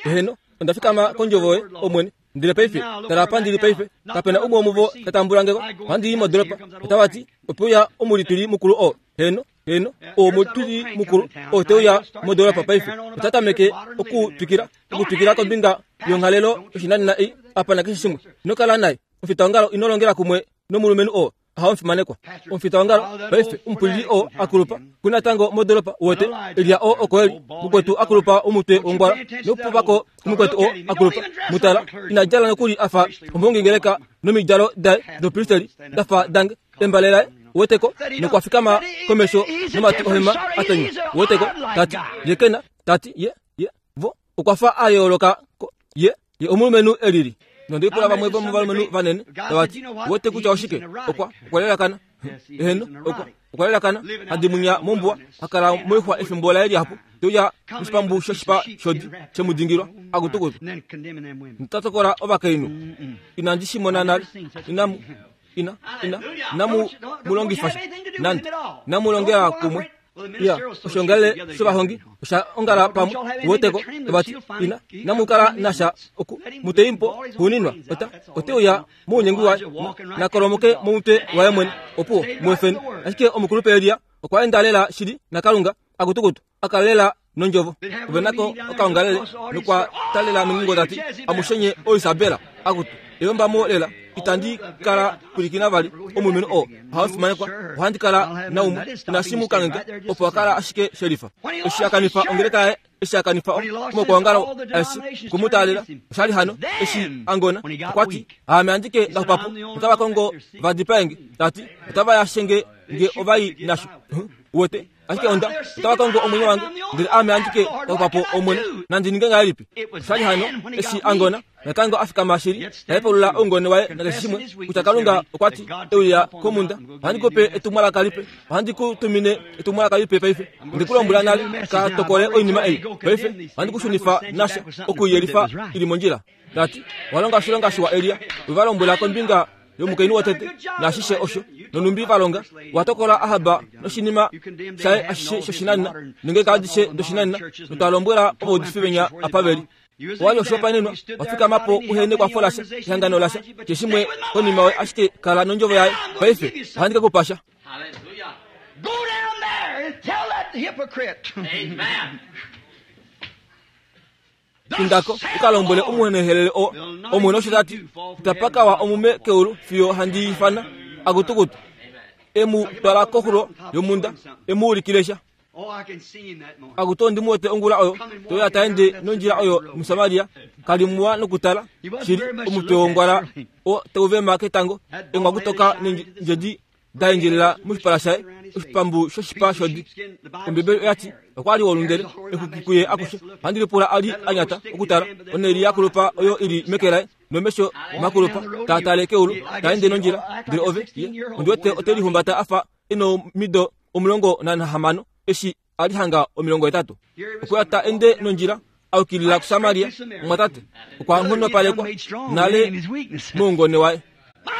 Eheno, onda fikama kondjovo yoye, Omwene. Ndele paife, tala apa ndi li paife, kape na umwe womuvo ta tambula nge ko. Ohandi i modolopa, otava ti, Ope uya omulituli mukulu oo. Heeno, heeno, omutwili mukulu oo te uya modolopa paife. Ota tameke okutwikila, okutwikila kombinga yonghalelo yoshinanena ei apa nakeshe shimwe. Ino kala naye. Omufitaongalo ino longela kumwe nomulumenhu oo aha omufimanekwa. Omufitaongalo paife omupwilili oo a kulupa ku natango modolopa wote Elia oo oko eli mukwetu a kulupa omutwe wongwala nokupopako mukwetu oo a kulupa mutala ina djala nokuli a fa omuhongingeleka nomidjalo daye dopristeli da fa dange embale laye weteko nokwa fikama komesho nomati ohema a tonywa weteko tati ye kena tati ye ye vo okwa fa a yooloka ko ye ye omulumenhu e lili nonde pula vamwe vomovalumenhu vanene tava ti wete kutya oshike okwa okwa lelakana eheno okwa okwa lelakana hadi munya mombuwa ha kala moixwa efimbo laye lihapu te uya moshipambu shoshipa shodi she mu dingilwa akutukutu nota tokola ovakainhu inandi shi mona nale inamu ina ina inamu mu longifa sha nande inamu longela kumwe. Ya, oshiongalele shovahongi osha ongala pamwe woteko vati ina namukala nasha oku muteimpo huninwa ota ote uya mounyengwi waye nakolomoke momutwe waye mwene opuwo muefeni. Ashike omukulupe Elia okwa enda lela shili naKalunga akutukutu akalela nondjovo. Ove nako okaongalele nokwa talela mengungo tati amushenye oIsabela akutu eyombamo lela itandi kala pwilikina vali omulumenhu oo ohafimanekwa ohandi kala naumwe inashimu kange opo akala ashike sherifa. Eshi akanifa ongeleka yaye, eshi akanifa omaukwaongalo aeshe okumutaalela oshali hano eshi angona okwati aame andike ndaxupapo otava kongo va dipaenge tati otava yashenge nge ovai nasho uwete ashike onda otava kongo omwenyo wange ndele aame andike ndaxupapo Omwene nandi ninge ngahelipi? Oshali hano eshi angona natango a fikama shili tahepaulula oungone waye nakeshe shimwe kutya Kalunga okwa ti euya komunda ohandi ku pe etumwalaka lipe ohandi ku tumine etumwalaka lipe paife onde ku lombwela nale ka tokole oinima ei paife ohandi ku shunifa nasha okuyelifa ili mondjila tati owa longa oshilonga shiwa Elia we va lombwela kombinga yomukainhu wotete naashishe osho nonumbi va longa wa tokola Ahab noshinima shaye ashishe shoshinanena nongeleka adishe doshinanena notwa lombwela ovaudifi venya apa veli owa li oshihopaenenwa wa fikama po uhe nekwafo lasha ehangano lasha keshimwe konima oye ashike kala nondjovo yaye paife ohandi ke ku pasha. Go down there and tell that hypocrite. Amen. Indako u ka lombwele omuhenehelele oo Omwene osho ta ti, Itapa ka wa omume keulu fiyo handi ifana akutukutu. E mu twala koxulo yomhunda e mu ulikile sha. Oh, I can see him that morning. Akutu ondi mu wete ongula oyo toya ta ende nondjila oyo muSamaria ka li muwa nokutala shili omutwe wongwala oo tau vema ketango engwakutoka neendjedi da endjelela moshipala shaye oshipambu shoshipa shodi. Ombibeli oya ti okwa li wolundele exwiki kuye akushe. Ohandi lipula a li a nyata okutala onheli ya kulupa oyo i li meke laye nomesho makulupa taa tale keulu ta ende nondjila. Ndele ove ye ondi wete ote lihumbata a fa e nomido 16 eshi a li hanga 80. Okwa ta ende nondjila a yukilila kuSamaria. Omumwatate okwa nghonopalekwa nale moungone waye.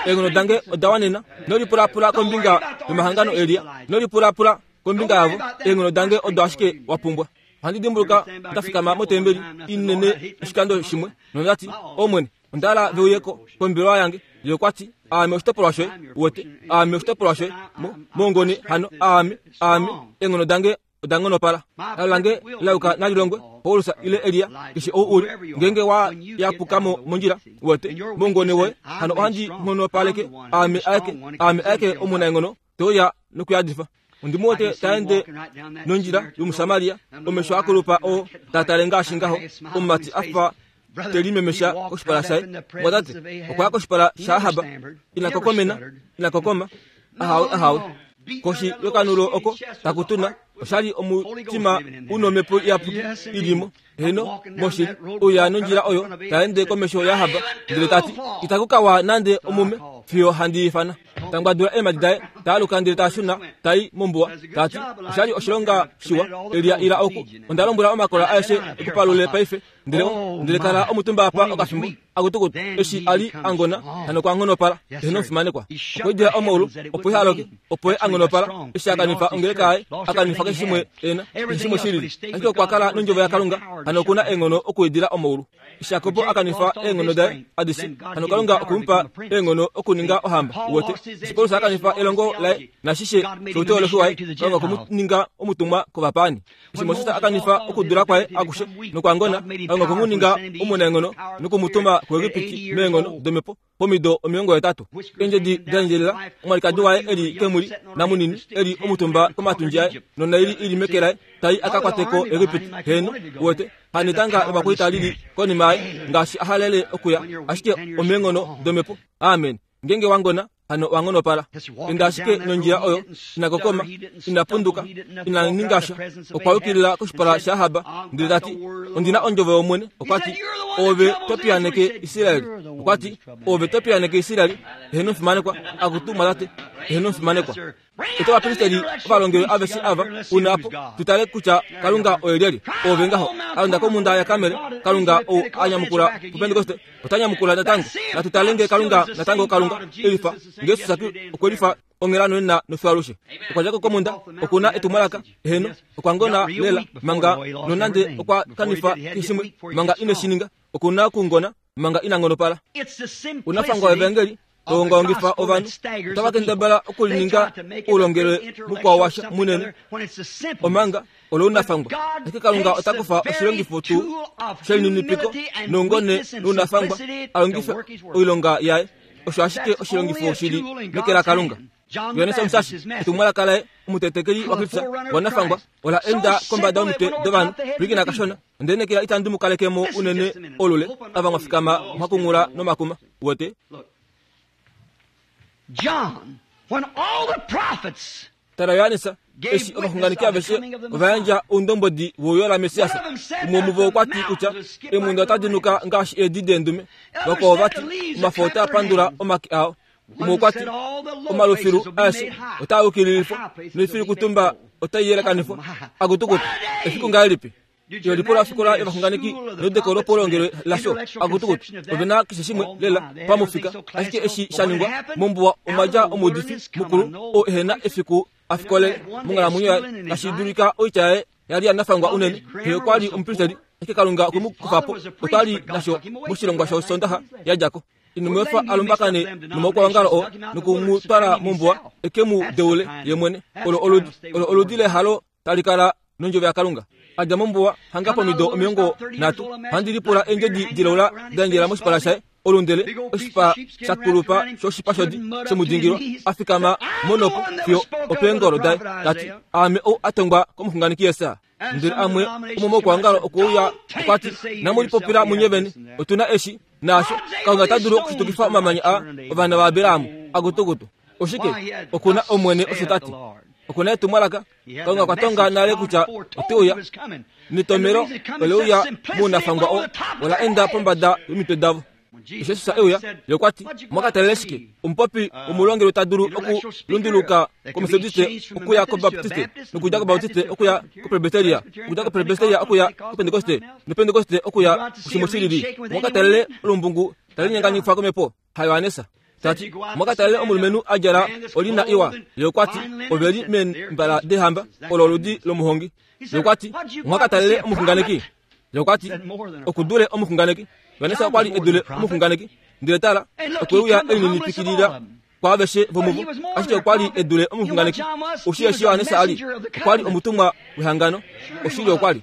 Eenghono dange oda wanena. Ino lipulapula kombinga yomahangano Elia. Ino lipulapula kombinga yavo. Eenghono dange odo ashike wa pumbwa. Ohandi dimbuluka nda fikama motembeli inene oshikando shimwe nonda ti, Omwene, onda hala ve uye ko kombelewa yange. Ye okwa ti, Aame oshitopolwa shoye, uwete. Aame oshitopolwa shoye. Mo, mongoni hano, aame, aame, eenghono dange oda nghonopala. Alo lange la yuka nali longwe, Paulus ile Elia, keshe ou u li, ngeenge wa yapuka mo mondjila, uwete, mongoni woye, hano ohandi nghonopaleke, aame aeke, aame aeke omunaenghono, te uya nokuyadifa. Ondi mu wete ta ende nondjila yOmusamaria, omesho a kulupa oo ta tale ngaashi ngaho, omumati a fa te limemesha koshipala shaye. Mwatate, okwa ya koshipala shaAhab, ina kokomena, ina kokoma, ahawe, ahawe. Koshi yokanulo oko taku tuna, osha li omutima u nomhepo iyapuki i li mo. Heeno, moshili, uya nondjila oyo ta ende komesho yaAhab, ndele ta ti, Itaku ka wa nande omume fiyo handi ifana. Ta ngwadula eemhadi daye, ta aluka ndele ta shuna ta i mombuwa, ta ti, Osha li oshilonga shiwa, Elia ila oku. Onda lombwela omakola aeshe e ku palule paife. Ndele, ndele kala omutumba apa okafimbo, akutukutu, eshi a li a ngona, hano okwa nghonopala. Eheno omufimanekwa. Okwa idila omaulu, opo iha loke, opo ye a nghonopala, eshi a kanifa ongeleka yaye, a kanifa keshe shimwe e na, keshe shimwe shi lili. Ashike okwa kala nOndjovo yaKalunga, hano oku na eenghono okuidila omaulu. Eshi Jakob a kanifa eenghono daye adishe, hano Kalunga okwe mu pa eenghono okuninga ohamba. Uwete? Eshi Paulus a kanifa elongo laye nashishe shouteolofi waye, Kalunga okwe mu ninga omutumwa kovapaani. Eshi Moses a kanifa okudula kwaye akushe nokwa ngona, Kalunga okwe mu ninga omunaenghono noku mu tuma kuEgipiti meenghono domhepo pomido 80. Eendjedi da endjelela, omwalikadi waye e li kemuli namunini e li omutumba komatundji aye nonaili i li meke laye tai a ka kwate ko Egipiti. Heeno, uwete, hanetanga lovakwaita li li konima yaye ngaashi a halele okuya, ashike omeenghono domhepo. Amen. Ngeenge wa ngona, hano wa nghonopala. Enda ashike nondjila oyo, ina kokoma, ina punduka, ina ninga sha. Okwa yukilila koshipala shaAhab, ndele ta ti, Ondi na ondjovo yOmwene. Okwa ti, Oove to piyaaneke Israel. Okwa ti, Oove to piyaaneke Israel. Eheno omufimanekwa, akutu mwatate. Eheno omufimanekwa. Ota ovapristeli ovalongelwe aveshe ava u na po, tu tale kutya Kalunga oye lyelye. Oove ngaho, a londa komhunda yaKarmel, Kalunga ou a nyamukula puPentekoste, ota nyamukula natango. Natu tale nge Kalunga natango Kalunga e lifa, nge Jesus okwe lifa. onghela nonena nofiyo alushe. Okwa dja ko komhunda, oku na etumwalaka, eheno, okwa ngona lela manga nonande okwa kanifa keshe shimwe manga ine shi ninga, oku na okungona manga ina ngonopala. Unafangwa wevangeli toongaongifa ovanhu otava kendabala okulininga oulongelwe mukwao washa munene omanga olounafangwa. Ashike Kalunga ota kufa oshilongifo tuu shelininipiko noungone nounafangwa a longife oilonga yaye. Osho ashike oshilongifo shi li meke laKalunga. Johannes Omusashi, etumwalaka laye, omutetekeli waKristus wanafangwa, ola enda kombada yomitwe dovanhu. Pwilikina kashona. Onde lineekela itandi mu kaleke mo unene olule, ava mwa fikama mwa kunghula nomakuma. Uwete? John, when all the prophets Tala Johannes, eshi ovaxunganeki aveshe ova yandja oundombwedi weuyo laMessias, umwe womuvo okwa ti kutya eemhunda otadi nuka ngaashi eedi deendume, vakwao va ti omafo otaa pandula omake ao. Umwe okwa ti omalufilu aeshe otaa yukililifwa noifilikutumba otai yelekanifwa. Akutukutu, efiku ngahelipi! Yo lipula ofikola yovaxunganeki neudeko lopaulongelwe lasho. Akutukutu, ove na keshe shimwe lela pamufika. Ashike eshi sha ningwa mombuwa omwa dja omuudifi mukulu oo ehe na efiku a fikole monghalamwenyo yaye, tashi dulika oitya yaye ya li ya nafangwa unene. Xe okwa li omupristeli, ashike Kalunga okwe mu kufa po. Otwa li nasho moshilongwa shOsoondaxa ya dja ko. Ino mu efa a lumbakane nomaukwaongalo oo noku mu twala mombuwa e ke mu deule ye mwene. Olo oludi, olo oludi lehalo tali kala nondjovo yaKalunga. A dja mombuwa hanga pomido 30, handi lipula eendjedi dilaula da endjela moshipala shaye, olundele, oshipa sha kulupa shoshipa shodi shomudingilwa, a fikama monopo fiyo opeengolo daye, ta ti, Aame ou a tongwa komuxunganeki Jesaja. Ndele amwe omomaukwaongalo okwe uya, okwa ti, Inamu lipopila munye vene, otu na eshi naasho. Kalunga ota dulu okushitukifa omamanya aa ovana vaAbraham akutukutu. Oshike? Oku na Omwene osho ta ti. Oku na etumwalaka. Kalunga okwa tonga nale kutya ote uya. Netomelo ole uya mounafangwa oo, ola enda pombada yomitwe davo. Eshi Jesus e uya, ye okwa ti, Omwa ka talela shike? Omupopi womulongelwe ta dulu okulunduluka kOmetodiste okuya kObaptiste, nokudja kObaptiste okuya kOpresbiteria, okudja kOpresbiteria okuya kOpentekoste, nOpentekoste okuya kushimwe shilili. Omwa ka talele olumbungu tali linyenganyifwa komhepo? HaJohannes. Ta ti, Omwa ka talele omulumenhu a djala olina iwa? Ye okwa ti, Ove li meembala deehamba, olo oludi lomuhongi. Ye okwa ti, Omwa ka talele omuxunganeki? Ye okwa ti, Oku dule omuxunganeki. Johannes okwa li e dule omuxunganeki. Ndele tala, okwe uya e lininipikilila kwaaveshe vomuvo, ashike okwa li e dule omuxunganeki. Oshi eshi Johannes a li, okwa li omutumwa wehangano. Oshili okwa li.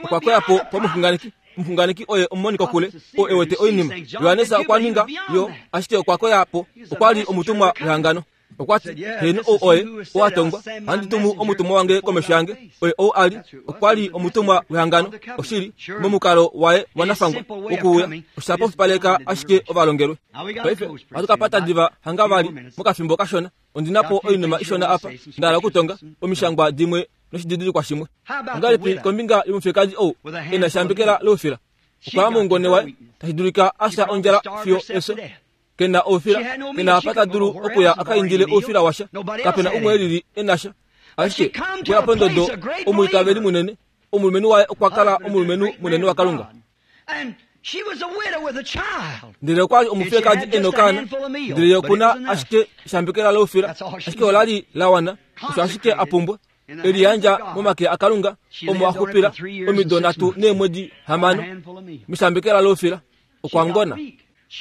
Okwa koya po pomuxunganeki. Omuxunganeki oye omumoni kokule, oo e wete oinima. Johannes okwa ninga yo, ashike okwa koya po. Okwa li omutumwa wehangano. Okwa ti, Heeno, ou oye ou a tongwa, ohandi tumu omutumwa wange komesho yange. Oye ou a li, okwa li omutumwa wehangano, oshili, momukalo waye wanafangwa wokuuya. Osha pofipaleka ashike ovalongelwe. Paife ohatu ka pata diva hanga vali mokafimbo kashona. Ondi na po oinima ishona apa nda hala okutonga, omishangwa dimwe noshididilikwa shimwe. Ongahelipi kombinga yomufiyekadi ou e na eshambekela loufila? Okwa ya moungone waye, tashi dulika a fya ondjala fiyo efyo. Ke na oufila, ke na apa ta dulu okuya a ka indile oufila washa. Kape na umwe e lili e na sha. Ashike okwe ya pondodo omwiitaveli munene. Omulumenhu waye okwa kala omulumenhu munene waKalunga. Ndele okwa li omufiyekadi e nokaana, ndele ye oku na ashike eshambekela loufila, ashike ola li la wana, osho ashike a pumbwa. E liyandja momake aKalunga, omo a xupila omido 3 neemwedi 6 meshambekela loufila. Okwa ngona.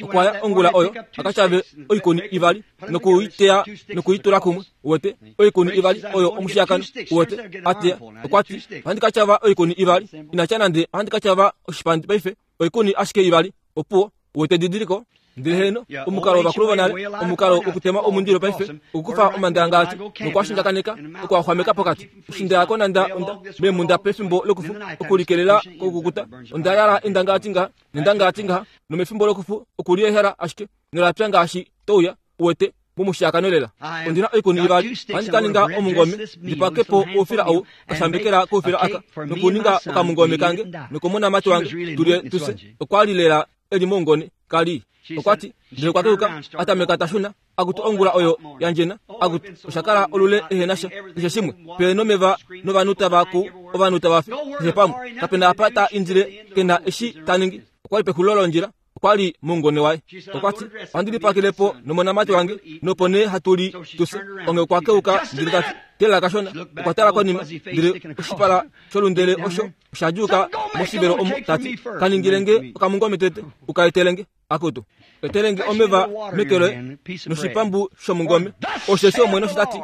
Okwa ya ongula oyo a ka shave oikuni ivali noku i teya noku i tula kumwe. Uwete, oikuni ivali oyo omushiyakano. Uwete, a teya. Okwa ti, Ohandi ka tyava oikuni ivali. Ina tya nande ohandi ka tyava oshipandi paife, oikuni ashike ivali. Opuwo. Uwete edidiliko? Ndele heeno, omukalo wovakulu vonale, omukalo wokutema omundilo paife, okukufa omandangalati noku a shindjakaneka, oku a xwameka pokati. Eshi nda ya konanda onda meemhunda pefimbo lokufu okulikelela kokukukuta, onda yala endangalati ngaha nendangalati ngaha, nomefimbo lokufu okuliehela ashike nola pya ngaashi to uya, uwete, momushiyakano lela. Ondi na oikuni ivali, ohandi ka ninga omungome, ndi pake po oufila ou, okashambekela koufila aka, nokuninga okamungome kange nokomonamati wange, tu lye tu fye. Okwa li lela e li moungone, ka li. Okwa ti, ndele okwa keuka, a tameka ta shuna, akutu ongula oyo ya ndjena, akutu osha kala olule ehe na sha, keshe shimwe, pe nomeva novanhu tava ku, ovanhu tava fi, keshe pamwe. Kape na apa ta indile, ke na eshi ta ningi. Okwa li pexulilo londjila. Okwa li moungone waye. Okwa ti, Ohandi lipakele po nomonamati wange, nopo nee hatu li tu fye. Onghee okwa keuka ndele ta ti, Teelela kashona. Okwa tala konima, ndele oshipala sholundele osho osha djuuka moshivelo omo, ta ti, Ka ningile nge okamungome tete, u ka etele nge. Akutu, etele nge omeva meke loye noshipambu shomungome. Osheshi Omwene osho ta ti,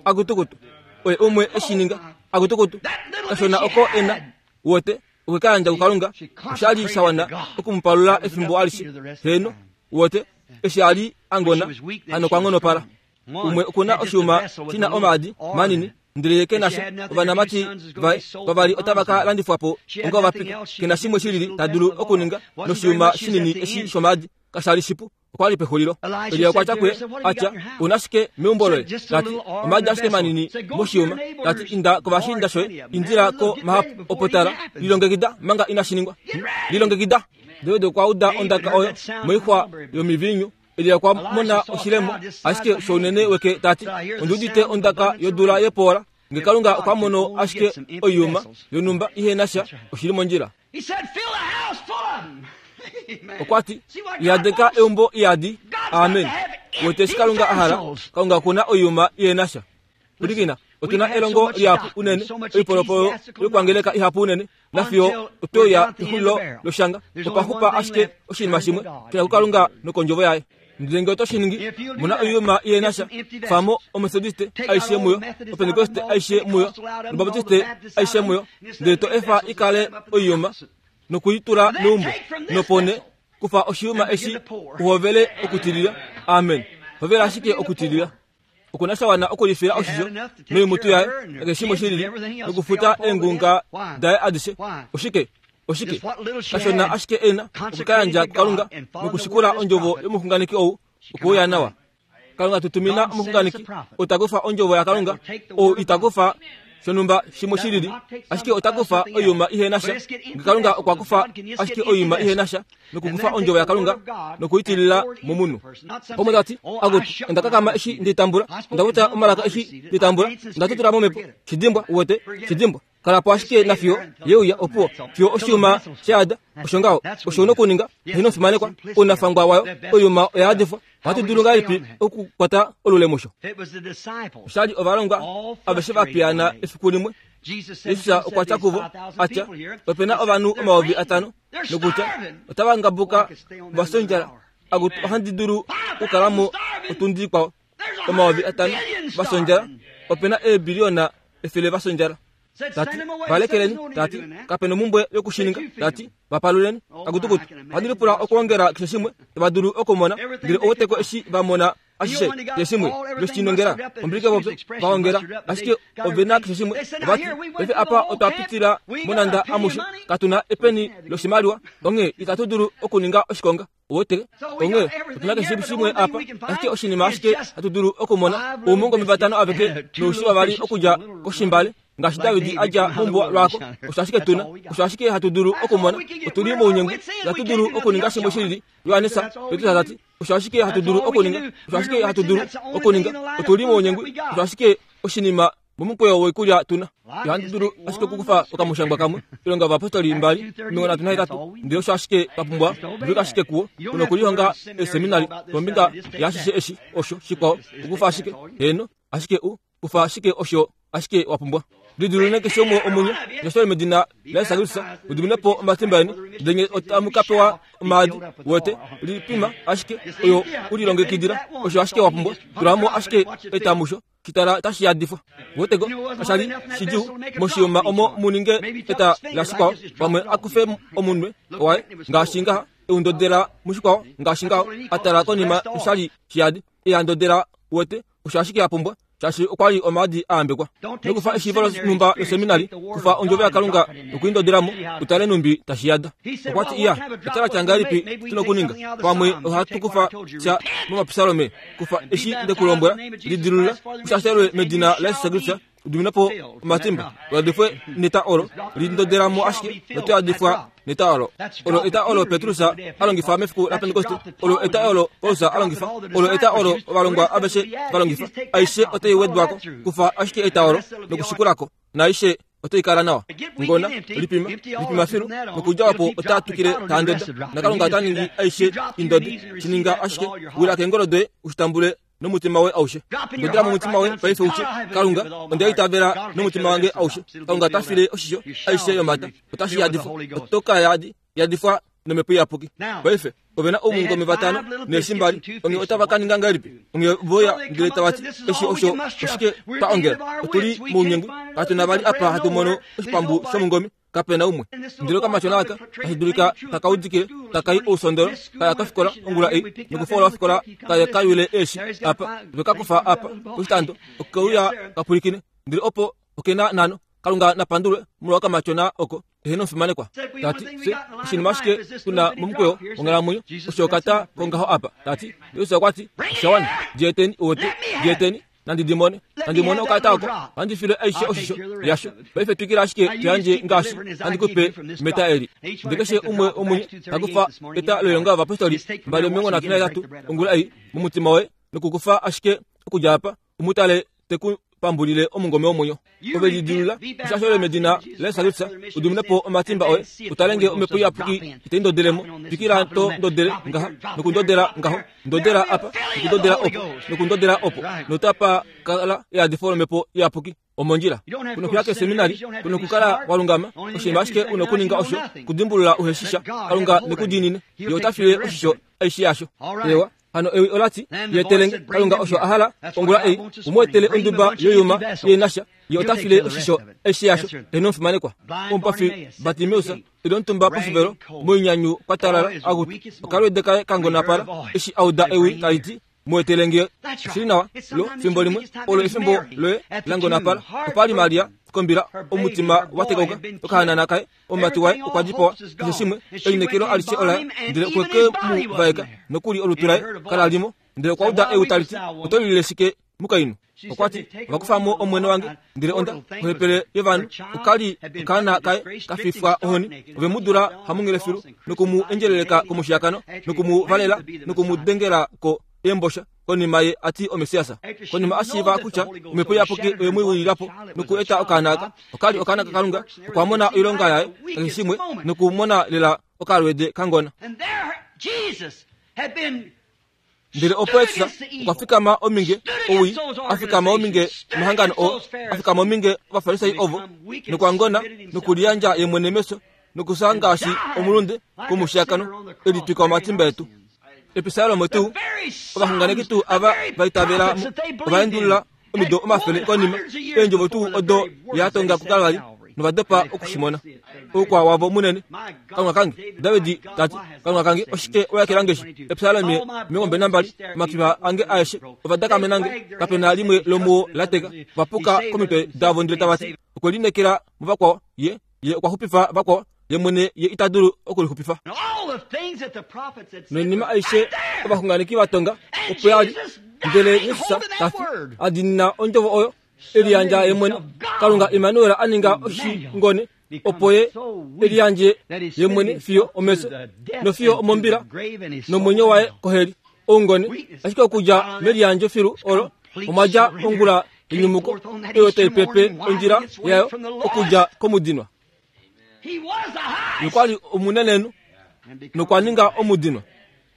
Akutukutu, oye umwe e shi ninga. Akutukutu, kashona oko e na, wote, okwe ka yandja kuKalunga. Osha li sha wana oku mu palula efimbo alishe. Heeno, wote, eshi a li a ngona, hano okwa ngonopala. Umwe oku na oshiyuma shi na omaadi manini, ndele ye ke na sha. Ovanamati vaye vavali otava ka landifwa po onga ovapika. Ke na shimwe shilili ta dulu okuninga noshiyuma shinini eshi shomaadi. Kasha li shipu. Okwa li pexulilo. Elia okwa tya kuye, a tya, U na shike meumbo loye? Ta ti, Omaadi ashike manini moshiyuma. Ta ti, Inda kovashiinda shoye, indila ko mahapu. Opo tala, lilongekida manga inashi ningwa. Lilongekida! David okwa uda ondaka oyo moixwa yomiviinyu. Elia okwa mona oshilemo, ashike shounene weke ta ti, Ondi udite ondaka yodula yepoola. Nge Kalunga okwa mono ashike oiyuma yonhumba ihe na sha, oshi li mondjila. Okwa ti, Yadeka eumbo iyadi. Amen. Wete eshi Kalunga a hala? Kalunga oku na oiyuma ihe na sha. Pwilikina, otu na elongo lihapu unene, oipolopolo yokwangeleka ihapu unene, nafiyo otwe uya pexulilo loshanga. Opa xupa ashike oshinima shimwe, shuna kuKalunga nokOndjovo yaye. Ndele nge oto shi ningi, mona oiyuma ihe na sha, famo Omethodiste aishe muyo, Opentekoste aishe muyo, nObaptiste aishe muyo, ndele to efa i kale oiyuma, noku i tula meumbo, nopo nee kufa oshiyuma eshi u hovele okutilila. Amen. Hovela ashike okutilila. Oku na sha wana okulifila oshisho noimutu yaye nakeshe shimwe shilili nokufuta eengunga daye adishe. Oshike? Oshike? Kashona ashike e na oku ka yandja kuKalunga nokushikula ondjovo yomuxunganeki ou okuuya nawa. Kalunga tu tumina omuxunganeki ou ta kufa ondjovo yaKalunga, ou ita kufa shonhumba shimwe shilili, ashike ota kufa oiyuma ihe na sha. Nge Kalunga okwa kufa ashike oiyuma ihe na sha nokukufa ondjovo yaKalunga nokuitilila momunhu. Pomwe ta ti, Akutu, onda kakama eshi ndi tambula, onda kuta omalaka eshi ndi tambula, onda tutula momhepo. Shidimbwa, uwete, shidimbwa. Kala po ashike nafiyo ye uya, opuwo, fiyo oshiyuma sha yada. Osho ngaho, osho u na okuninga. Heeno, fimanekwa, ounafangwa wayo, oiyuma oya yadifwa. Ohatu dulu ngahelipi okukwata olule musho? Osha li ovalongwa aveshe va piyaana efiku limwe. Jesus okwa tya kuvo, a tya, Ope na ovanhu 5000, nokutya otava ngabuka va fya ondjala. Akutu, ohandi dulu okukala mo otundi ikwao. 5000 va fya ondjala, ope na eebiliyona 100 va fya ondjala. Ta ti, Va lekeleni. Ta ti, Kape nomumbwe yoku shi ninga. Ta ti, Va paluleni. Akutukutu, ohandi lipula okwoongela keshe shimwe tava dulu okumona, ndele ouweteko eshi va mona ashishe, keshe shimwe ve shi nongela, ombilike vopyo, va ongela, ashike ove na keshe shimwe. Ova ti, Paife apa otwa pitila monanda amushe, katu na epeni loshimaliwa, onghee itatu dulu okuninga oshikonga. Uwete? Onghee otu na keshe shimwe apa, ashike oshinima ashike hatu dulu okumona oumungome vatano aveke noushi vavali okudja koshimbale, ngaashi David a dja mombuwa lwaako. Osho ashike tu na, osho ashike hatu dulu okumona. Otu li mounyengwi, itatu dulu okuninga shimwe shilili. Johannes Petrus ta ti, osho ashike hatu dulu okuninga, osho ashike hatu dulu okuninga. Otu li mounyengwi, osho ashike oshinima Momukweyo woikulya tu na. Ihandi dulu ashike okukufa okamushangwa kamwe, Oilonga yOvayapostoli 2, 38, ndele osho ashike twa pumbwa, dulika ashike kuwo. Tu nokulihonga eeseminari kombinga yaashishe eshi, osho, shikwao, okukufa ashike, heeno, ashike u, kufa ashike osho ashike wa pumbwa. Lidiluleni keshe umwe womunye, nyashifeni medina laJesus Kristus, mu dimine po omatimba eni, ndele nye otamu ka pewa omaadi, wete, lipima ashike oyo u lilongekidila, osho ashike wa pumbwa, tula mo ashike etamusho. Shitala tashi yadifwa. Weteko, kasha li shidjuu moshiyuma omo mu ninge eta lashikwao, pamwe a kufe omunwe waye ngaashi ngaha, e u ndodela mushikwao ngaashi ngaho, a tala konima nosha li shiyadi, e a ndodela. Wete, osho ashike a pumbwa, shaashi okwa li omaadi a yambekwa. Nokufa eshiivo lonhumba loseminari, kufa Ondjovo yaKalunga nokuindodela mo, u tale nhumbi tashi yada. Okwa ti, Iya, eta la tya ngahelipi tu nokuninga? Pamwe ohatu kufa sha mOmapsalome. Kufa eshi nde ku lombwela, lidilulula, u shashelwe medina laJesus Kristus, u diminwe po omatimba, u yadifwe neta olo, lindodela mo ashike, noto yadifwa neta olo. Olo eta olo Petrus a longifa mefiku laPentekoste, olo eta olo Paulus a longifa, olo eta olo ovalongwa aveshe va longifa. Aishe otai wedwa ko. Kufa ashike eta olo nokushikula ko, naaishe. Otai kala nawa. Ngona, lipima, lipima filu, nokudja opo ota twikile ta ndoda, naKalunga ota ningi aishe indode. Shi ninga ashike, wila keengolo doye u shi tambule nomutima woye aushe. Ndodela momutima woye paife u tye, Kalunga, onda itavela nomutima wange aushe. Kalunga ota file oshisho aishe yomata. Otashi yadifwa. Oto ka yadifwa nomhepo iyapuki. Paife, ove na oumungome vatano neeshi mbali. Onghee otava ka ninga ngahelipi? Onghee voya ndele tava ti, Eshi osho oshike twa ongela? Otu li mounyengwi. Katu na vali apa hatu mono oshipambu shomungome. Kape na umwe. Ndele okamatyona aka tashi dulika taka udikile, taka i ousondolo, ka ya kofikola ongula ei, nokufola ofikola ka ye ka yule eeshi apa, ve ka kufa apa poshitando, oke uya ka pwilikine. Ndele opo oke na nhano. Kalunga na pandulwe molwa okamatyona oko. Eheno omufimanekwa. Ta ti, Fye, oshinima ashike tu na momukweyo wonghalamwenyo, osho okata kongaho apa. Ta ti, Jesus okwa ti, Osha wana. Djeeteni, uwete. Djeeteni, nandi di mone. Nandi mone okata oko. Ohandi file aishe oshisho yasho. Paife twikila ashike to yandje ngaashi handi ku pe meta eli. Ndele keshe umwe womunye ta kufa eta loilonga yovapostoli 2:38 ongula ei momutima woye nokukufa ashike okudja apa u mu tale te ku pambulile omungome womwenyo. Ove lidilulula eshasho medina laJesus Kristus, u dimine po omatimba oye, u tale nge omhepo iyapuki itai ndodele mo. Twikila to ndodele ngaha, nokundodela ngaho, ndodela apa, nokundodela opo, nokundodela opo, notapa kala eyadifo lomhepo iyapuki. Omondjila. Ku nokuya keseminari, ku nokukala wa lungama. Oshinima ashike u nokuninga osho kudimbulula uheshi sha. Kalunga ne ku diinine. Ye ota file oshisho aishe yasho. Ewa. Hano ewi ola ti, Yetelenge, Kalunga osho a hala, ongula ei, u mu etele onduba yoyuma ye na sha, ye ota file oshisho aishe yasho. Eheno omufimanekwa. Omupafi Bartimeus, e li omutumba poshivelo, moinyanyu kwa talala, akutu, okalweede kaye ka ngonapala, eshi a uda ewi tali ti, Mu etele nge. Oshi li nawa, lo, fimbo limwe, olo efimbo loye la ngonapala. Opa li Maria, kombila, omutima wa tekauka, okahanana kaye, Omumati waye okwa dipawa, keshe shimwe, elineekelo alishe olaye, ndele okwe ke mu vaeka, nokuli olutu laye kala li mo. Ndele okwa uda ewi tali ti, Oto lilile shike, mukainhu? Okwa ti, Ova kufa mo Omwene wange, ndele onda, ohepele yovanhu, oka li okaana kaye ka fifwa ohoni. Ove mu dula hamunghele filu, noku mu endjeleleka komushiyakano, noku mu valela, noku mu dengela ko eembosha. Konima ye a ti oMessias. Konima a shiiva kutya Omhepo Iyapuki oye mu wilila po noku eta okaana aka, oka li okaana kaKalunga, okwa mona oilonga yaye, keshe shimwe, nokumona lela okalweede kangona. Ndele opo Jesus okwa fikama ominge owii, a fikama ominge omahangano oo, a fikama ominge Ovafarisai ovo, nokwa ngona nokuliyandja ye mwene mefyo nokufya ngaashi omulunde komushiyakano, e litwika omatimba etu. Episalomo tuu, ovaxunganeki tuu ava va itavela mo, ova endulula omido omafele konima eendjovo tuu odo ya tonga kuKalvari nova dopa oku shi mona. Oukwa wavo munene. Kalunga kange, David ta ti, Kalunga kange, oshike wa ekela nge shi? Epsalome 22, Omakipa ange aeshe ova dakamena nge, kape na limwe lomuo la teka. Ova puka komitwe davo ndele tava ti, Okwe lineekela muvakwao, ye, ye okwa xupifa vakwao, ye mwene ye ita dulu okulixupifa. Noinima aishe ovaxunganeki va tonga opo ya li, ndele Jesus ta fi, a diinina ondjovo oyo, e liyandja ye mwene. Kalunga Immanuel a ninga oshingone opo ye e liyandje ye mwene fiyo omefyo nofiyo omombila nomwenyo waye koheli. Oungone, ashike okudja meliyandjo filu olo omwa dja ongula yenyumuko oyo tai pepe ondjila yayo okudja komudinwa. Ye kwa li omunenenhu nokwa ninga omudinwa.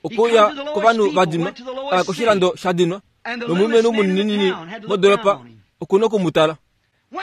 Okwe uya kovanhu va dinwa, a ya koshilando sha dinwa, nomulumenhu munininini modoolopa oku noku mu tala.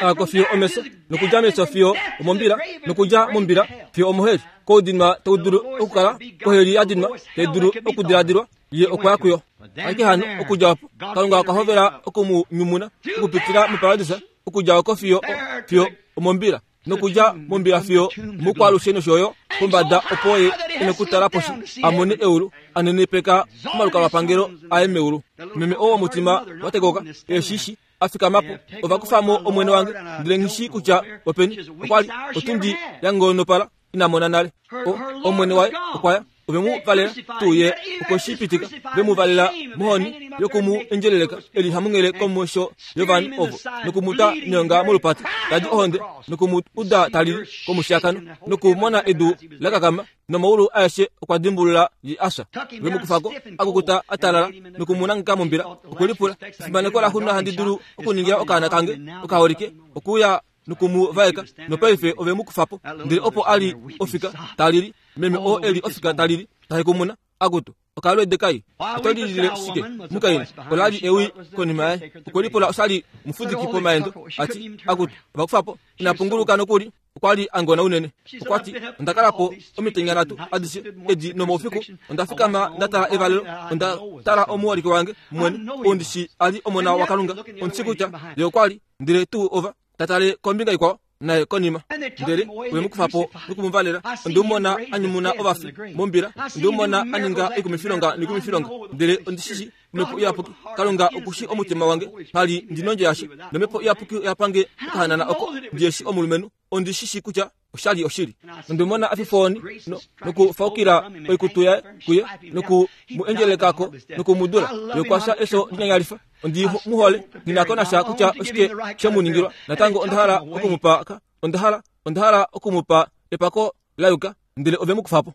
A ya ko fiyo omefyo, nokudja mefyo fiyo omombila, nokudja mombila fiyo omoheli. Koudinwa tau dulu okukala, koheli ya dinwa tai dulu okudiladilwa, ye okwa ya kuyo. Ashike hano, okudja opo, Kalunga okwa hovela oku mu nyumuna okupitila moparadisa, okudja oko fiyo, fiyo omombila. nokudja mombila fiyo mukwaalushe nosho yo pombada opo ye e nokutala poshi a mone eulu a nenepeka omalukalwapangelo aye meulu. Meme oo womutima wa tekoka e shi shi a fikama po, ova kufa mo omwene wange, ndele nghi shii kutya openi. Okwa li otundi ya ngonopala ina mona nale. O, omwene waye okwa ya. Ove mu valela tuu ye okwe shi pitika, ve mu valela mohoni yoku mu endjeleleka e li hamunghele komesho yovanhu ovo, noku mu ta neonga molupati, ta di ohonde, noku mu uda ta lili komushiyakano, nokumona edu la kakama, nomaulu aeshe okwa dimbulula ye a fya. Ve mu kufa ko, a kukuta a talala, noku mu nangeka mombila. Okwe lipula, Efimaneko laxununa handi dulu okuningila okaana kange okaholike okuuya? noku mu vaeka, nopaife ove mu kufa po. Ndele opo a li ofika ta lili, meme oo e li ofika ta lili, ta hekumuna, Akutu, okalweede kai, oto lilile shike? Mukainhu, ola li ewi konima yaye. Okwe lipula oshali mufudiki pomaendo, a ti, Akutu, ova kufa po. Ina punguluka nokuli. Okwa li a ngona unene. Okwa ti, Onda kala po omitenya nhatu adishe edi nomoufiku. Onda fikama nda tala evalelo. Onda tala omuholike wange mwene, ou ndi shii a li Omona waKalunga. Ondi shii kutya Ye okwa li. Ndele tuu ova ta tale kombinga ikwao, naye konima. Ndele ove mu kufa po noku mu valela. Onde mu mona a nyumuna ovafi mombila. Onde mu mona a ninga oikumifilonga noikumifilonga. Ndele ondi shi shii Omhepo Iyapuki, Kalunga oku shii omutima wange, pali ndi nondjo yasha. Nomhepo Iyapuki oya pange okahanana oko ndi eshi omulumenhu. Ondi shi shii kutya osha li oshili. Onde mu mona a fifa ohoni no, nokufaukila oikutu yaye kuye, noku mu endjeleleka ko, noku mu dula. Ye okwa fya efyo linyanyalifa. Ondi mu hole. Nghi na ko nasha kutya oshike she mu ningilwa. Natango onda hala oku mu pa, onda hala, onda hala oku mu pa epako la yuka, ndele ove mu kufa po.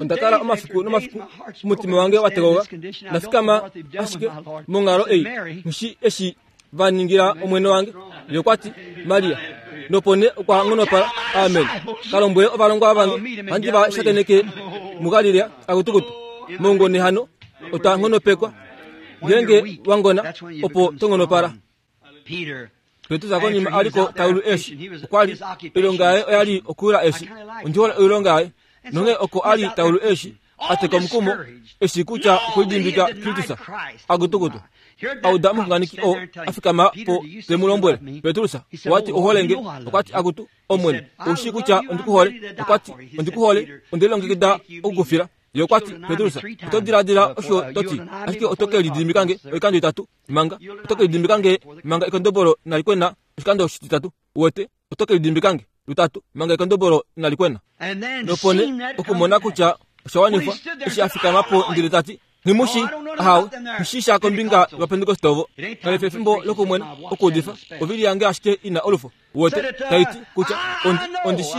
Onda kala omafiku nomafiku, omutima wange wa tegoga, nda fikama ashike monghalo ei, nghi eshi va ningila omwene wange. Ye okwa ti, Maria. Nopo nee okwa nghonopala. Amen. Ka lombwele ovalongwa vange, handi va shakeneke muGalilea, akutukutu. Moungone hano, otwa nghonopekwa. Ngeenge wa ngona, opo to nghonopala. Petrus konima a li ko ta yulu eeshi, okwa li oilonga yaye oya li okuyula eeshi. Ondi hole oilonga yaye. Nonghee oko a li ta yulu eeshi, a teka omukumo, eshi kutya okwe lidimbika Kristus. Akutukutu. A uda omuxunganeki oo a fikama po te mu lombwele, Petrus, owa ti ou hole nge? Okwa ti, Akutu, Omwene, ou shii kutya ondi ku hole. Okwa ti, Ondi ku hole, onde lilongekida oku ku fila. Ye okwa ti, Petrus, oto diladila osho to ti, ashike oto ke lidimbika nge oikando itatu. Manga, oto ke lidimbika nge manga ekondobolo inali kwena oshikando oshititatu. Uwete, oto ke lidimbika nge lutatu manga ekondobolo inali kwena. Nopo nee okumona kutya osha wanifwa, eshi a fikama po ndele ta ti, Nghi Ahawe, nghi shii sha kombinga yOvapentekoste ovo. Kali fi efimbo lokumwena okuudifa, ovili yange ashike i na olufo. Uwete, tai ti kutya ondi, ondi shi,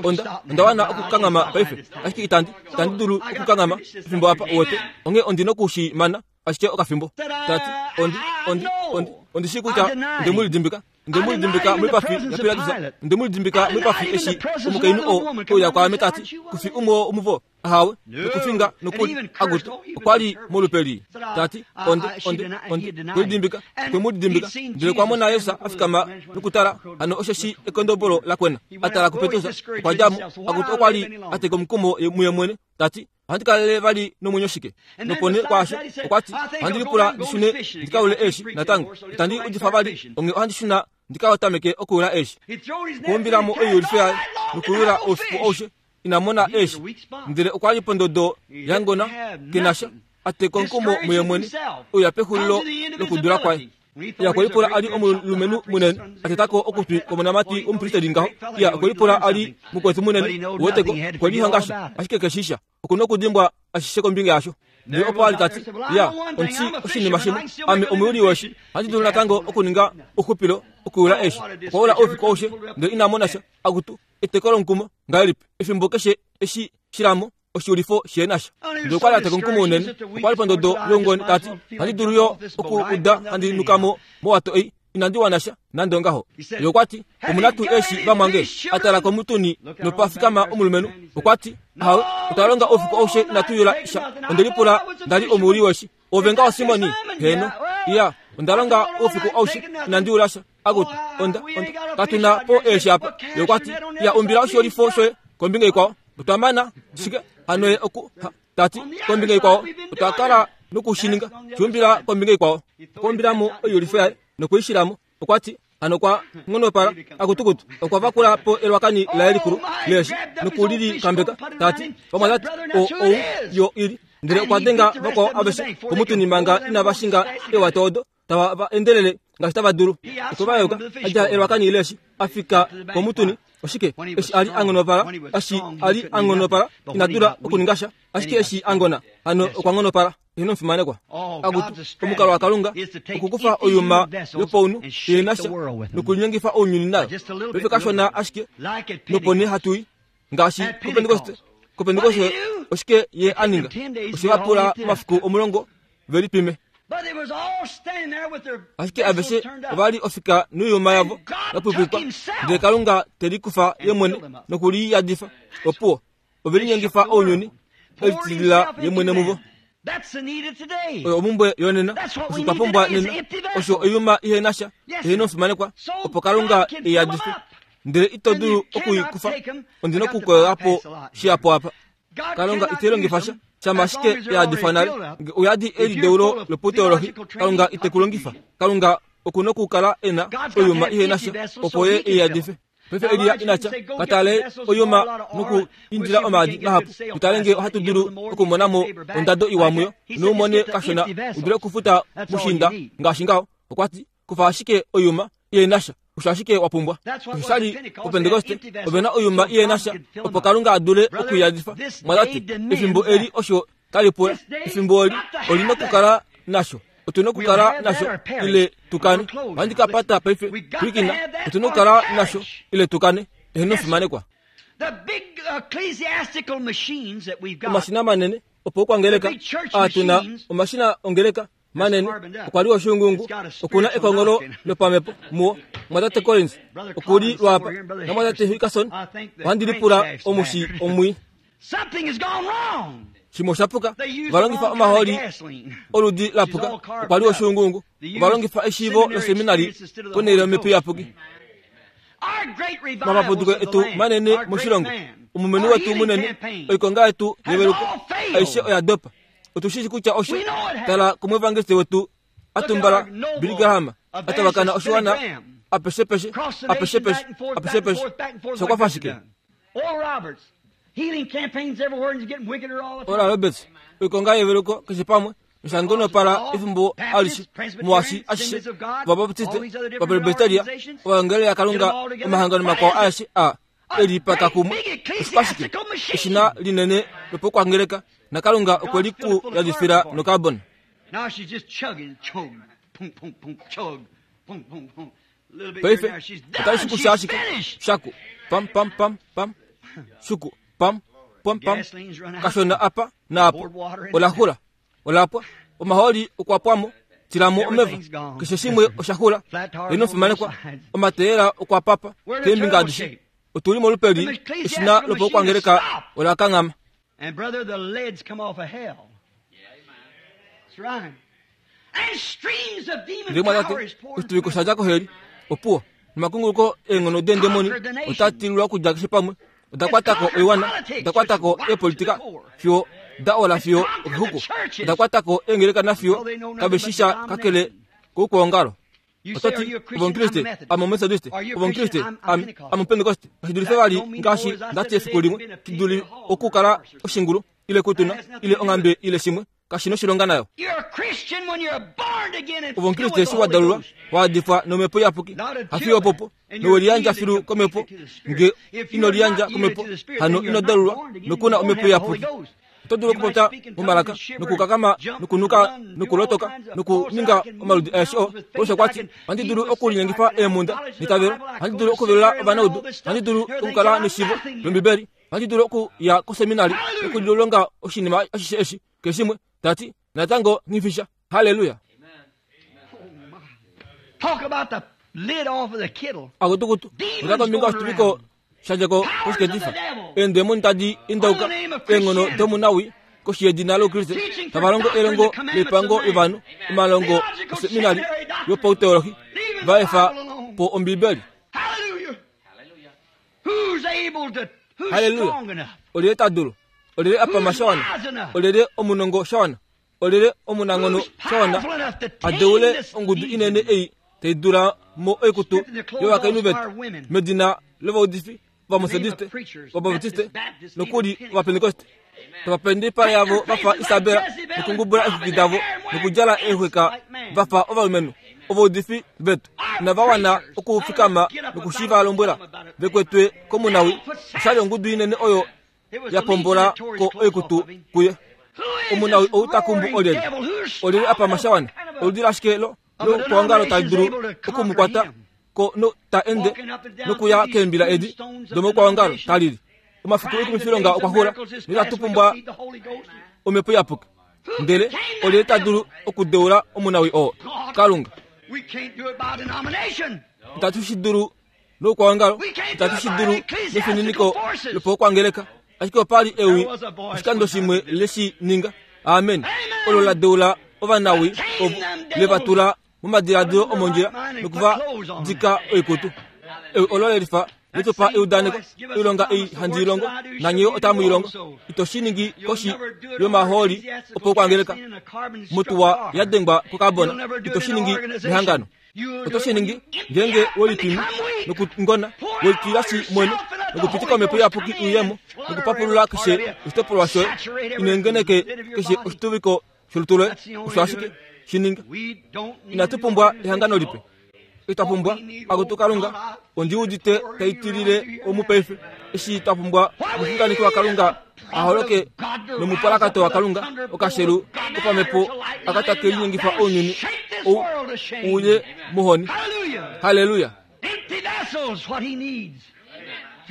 onda, onda wana okukanghama paife, ashike itandi, itandi dulu okukanghama efimbo apa, uwete, onghee ondi noku shi mana ashike okafimbo. Ta ti, Ondi, ondi, ondi, ondi shii kutya onde mu lidimbika. Onde mu lidimbika moipafi yaPilatus. Onde mu lidimbika moipafi eshi omukainhu oo e uya kwaame ta ti, Ku fi umwe womuvo? Ahawe, nokufinga nokuli akutu okwa li molupe lii. Ta ti, Onde, onde, onde, kwe lidimbika, kwe mu lidimbika. Ndele okwa mona Jesus a fikama nokutala, hano osheshi ekondobolo la kwena. A tala kuPetrus, okwa dja mo. Akutu okwa li a teka omukumo muye mwene, ta ti, Ohandi kalele vali nomwenyo shike? Nopo nee kwaasho, okwa ti, Ohandi lipula ndi shune ndi ka yule eeshi natango. Itandi udifa vali, onghee ohandi shuna ndi ka tameke okuyula eeshi. Okwa umbila mo oiyulifo yaye nokuyula oufiku aushe, ina mona eeshi. Ndele okwa li pondodo ya ngona, ke na sha, a teka omukumo muye mwene, uya pexulilo lokudula kwaye. Iya, okwe lipula a li omulumenhu munene, a teta ko okutwi kwomonamati womupristeli ngaho. Iya, okwe lipula a li mukwetu munene, uweteko, okwe lihonga sha, ashike ke shii sha. Oku nokudimbwa ashishe kombinga yasho. Ndele opo a li ta ti, Ya, ondi shii oshinima shimwe, ame omuyuli weeshi, ohandi dulu natango okuninga ouxupilo okuyula eeshi. Okwa ula oufiku aushe, ndele ina mona sha. Akutu, eteko lomukumo ngahelipi! Efimbo keshe eshi shilamo, oshiulifo she na sha. Ndele okwa li a teka omukumo unene, okwa li pondodo youngone ta ti, Ohandi dulu yo oku uda handi nuka mo mowato ei, inandi wana sha nande ongaho. Ye okwa ti, Omu na tuu eeshi vamwange? A tala komutuni nopa fikama omulumenhu. Okwa ti, Ahawe, otwa longa oufiku aushe inatu yula sha. Onde lipula nda li omuyuli weeshi. Ove ngaho Simoni? Heeno. Iya, onda longa oufiku aushe inandi yula sha. Akutu, onda, onda, katu na po eeshi apa. Ye okwa ti, Ya umbila oshiyolifo shoye kombinga ikwao. Otwa mana shike hano ye oku, ha, ta ti, kombinga ikwao. Otwa kala noku shi ninga. Shi umbila kombinga ikwao. Okwa umbila mo oiyulifo yaye noku i shila mo. Okwa ti, hano okwa nghonopala, akutukutu. Okwa vakula po elwakani laye likulu leeshi noku li likambeka, ta ti, Vamwatate, o, ou yo i li. Ndele okwa denga vakwao aveshe komutuni manga inava shinga eewato odo. tava va endelele ngaashi tava dulu. Okwe va yeuka, a djala elwakani leeshi, a fika komutuni. Oshike? Eshi a li a nghonopala, eshi a li a nghonopala, ina dula okuninga sha. Ashike eshi a ngona, hano okwa nghonopala. Eheno omufimanekwa. Akutu, omukalo waKalunga okukufa oiyuma yopaunhu ihe na sha nokulinyengifa ounyuni nayo. Paife kashona ashike, nopo nee hatu i. Ngaashi kOpentekoste, kOpentekoste oshike ye a ninga? Oshe va pula omafiku omulongo ve lipime. Ashike aveshe ova li ofika noiyuma yavo ya pwipwikwa, ndele Kalunga te likufa ye mwene noku li yadifa. Opuwo, ove linyengifa ounyuni, e litilila ye mwene muvo. Oyo omhumbwe yonena, osho twa pumbwa nena, osho oiyuma ihe na sha, ihe na omufimanekwa, opo Kalunga e i yadife. Ndele ito dulu oku i kufa, ondi na okukoyola po shihapu apa. Kalunga ite longifa sha, shama ashike ya yadifwa nale. Nge uyadi elideulo loputeolohi, Kalunga ite ku longifa. Kalunga oku nokukala e na oiyuma ihe na sha, opo Ye e i yadife. Paife Elia ina tya, Ka tale oiyuma noku indila omaadi mahapu, tu tale nge ohatu dulu okumona mo ondado iwa muyo, nou mone kashona u dule okufuta mushiinda ngaashi ngaho. Okwa ti, Kufa ashike oiyuma ihe na sha, osho ashike wa pumbwa. Osho sha li puPentekoste, ove na oiyuma ihe na sha, opo Kalunga a dule oku i yadifa. Mwatate, efimbo eli osho tali pula. Efimbo oli, oli nokukala nasho. Otu nokukala nasho, ile tu kane. Ohandi ka pata paife. Pwilikina, otu nokukala nasho, ile tu kane. Eheno fimanekwa. Omashina manene opo okwangeleka aa tu na, omashina ongeleka manene okwa li oshuunguungu oku na ekongolo lopamhepo muwo. Mwatate Collins oku li lwaapa, namwatate Hickerson, ohandi lipula omushi omwii. Shimwe osha puka. Ova longifa omahooli oludi la puka. Okwa li oshuunguungu. Ova longifa eshiivo loseminari ponhele yOmhepo Iyapuki. Omapapuduko etu manene moshilongo, omumeni wetu munene, oikonga yetu yeveluko, aishe oya dopa. Otu shi shi kutya osho. Tala komuevangeliste wetu a tumbala, Billy Graham, a tavakana oshiwana apeshepeshe, apeshepeshe, apeshepeshe. Osha kwafa shike? Oral Roberts, oikonga yeveluko keshe pamwe, nosha ngonopala efimbo alishe, muashi ashishe, Ovabaptiste, Ovapresbyteria, Ovaengeli yaKalunga, omahangano makwao aeshe a e lipaka kumwe. Oshikwashike? Eshina linene lopokwangeleka, naKalunga okwe li ku yadifila nokarbon. Paife otai shukusha ashike shaku pam pam pam pam shuku pam pam pam kashona apa naapo. Ola xula, ola pwa, omahooli okwa pwa mo, tila mo omeva, keshe shimwe osha xula. Ino fimanekwa, omateyela okwa papa keembinga adishe. Otu li molupe li eshina lopokwangeleka ola kanghama. And brother, the lead's come off of hell. That's right. And streams of demon Ndele mwatate, power is poured oshituviko sha dja koheli, opuwo, nomakunguluko eenghono deendemoni otaa tililwa okudja keshe pamwe. Oda kwata ko oiwana, oda kwata ko eepolitika fiyo da ola fiyo okexuku, oda kwata ko eengeleka nafiyo kave shi sha kakele koukwaongalo. You Oto say, are ti, you a Ove Christian? I'm Omukriste, a Methodist. ame Omumethodiste, Are you a ove Omukriste, Christian? I'm ame Pentecost. ame Omupentekoste. Kashi dulife That vali don't mean ngaashi more, as I nda ti said efiku today, limwe, being a shi pig duli or a hog okukala or a horse or oshingulu ile kutuna That has nothing ile to do onghambe with it. ile shimwe, kashi noshilonga nayo. You're a Christian when you're born again and Ove filled Omukriste with eshi the wa Holy dalulwa, Ghost. wa adifwa nomhepo iyapuki, Not until hafiyo that. opopo, And nowe you're liyandja yielded filu komhepo, completely to the Spirit. nge If ino you're liyandja not yielded komhepo, to the Spirit, hano then ino you're not dalulwa, born again. nokuna You don't omhepo have the Holy iyapuki. Ghost. Oto dulu You might okupopya speak in tongues momalaka and shiver nokukakama and jump and nokunuka run and do all nokulotoka kinds of nokuninga false. I can omaludi move aeshe oo. mountains with Paulus faith. okwa I ti, can Ohandi heal dulu the sick. I okulinyengifa can have eemhunda knowledge of the neitavelo, Bible. I ohandi go dulu to okuvelula seminary and learn all ovanaudu, this stuff ohandi dulu and everything, okukala but I'm neshiivo nothing yet. lOmbibeli, ohandi dulu okuya koseminari Hallelujah. nokulilonga oshinima ashishe eshi, keshe shimwe, ta ti, natango nghifisha. Halleluya! Talk about the lid off of the kettle. Akutukutu, ota kombinga yoshituviko sha dja ko koshiketifa. Eendemoni tadi indauka, eenghono domunawi koshi yedina lOukriste, tava longo elongo loipango yovanhu, omalongo oseminari yopauteolohi, va efa po Ombibeli. Hallelujah. Who's able to, who's Hallelujah. strong enough? Olyelye ta dulu? Olyelye a pama sha wana? Olyelye omunongo sha wana? Olyelye omunanghono Who's sha wana powerful enough to a tame deule this ongudu legion? inene ei tai dula mo oikutu yovakainhu vetu medina lovaudifi, Ovametodiste, Ovabatiste, nokuli Ovapentekoste? Tava pendipala yavo va fa Isabela nokungubula eexwiki davo nokudjala eexwika va fa ovalumenhu. Ovaudifi vetu inava wana okufikama nokushiiva lombwela ve kwetwe komunawi. Osha li ongudu inene oyo ya pombola ko oikutu kuye. Omunawi ou ta kumbu olyelye? Olyelye a pama sha wana? Oludi lashike lo loukwaongalo tali dulu oku mu kwata ko no ta ende nokuya keembila edi domoukwaongalo ta lili? Omafiku oikumifilonga okwa xula, notatu pumbwa Omhepo Iyapuki. Ndele olyelye ta dulu okudeula omunawii oo? Kalunga. Itatu shi dulu noukwaongalo, itatu shi dulu nefininiko lopaukwangeleka, ashike opa li ewi oshikando shimwe le shi ninga. Amen. Olo la deula ovanawii ovo, le va tula momadiladilo omondjila noku va dika oikutu. Ewi olo le lifa le tu pa eudaneko, oilonga ei handi i longo, nanye yo otamu i longo. Ito shi ningi koshi yomahooli opaukwangeleka, motuwa ya dengwa kokabona. Ito shi ningi mehangano. Oto shi ningi ngeenge we lipimi nokungona, we litilashi mwene, nokupitika omhepo iyapuki i uye mo, nokupapulula keshe oshitopolwa shoye, inengeneke keshe oshituviko sholutu loye. Osho ashike shi ninga. Inatu pumbwa ehangano lipe. Itwa pumbwa akutu Kalunga, ondi udite tai tilile omu paife, eshi twa pumbwa omuxunganeki waKalunga a holoke nomupalakato waKalunga, okashelu kopamhepo aka take linyengifa ounyuni ou uye mohoni. Halleluya!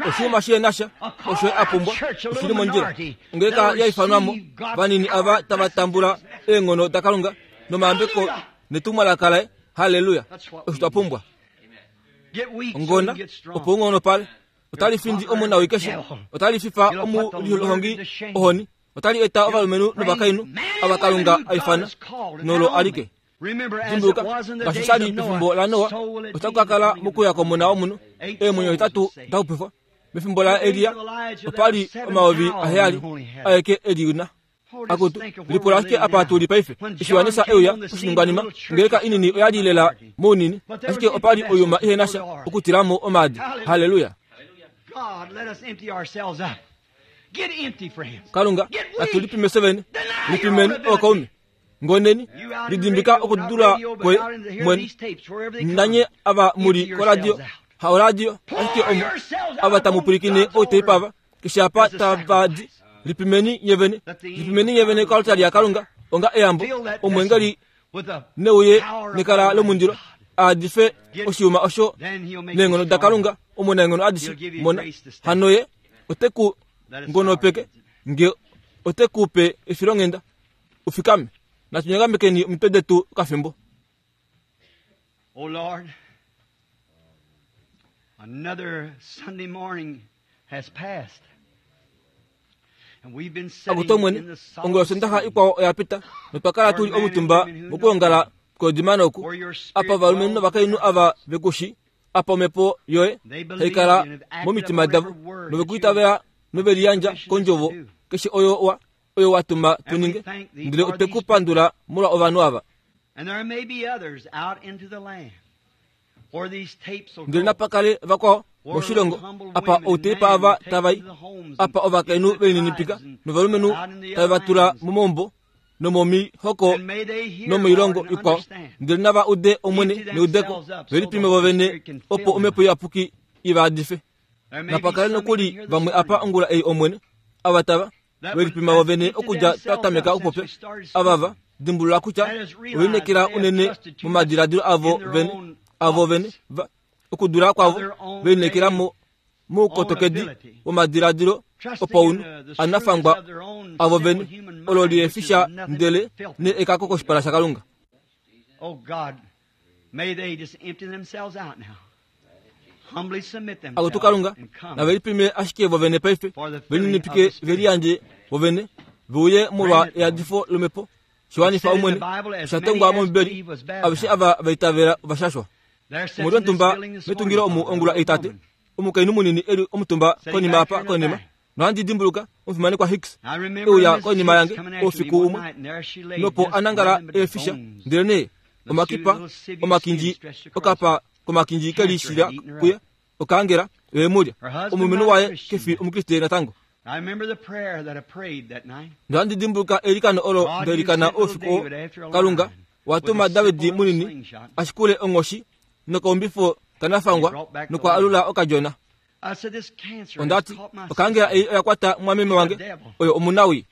Oshinima shi na sha osho a pumbwa oshi li mondjila. Ongeleka ya ifanwa mo, vanini ava tava tambula eenghono daKalunga nomayambeko netumwalaka laye. Halleluya! Osho twa pumbwa. Ongona, opo u nghonopale. Otali findi omunawii keshe. Otali fifa omulihongi ohoni. Otali eta ovalumenhu novakainhu ava Kalunga a ifana, nolo alike. Dimbuluka, ngaashi sha li pefimbo laNoa, otaku ka kala mokuya kOmona wOmunhu eemwenyo hetatu da xupifwa. Mefimbo laElia, opa li 7000 aeke e li na. Akutu, lipula ashike apa tu li paife. Eshi Johannes e uya koshiningwanima, ongeleka inini oya li lela mounini, ashike opa li oiyuma ihe na sha okutila mo omaadi. Halleluya! Kalunga, natu lipime fye vene. Lipimeni, ookaume. Ngoneni, lidimbika okudula kwoye mwene. Nanye ava mu li koradio, ha oradio, ashike omo ava tamu pwilikine outeipa ava, keshe apa tava di, lipimeni nye vene, lipimeni nye vene koaltari yaKalunga onga eyambo, omweengeli neuye nekala lomundilo a dife oshiyuma osho neenghono daKalunga omunaenghono adishe. Mona, hano ye ote ku ngonopeke nge ote ku pe efilonghenda u fikame. Natu nyagamekeni omitwe detu okafimbo. Oh Lord, another Sunday morning has passed. And we've been sitting Akutu Omwene, in the solemn ongula Osondaxa ikwao oya pita, notwa kala tu li omutumba mokwoongala kwoodimana oku, where your spirit apa ovalumenhu dwells novakainhu ava ve ku shii, apa omhepo yoye They tai believed kala and have acted momitima upon davo, every word nove that ku you itavela nove liyandja commissioned us to kondjovo do. keshe oyo wa oyo wa tuma tu And we ninge, thank thee ndele for otwe these ku pandula molwa ovanhu ava. And there may be others out into the land where these tapes will Ndele go. napa kale vakwao Where moshilongo humble apa women and outeipa men ava will take tava i, to the homes apa and ovakainhu into the velininipika tribes and novalumenhu out in the tave va other tula lands. momaumbo nomomihoko And may they hear, nomoilongo Lord, and ikwao, understand. ndele nava ude Omwene Empty neudeko, themselves up so ve the lipime Holy vovene, Spirit can opo fill them. Omhepo Iyapuki i va hadife. There may Napa be kale some nokuli even here this vamwe apa morning ongula ei Omwene, ava tava that ve would lipima have vovene emptied okudja twa themselves tameka up since okupopya, we started ava va speaking. dimbulula kutya That has ove realized lineekela they have unene trusted too much momadiladilo avo in their vene, own avo vene thoughts, va okudula kwavo of their own ve lineekela vain mo own moukotokedi ability, womadiladilo trusting in opaunhu the anafangwa shrewdness of their own avo sinful vene human olo mind, which lihefi is sha nothing ndele but filth. ne ekako koshipala shaKalunga. Oh God, may they just empty themselves out now. Humbly submit Akutu themselves Kalunga, and come nave lipime ashike vovene paife, for the filling of velininipike the ve Spirit. liyandje vovene, ve uye molwa Grant it, Lord. eyadifo lomhepo, It shiwanifa said in the Omwene, Bible, as sha many tongwa as mOmbibeli, believe was aveshe baptized. ava va itavela ova shashwa. There sits Omuli in this omutumba building this metungilo morning, omu Father, a ongula little eitate, woman omukainhu munini e li omutumba sitting konima back apa here in the konima, back. nohandi dimbuluka omufimanekwa Hicks I e remember uya Mrs. konima Hicks yange coming after me oufiku one umwe, night, and there she laid, nopo just a nangala nothing but eefisha, bones. ndelenee The two omakipa little sinew skin omakinji stretched across okapa her. komakinji ke Cancer lishila had eaten her kuye up. okaangela oye mulya Her husband omulumenhu not a waye Christian ke fi yet. omukriste natango. I remember the prayer that I prayed that night. Nohandi dimbuluka eilikano olo God, nda you ilikana sent little oufiku oo. David after a Kalunga lion wa with tuma a David simple little munini slingshot. a shikule onghoshi nokaumbifo He kanafangwa brought back the nokwa lamb. alula okadjona. I said, this cancer Onda has ti, caught my okaangela sister. ei oya kwata mwameme She's a wange, devil. oyo omunawi.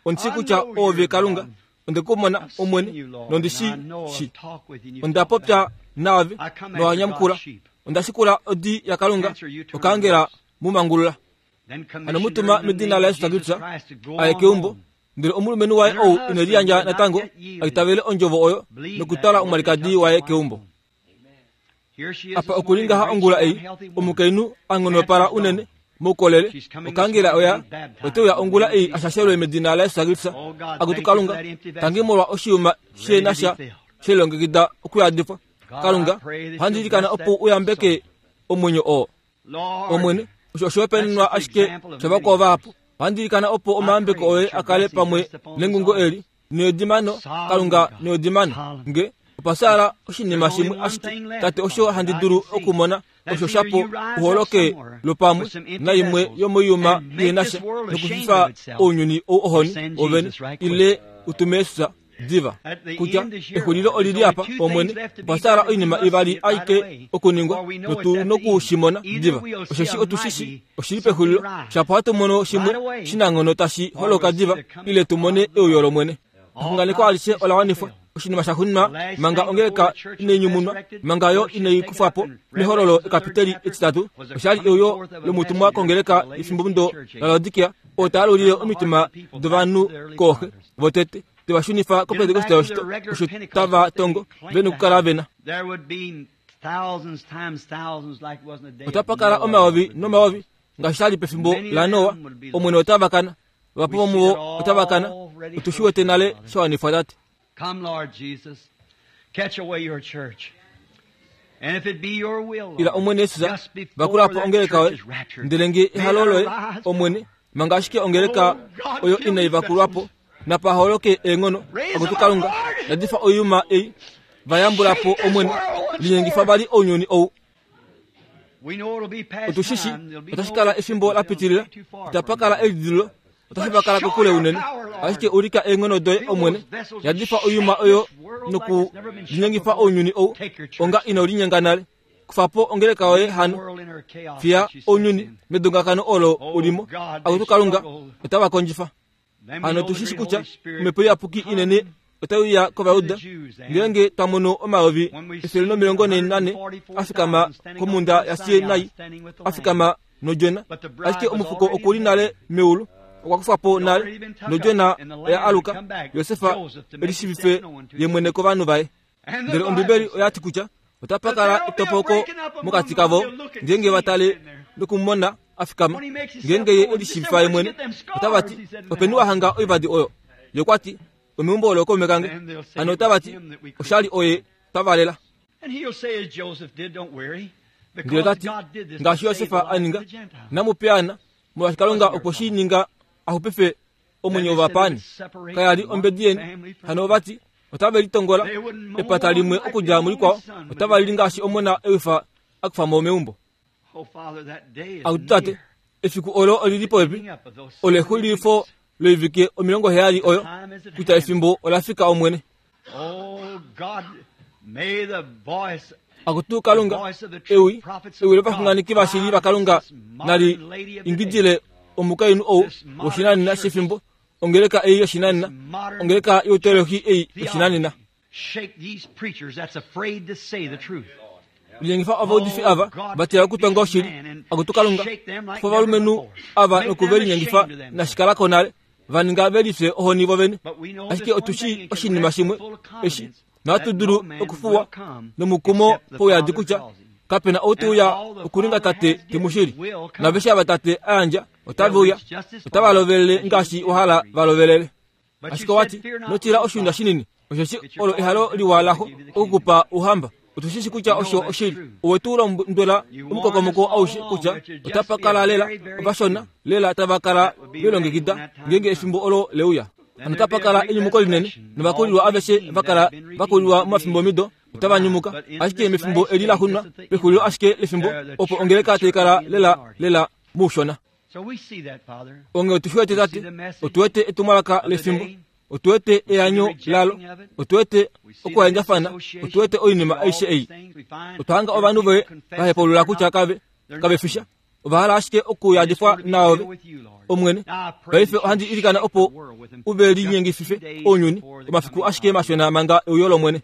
Ondi shii I kutya know oove you're Kalunga, God. onde ku mona I've seen Omwene, you, Lord, nondi and shi I know I've shii. talked with you and you've Onda talked popya back. naave, I come nowa after nyamukula. God's sheep. Onda shikula odi yaKalunga, Cancer, you turn okaangela loose. mu mangulula. Then Hano commissioned her mutuma in the medina name la of Yesu Jesus Kristus Christ to go aye on keumbo home. Ndele omulumenhu waye ou ine liyandja natango a itavele ondjovo oyo nokutwala omwalikadi waye keumbo. Apa oku li ngaha ongula ei, omukainhu a nghonopala unene moukolele, okangela oya ote uya ongula ei a shashelwe medina laJesus Kristus. Akutu Kalunga, tangi molwa oshiyuma she na sha she lilongekida okuyadifwa. Kalunga, ohandi ilikana opo u yambeke omwenyo oo. Omwene, osho oshihopaenenwa ashike shavakwao vahapu. Ohandi ilikana opo omayambeko oye a kale pamwe nengungo eli needimano, Kalunga needimano. Nge opa fyaala oshinima shimwe ashike, Tate, osho handi dulu okumona, osho shapo uholoke lwopamwe naimwe yomoiyuma ihe na sha nokufifa ounyuni ou ohoni wovene, ile u tume Jesus diva kutya exulilo oli li apa, Omwene. Opa fyaala oinima ivali aike okuningwa, notu noku shi mona diva, osheshi otu shi shii oshi li pexulilo. Shapo hatu mono shimwe shinanghono tashi holoka diva, ile tu mone euyo lOmwene. Exunganeko alishe ola wanifwa. Oshinima sha xuninwa manga ongeleka inai nyumunwa, manga yo inai kufwa po mehololo ekapiteli etitatu, osha li euyo lomutumwa kongeleka yefimbomudo laLaodikia, oo ta alulile omitima dovanhu kooxe votete, te va shunifa koPentekoste yoshito, osho tava tongo ve nokukala ve na. Otapa kala omayovi nomayovi ngaashi sha li pefimbo laNoa, Omwene otava kana, vahapu vomuvo otava kana. Otu shi wete nale sha wanifwa, Tate. Ila Omwene Jesus, vakula po ongeleka yoye. Ndele nge ehalo loye, Omwene, manga ashike ongeleka oyo inai vakulwa po, napa holoke eenghono, Akutu Kalunga, yadifa oiyuma ei, va yambula po, Omwene, linyengifa vali ounyuni ou. Otu shi shi, otashi kala efimbo la pitilila, itapa kala elidililo, otashi va kala kokule unene. Ashike ulika eenghono doye, Omwene, yadifa oiyuma oyo noku linyengifa ounyuni ou onga ino linyenga nale. Kufa po ongeleka yoye hano, fiya ounyuni medongakano olo u li mo. Akutu Kalunga, otava kondjifa. Hano otu shi shi kutya Omhepo Iyapuki inene otai uya kOvayuda ngeenge twa mono 144000 a fikama komhunda yaSinai, a fikama nodjona. Ashike omufuko oku li nale meulu, okwa kufwa po nale, nodjona oya aluka, Josef e lishiivife ye mwene kovanhu vaye. Ndele Ombibeli oya ti kutya otapa kala etopoko mokati kavo ngeenge va tale nokumona a fikama. Ngeenge ye e lishiivifa ye mwene, otava ti, Openi wa hanga oivadi oyo? Ye okwa ti, Omeumbo olo kaume kange. Hano otava ti, Oshali oye twa valela. Ndele ota ti, Ngaashi Josef a ninga, inamu piyaana, molwaashi Kalunga okwe shi ninga a xupife omwenyo wovapaani. Kaya li ombedi yeni. Hano ova ti, Otave litongola epata limwe okudja mulikwao, otava lili ngaashi omona ewifa a kufa mo meumbo. Akutu tate, efiku olo oli li popepi, olo exulifo loivike 70 oyo, kutya efimbo ola fika Omwene. Akutu Kalunga, ewi, ewi lovaxunganeki vashili vaKalunga nali ingidile omukainhu ou woshinanena shefimbo, ongeleka ei yoshinanena, ongeleka youteologi ei yoshinanena. Linyengifa ovaudifi ava va tila okutonga oshili, Akutu Kalunga, kufa ovalumenhu ava noku ve linyengifa nashikala ko nale, va ninga ve lifye ohoni vovene. Ashike otu shii oshinima shimwe eshi, nohatu dulu okufuwa nomukumo pouyadi kutya kape na ou te uya okuninga Tate te mu shili. Naaveshe ava Tate a yandja otave uya, otava lovelele ngaashi wa hala va lovelele. Ashike owa ti, Ino tila oshiunda shinini, osheshi olo ehalo liwa laxo oku ku pa ouhamba. Otu shi shi kutya osho oshili. Owe tu londwela omukokomoko aushe kutya otapa kala lela ovashona lela tava kala ve longekida ngeenge efimbo olo le uya. Hano otapa kala enyumuko linene, novakulilwa aveshe va kala va kulilwa momafimbomido otava nyumuka. Ashike mefimbo eli la xunwa, pexulilo ashike lefimbo, opo ongeleka tai kala lela lela moushona. Onghee otu shi wete, Tate, otu wete etumwalaka lefimbo, otu wete eanyo lalo, otu wete okuhendjafana, otu wete oinima aishe ei. Otwa hanga ovanhu voye va hepaulula kutya kave, kave fi sha. Ova hala ashike okuyadifwa naove, Omwene. Paife ohandi ilikana opo u ve linyengifife ounyuni omafiku ashike mashona manga euyo lOmwene.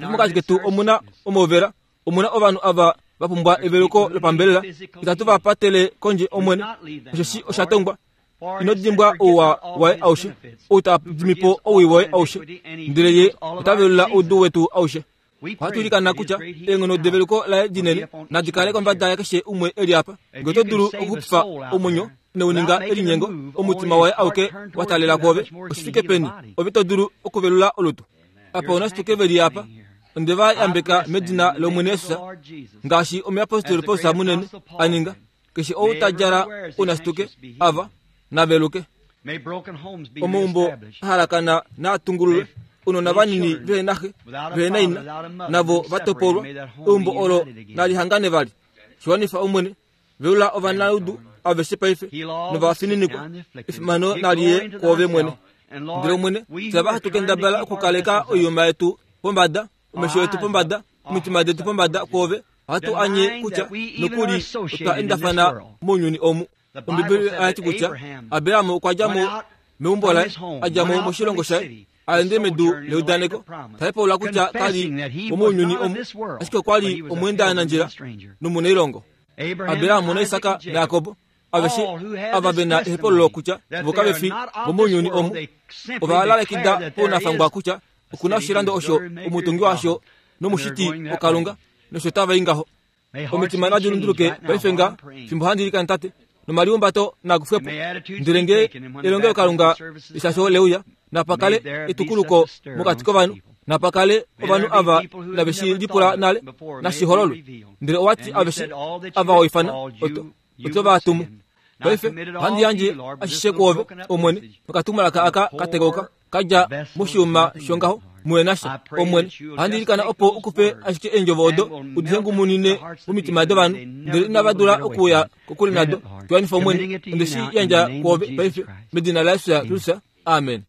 Mokati ketu omu na omauvela Omu na ovanhu ava va pumbwa eveluko lopambelela. Itatu va patele kondje, Omwene, osheshi osha tongwa. Ino dimbwa ouwa waye aushe, ou ta dimi po owii woye aushe, ndele ye ota velula oudu wetu aushe. Ohatu ilikana kutya eenghono develuko laye dinene nadi kale kombada yakeshe umwe e li apa. Ngee oto dulu okuxupifa omwenyo inau ninga elinyengo, omutima waye auke wa taalela kwoove, oshi fike peni ove to dulu okuvelula olutu? Apa ounashituke ve li apa, onde va yambeka medina lOmwene Jesus, ngaashi omuyapostoli Paulus munene a ninga. Keshe ou ta djala ounashituke ava, na veluke. Omaumbo a halakana naa tungululwe, ounona vanini vehe na xe, vehe na ina, navo va topolwa, eumbo olo nali hangane vali. Shi wanifa Omwene, velula ovanaudu aveshe paife novafininikwa, efimano nali ye kwoove mwene. Ndele Omwene, fye ava hatu kendabala okukaleka oiyuma yetu pombada, omesho etu pombada, omitima detu pombada kwoove, ohatu anye kutya nokuli otwa endafana mounyuni omu. Ombibeli oya ti kutya Abraham okwa dja mo meumbo laye, a dja mo moshilongo shaye, a ende medu leudaneko, ta hepaulula kutya ka li womounyuni omu, ashike okwa li omweendanandjila nomunailongo. Abraham naIsak naJakob aveshe ava ve na ehepaululo kutya vo kave fi vomounyuni omu, ova lalekida pounafangwa kutya oku na oshilando osho omutungi washo nomushiti oKalunga, nosho tava i ngaho. Omitima nadi lunduluke paife nga fimbo handi ilikana Tate, nomaliumbato naa kufwe po. Ndele nge elongelokalunga leshasho leuya, napa kale etukuluko mokati kovanhu, napa kale ovanhu ava inave shi lipula nale, nashi hololwe. Ndele owa ti aveshe ava wa ifana, oto, oto va tumu. Paife ohandi yandje ashishe kwoove, Omwene, nokatumwalaka aka ka tekauka. ka dja moshiuma shongaho muhe na sha. Omwene, ohandi ilikana opo u kufe ashike eendjovo odo u di hengumunine momitima dovanhu, ndele inava dula okuuya kokule nado. Tu wanifa, Omwene, onde shi yandja kwoove paife, medina laJesus Kristus. Amen.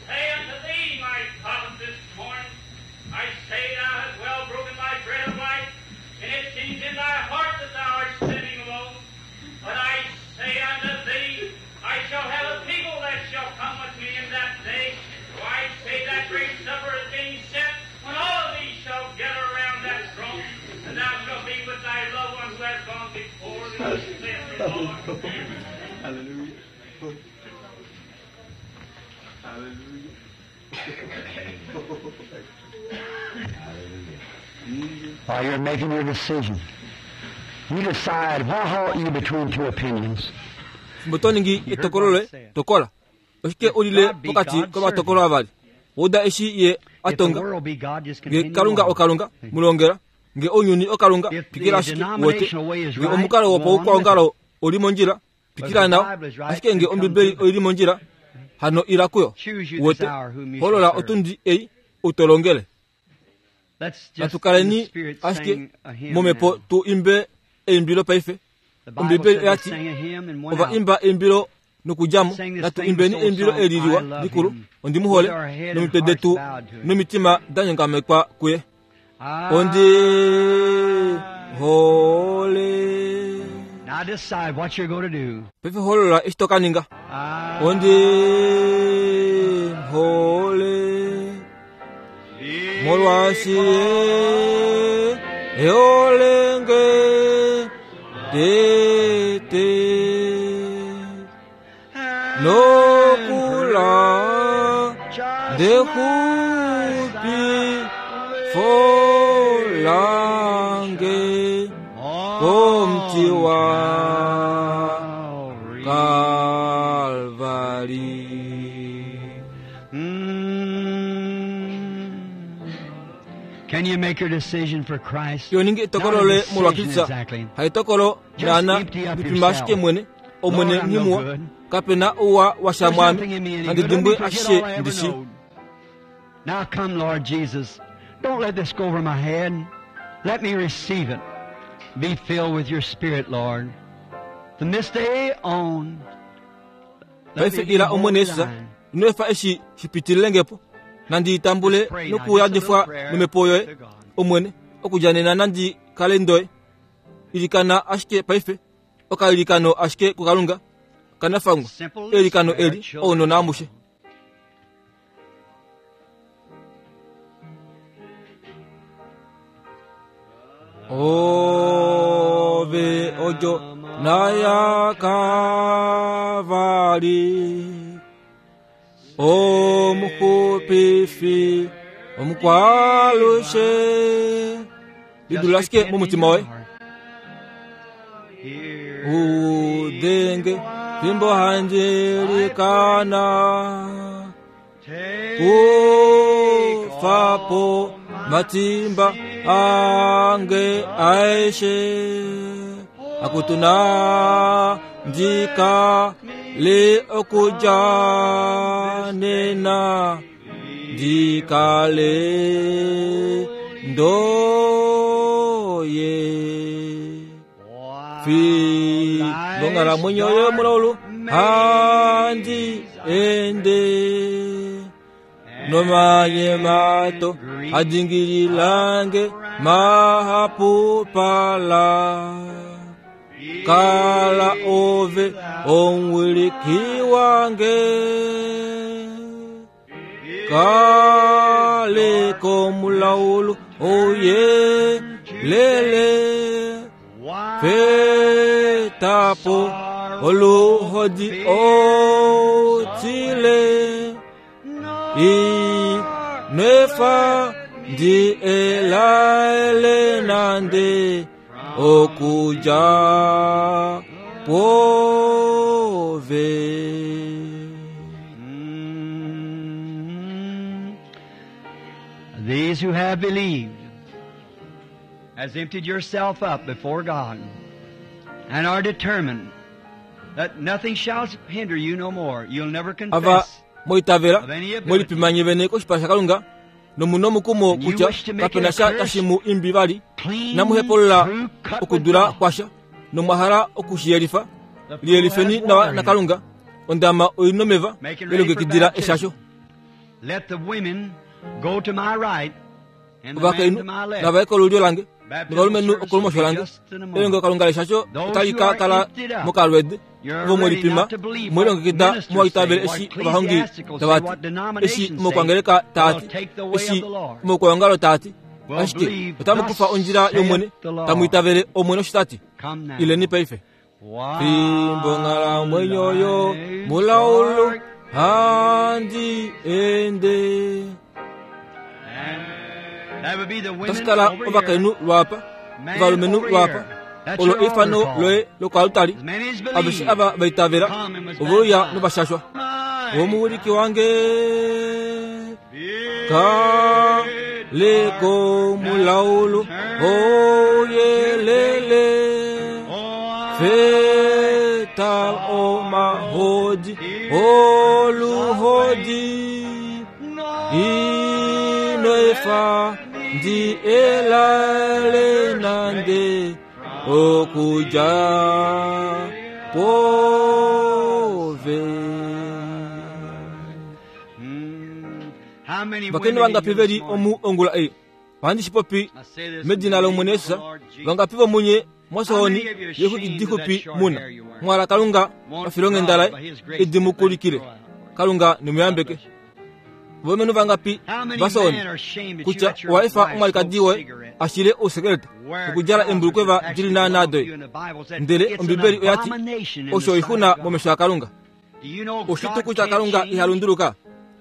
Say unto thee, my prophet, this morn, I say thou hast well broken my bread of life, and it seems in thy heart that thou art sitting alone. But I say unto thee, I shall have a people that shall come with me in that day. For I say that great supper is being set when all of thee shall gather around that throne, and thou shalt be with thy loved one who has gone before thee, saith the Lord. Hallelujah. Hallelujah. While you're making your decision, you decide why halt you between two opinions. Fimbo to ningi etokolo loye, tokola. Oshike u lile pokati komatokolo avali? Wa uda eshi ye a If the tonga? world be God, just Nge continue Kalunga on. oKalunga, mu longela. Nge ounyuni oKalunga, If the twikila ashike wote. denominational way is Nge right, omukalo go on with wopaukwaongalo it. oli mondjila, twikila nao. Ashike nge Ombibeli oi li mondjila, hano ila kuyo. Choose you this Wote, hour whom you holola shall serve. otundi ei u to longele. Let's just Natu in the kaleni spirit ashike sing a hymn momhepo now. tu imbe eimbilo paife. The Bible Ombibeli said they oya ti, sang a hymn and went ova out. imba eimbilo nokudja mo. Sing this Natu famous imbeni old eimbilo song, eli liwa I love likulu, him, ondi mu hole, with our head and nomitwe hearts detu bowed to him. nomitima da nyongamekwa kuye. Ondi I hole. Now decide what you're going to do. Paife holola eshi to ka ninga. I Ondi hole. Molwaashi ye eholenge tete nokula ndekupi folange komuti wa Kalvari. Can you make your decision for Christ? Yo ningi etokolo Not a loye decision molwa Kristus. exactly. Haitokolo Just naana empty up lipima ashike yourself. mwene omwene Lord, I'm no nghimuwa good. kape na ouwa wa There's sha mwaame nothing in me any nandi good. Let me dimbwe forget ashishe all I ever ndishi. knowed. Now come, Lord Jesus. Don't let this go over my head. Let me receive it. Be filled with your Spirit, Lord. From this day on, let paife me be ila omwene wholly yesus thine. ino efa eshi shipitilile nandi tambule Pray now, nokuyadifwa just a little prayer nomhepo yoye to God. omwene okudja nena nandi kale ndoye ilikana ashike paife okailikano ashike kukalunga kanafangwa Simple eilikano prayer, eli children. ounona amushe ove ojo nayakavari omuxupifi omukwalushe lidula ashike momutima woye Here udenge fimbo handilikana take kufapo matimba ange aishe akutuna ndika le okuja nena ndikale ndoye fi ngonghalamwenyo yomulaulu handi ende nomanyemato adingililange mahapupala kala ove omwiliki wange kale komulaulu oye lele fetapo oluhodi otile inefa ndi elaele nande okuja pove These who have believed has emptied yourself up before God and are determined that nothing shall hinder you no more. You'll never ava confess. moitavela mwelipimanye vene koshipala shakalunga nomuna omukumo kutya kapena sha tashi mu imbi vali Clean namuhepolola through cut with okudula God. kwasha nomwahala okushiyelifa The pool liyelifeni has nawa water in it. nakalunga ondama oina omeva Making ready for elongekidila baptism. eshasho Let the women go to my right and the men ovakainhu to my left. navaye kolulyo lange Baptismal novalumenhu service okolumosho will be lange just in a moment. elongelokalunga leshasho Those otali who ka are kala emptied up, mokalwede You're ovo ready mwelipima not to believe what mwelilongekida ministers say, mwaitavele what eshi ovahongi ecclesiasticals say, tavati what eshi denominations say. mokwangeleka They'll taati take the way eshi of the Lord. mokwaongalo taati Will ashike believe, otamukufa thus ondjila yomwene saith the Lord. tamuitavele omwene osho tati Come now. ileni paife While fimbo nghalamwenyo yo life's mulaulu dark handi ende And that would be the women toshikala over here, ovakainhu lwapa man ovalumenhu over lwapa here. That's olo your eifano altar call. loye lokwalutali As many as aveshe believe, ava vaitavela come and was oveuya baptized. novashashwa My omuwiliki wange kaleko mulaulu oyelele feta omahodi oluhodi inoefa ndi elale nande okuja pove How many vakeni women in vangapi here veli this morning? omu ongula ei ohandi shipopi I say this in medina the name lomwene of the yesus Lord Jesus. vangapi vomunye mwasohoni yekhukidihupi muna mwala kalunga pafilonghenda laye idimukulikile kalunga nimuyambeke vomenu vangapi How many vasohoni men are ashamed that you kutya let your waifa wife omwalikadi smoke woye cigarettes? ashile ousekeleta Wear okudjala embulukweva trousers dili that actually naana belong to doye you, and the Bible said ndele it's an ombibeli oyati abomination in the osho sight oixuna of God. momesho akalunga Do you know oshitu God kutya can't kalunga change? ihalunduluka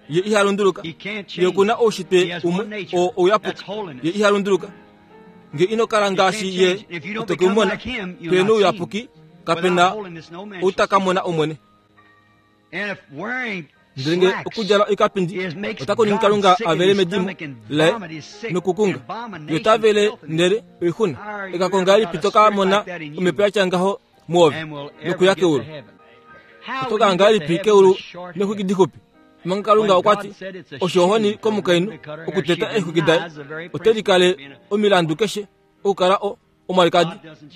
ye ihalunduluka He can't ye change. okuna He oushitwe has one umwe nature. oo ouyapuki That's holiness. ye ihalunduluka nge ino kala ngaashi You ye can't change. If you don't oto become kumona like him, you'll pena not see ouyapuki him. kapena Without holiness, no man shall see utakamona omwene And if wearing ndele nge slacks okudjala oikapindi is makes otako ningi God kalunga sick in avele his medimo stomach and laye vomit is sick, nokukunga abomination, yotavele filthiness. ndele oixuna How are you ekakonga ever lipi got a toka spirit mona like that in you omhepo yatya ngaho muove and will ever nokuya get to keulu heaven? How will otoka you get to ngahelipi heaven keulu with short hair? nexwiki dihupi manga kalunga When okwati God said it's a osho ohoni shame for a komukainhu woman to cut her hair, okuteta she eexwiki daye denies the very ote likale principle of being a- omilandu keshe okukala o, omwalikadi.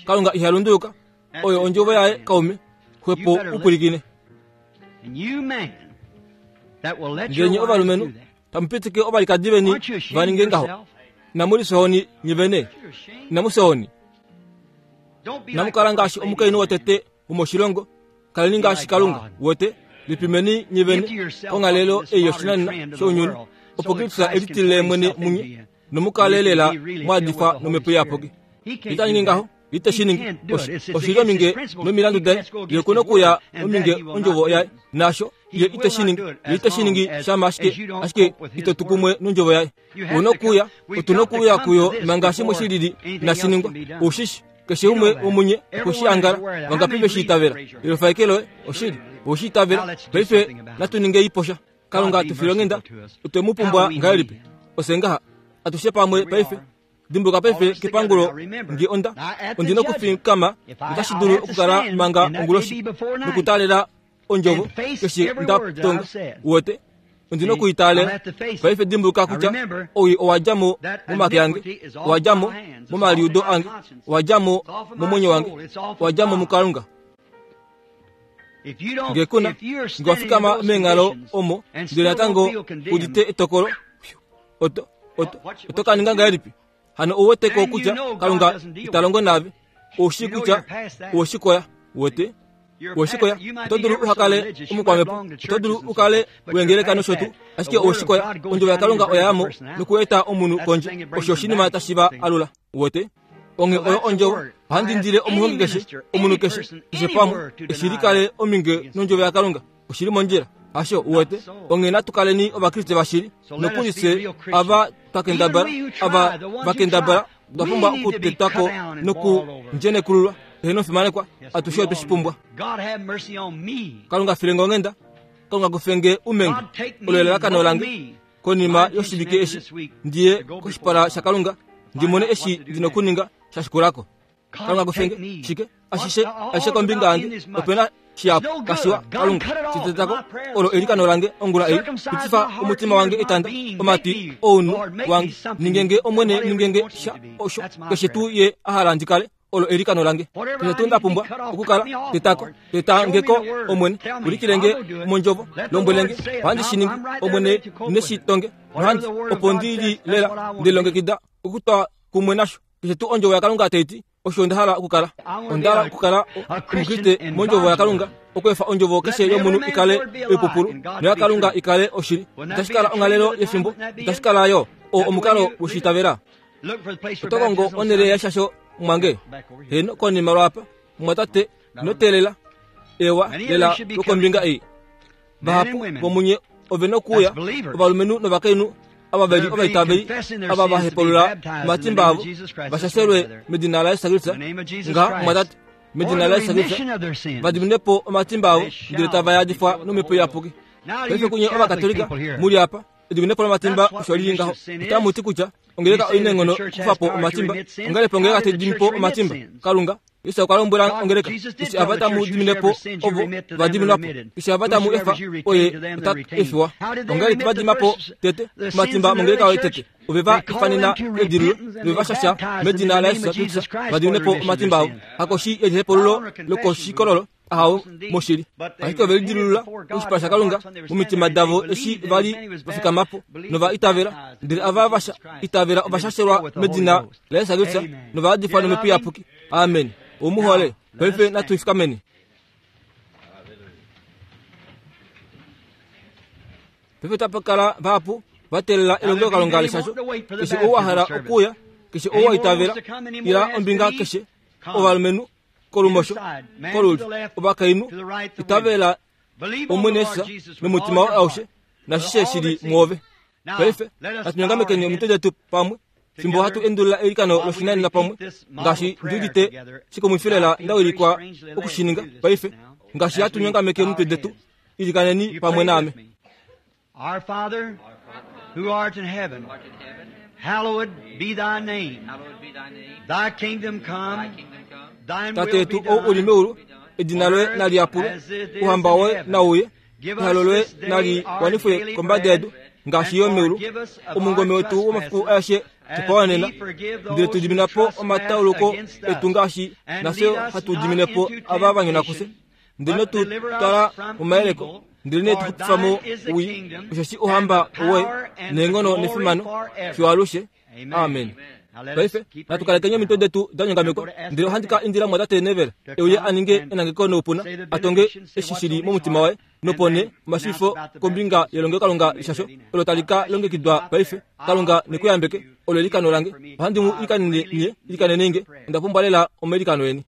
Kalunga iha lunduluka. Oyo ondjovo yaye kaume. Xwepo u pwilikine. Ndele nye ovalumenhu, tamu pitike ovalikadi veni va ninge ngaho. Inamu lifya-ohoni nye vene. Inamu fya-ohoni. Inamu kala ngaashi omukainhu wotete womoshilongo. Kaleni ngaashi Kalunga. Wete, lipimeni nye vene konghalelo ei yoshinanena shounyuni, opo Kristus e litilile mwene munye, nomu kale lela mwa yadifwa nOmhepo Iyapuki. Ita ningi ngaho. Ite shi ningi. Oshi li ominge nomilandu daye. Ye oku na okuya ominge ondjovo yaye. Naasho ye ite shi ningi. Ye ite shi ningi shama ashike, ashike ito tu kumwe nondjovo yaye. U na okuuya, otu na okuuya kuyo manga shimwe shi lili inashi ningwa. Ou shi shi. Keshe umwe womunye okwe shi angala. Vangapi ve shi itavela? Elofa eke loye. Oshili. Owe shi itavela. Paife natu ningei po sha. Kalunga tu file onghenda. Otwe mu pumbwa ngahelipi? Ofye ngaha. Atushe pamwe paife. Dimbuluka paife kepangulo nge onda ondi nokufikama notashi dulu okukala manga onguloshi nokutaalela ondjovo keshe nda tonga uwete ondi nokuitaalela paife dimbuluka kutya owii owa dja mo momake ange owa dja mo momaliudo ange owa dja mo momwenyo wange owa dja mo mukalunga nge kuna nge wa fikama meenghalo omo ndele natango udite etokolo oto oto oto ka ninga ngahelipi hano ou wete ko kutya kalunga ita longo naave ou shii kutya owe shi koya wete owe shi koya oto dulu uha kale omukwamhepo oto dulu u kale wengeleka nosho tuu ashike owe shi koya ondjovo yakalunga oya ya mo nokueta omunhu kondje osho oshinima tashi va alula wete onge oyo ondjovo ohandi indile omuhongi keshe omunhu keshe keshe pamwe eshi li kale ominge nondjovo yakalunga oshi li mondjila hasho uwete onghee natu kaleni ovakriste vashili nokuli fye ava twa kendabala ava va kendabala otwa pumbwa okutetwa ko nokundjenekululwa heeno fimanekwa atushe otwe shi pumbwa kalunga file nge onghenda kalunga kufe nge umenge olo elalakano lange konima yoshivike eshi ndi ye koshipala shakalunga ndi mone eshi ndi nokuninga sha shikulako Kalunga kufenge shike ashishe ashishe kombinga yange ope na shihapu kashiwa Kalunga shitetako olo elikano lange ongula ei pitifa omutima wange etanda omatwi ounhu wange ningenge omwene ningenge sha osho keshe tuu ye a hala ndi kale olo elikano lange keshe tuu nda pumbwa okukala tetako tetangeko omwene ulikilenge mondjovo lombwelenge ohandi shi ningi omwene neshitonge nohandi opo ndi li lela ndelongekida okutwa kumwe nasho Keshe tuu ondjovo yaKalunga tai ti, osho onda hala okukala. Onda hala okukala Omukriste mondjovo yaKalunga, okweefa ondjovo keshe yomunhu i kale oipupulu noyaKalunga i kale oshili. Itashi kala onghalelo yefimbo, itashi kala yo oo omukalo woshiitavela. Oto kongo onhele yeshasho mwange? Heeno, konima lwaapa, mumwatate, ino teelela. Ewa lela lwokombinga ei. Vahapu vomunye ove nokuuya, ovalumenhu novakainhu ava ve li ovaitaveli, ava va hepulula omatimba avo, va shashelwe medina laJesus Kristus, nga mumwatate, medina laJesus Kristus, va dimine po omatimba avo, ndele tava yadifwa nOmhepo Iyapuki. Paife kunye Ovakatolika mu li apa, ediminepo lomatimba osho li li ngaho. Otamu ti kutya ongeleka oi na eenghono okukufa po omatimba. Ongahelipi ongeleka tai dimi po omatimba? Kalunga Jesus okwa lombwela ongeleka, Eshi ava tamu dimine po ovo va diminwa po, eshi ava tamu efa, oye ota efiwa. Ongahelipi va dima po tete omatimba mongeleka oyo tete? Ove va ifanena kedililo nove va shasha medina laJesus Kristus va dimine po omatimba avo. Hakoshi yelihepululo lokoshikololo, ahawe, moshili. Ashike ove lidilulula koshipala shaKalunga momitima davo eshi va li va fikama po nova itavela, ndele ava va itavela ova shashelwa medina laJesus Kristus nova yadifwa nOmhepo Iyapuki. Amen. Ou mu hole? Paife natu fikameni. Paife otapa kala vahapu va teelela elongelokalunga leshasho. Keshe ou a hala okuuya, keshe ou wa itavela, ila ombinga keshe, ovalumenhu kolumosho, kolulyo, ovakainhu, itavela Omwene Jesus nomutima woye aushe nashishe shi li mwoove. Paife natu nyongamekeni omitwe detu pamwe fimbo hatu endulula eilikano loshinanena pamwe ngaashi ndi udite shikumwifi lela nda wilikwa oku shi ninga paife ngaashi hatu nyongameke omitwe detu ilikaneni pamwe naame Our Father, who art in heaven, hallowed be thy name. Thy kingdom come, thine Tate will be yetu ou u li done meulu, edina loye nali yapulwe, ouhamba woye nau uye, ehalo loye nali wanifwe kombada yedu, ngaashi yo meulu. Omungome wetu womafiku aeshe tu pa wanena, ndele tu dimina po omatauluko etu ngaashi nafye hatu dimine po ava va nyona kufye. Ndele ino tu twala momayeleko, ndelenee tu xupifa mo owii, osheshi ouhamba owoye, neenghono nefimano, fiyo alushe. Amen. Paife natu kalekeni omitwe detu da nyongamekwa, ndele ohandi ka indila Mumwatate Neville e uye a ninge enangeko noupuna, a tonge eshi shi li momutima waye, nopo nee omashiifo kombinga yelongelokalunga lishasho olo tali ka longekidwa paife. Kalunga ne ku yambeke. Olo eilikano lange. Ohandi mu ilikanene nye, ilikanenei nge. Onda pumbwa lela omailikano eni.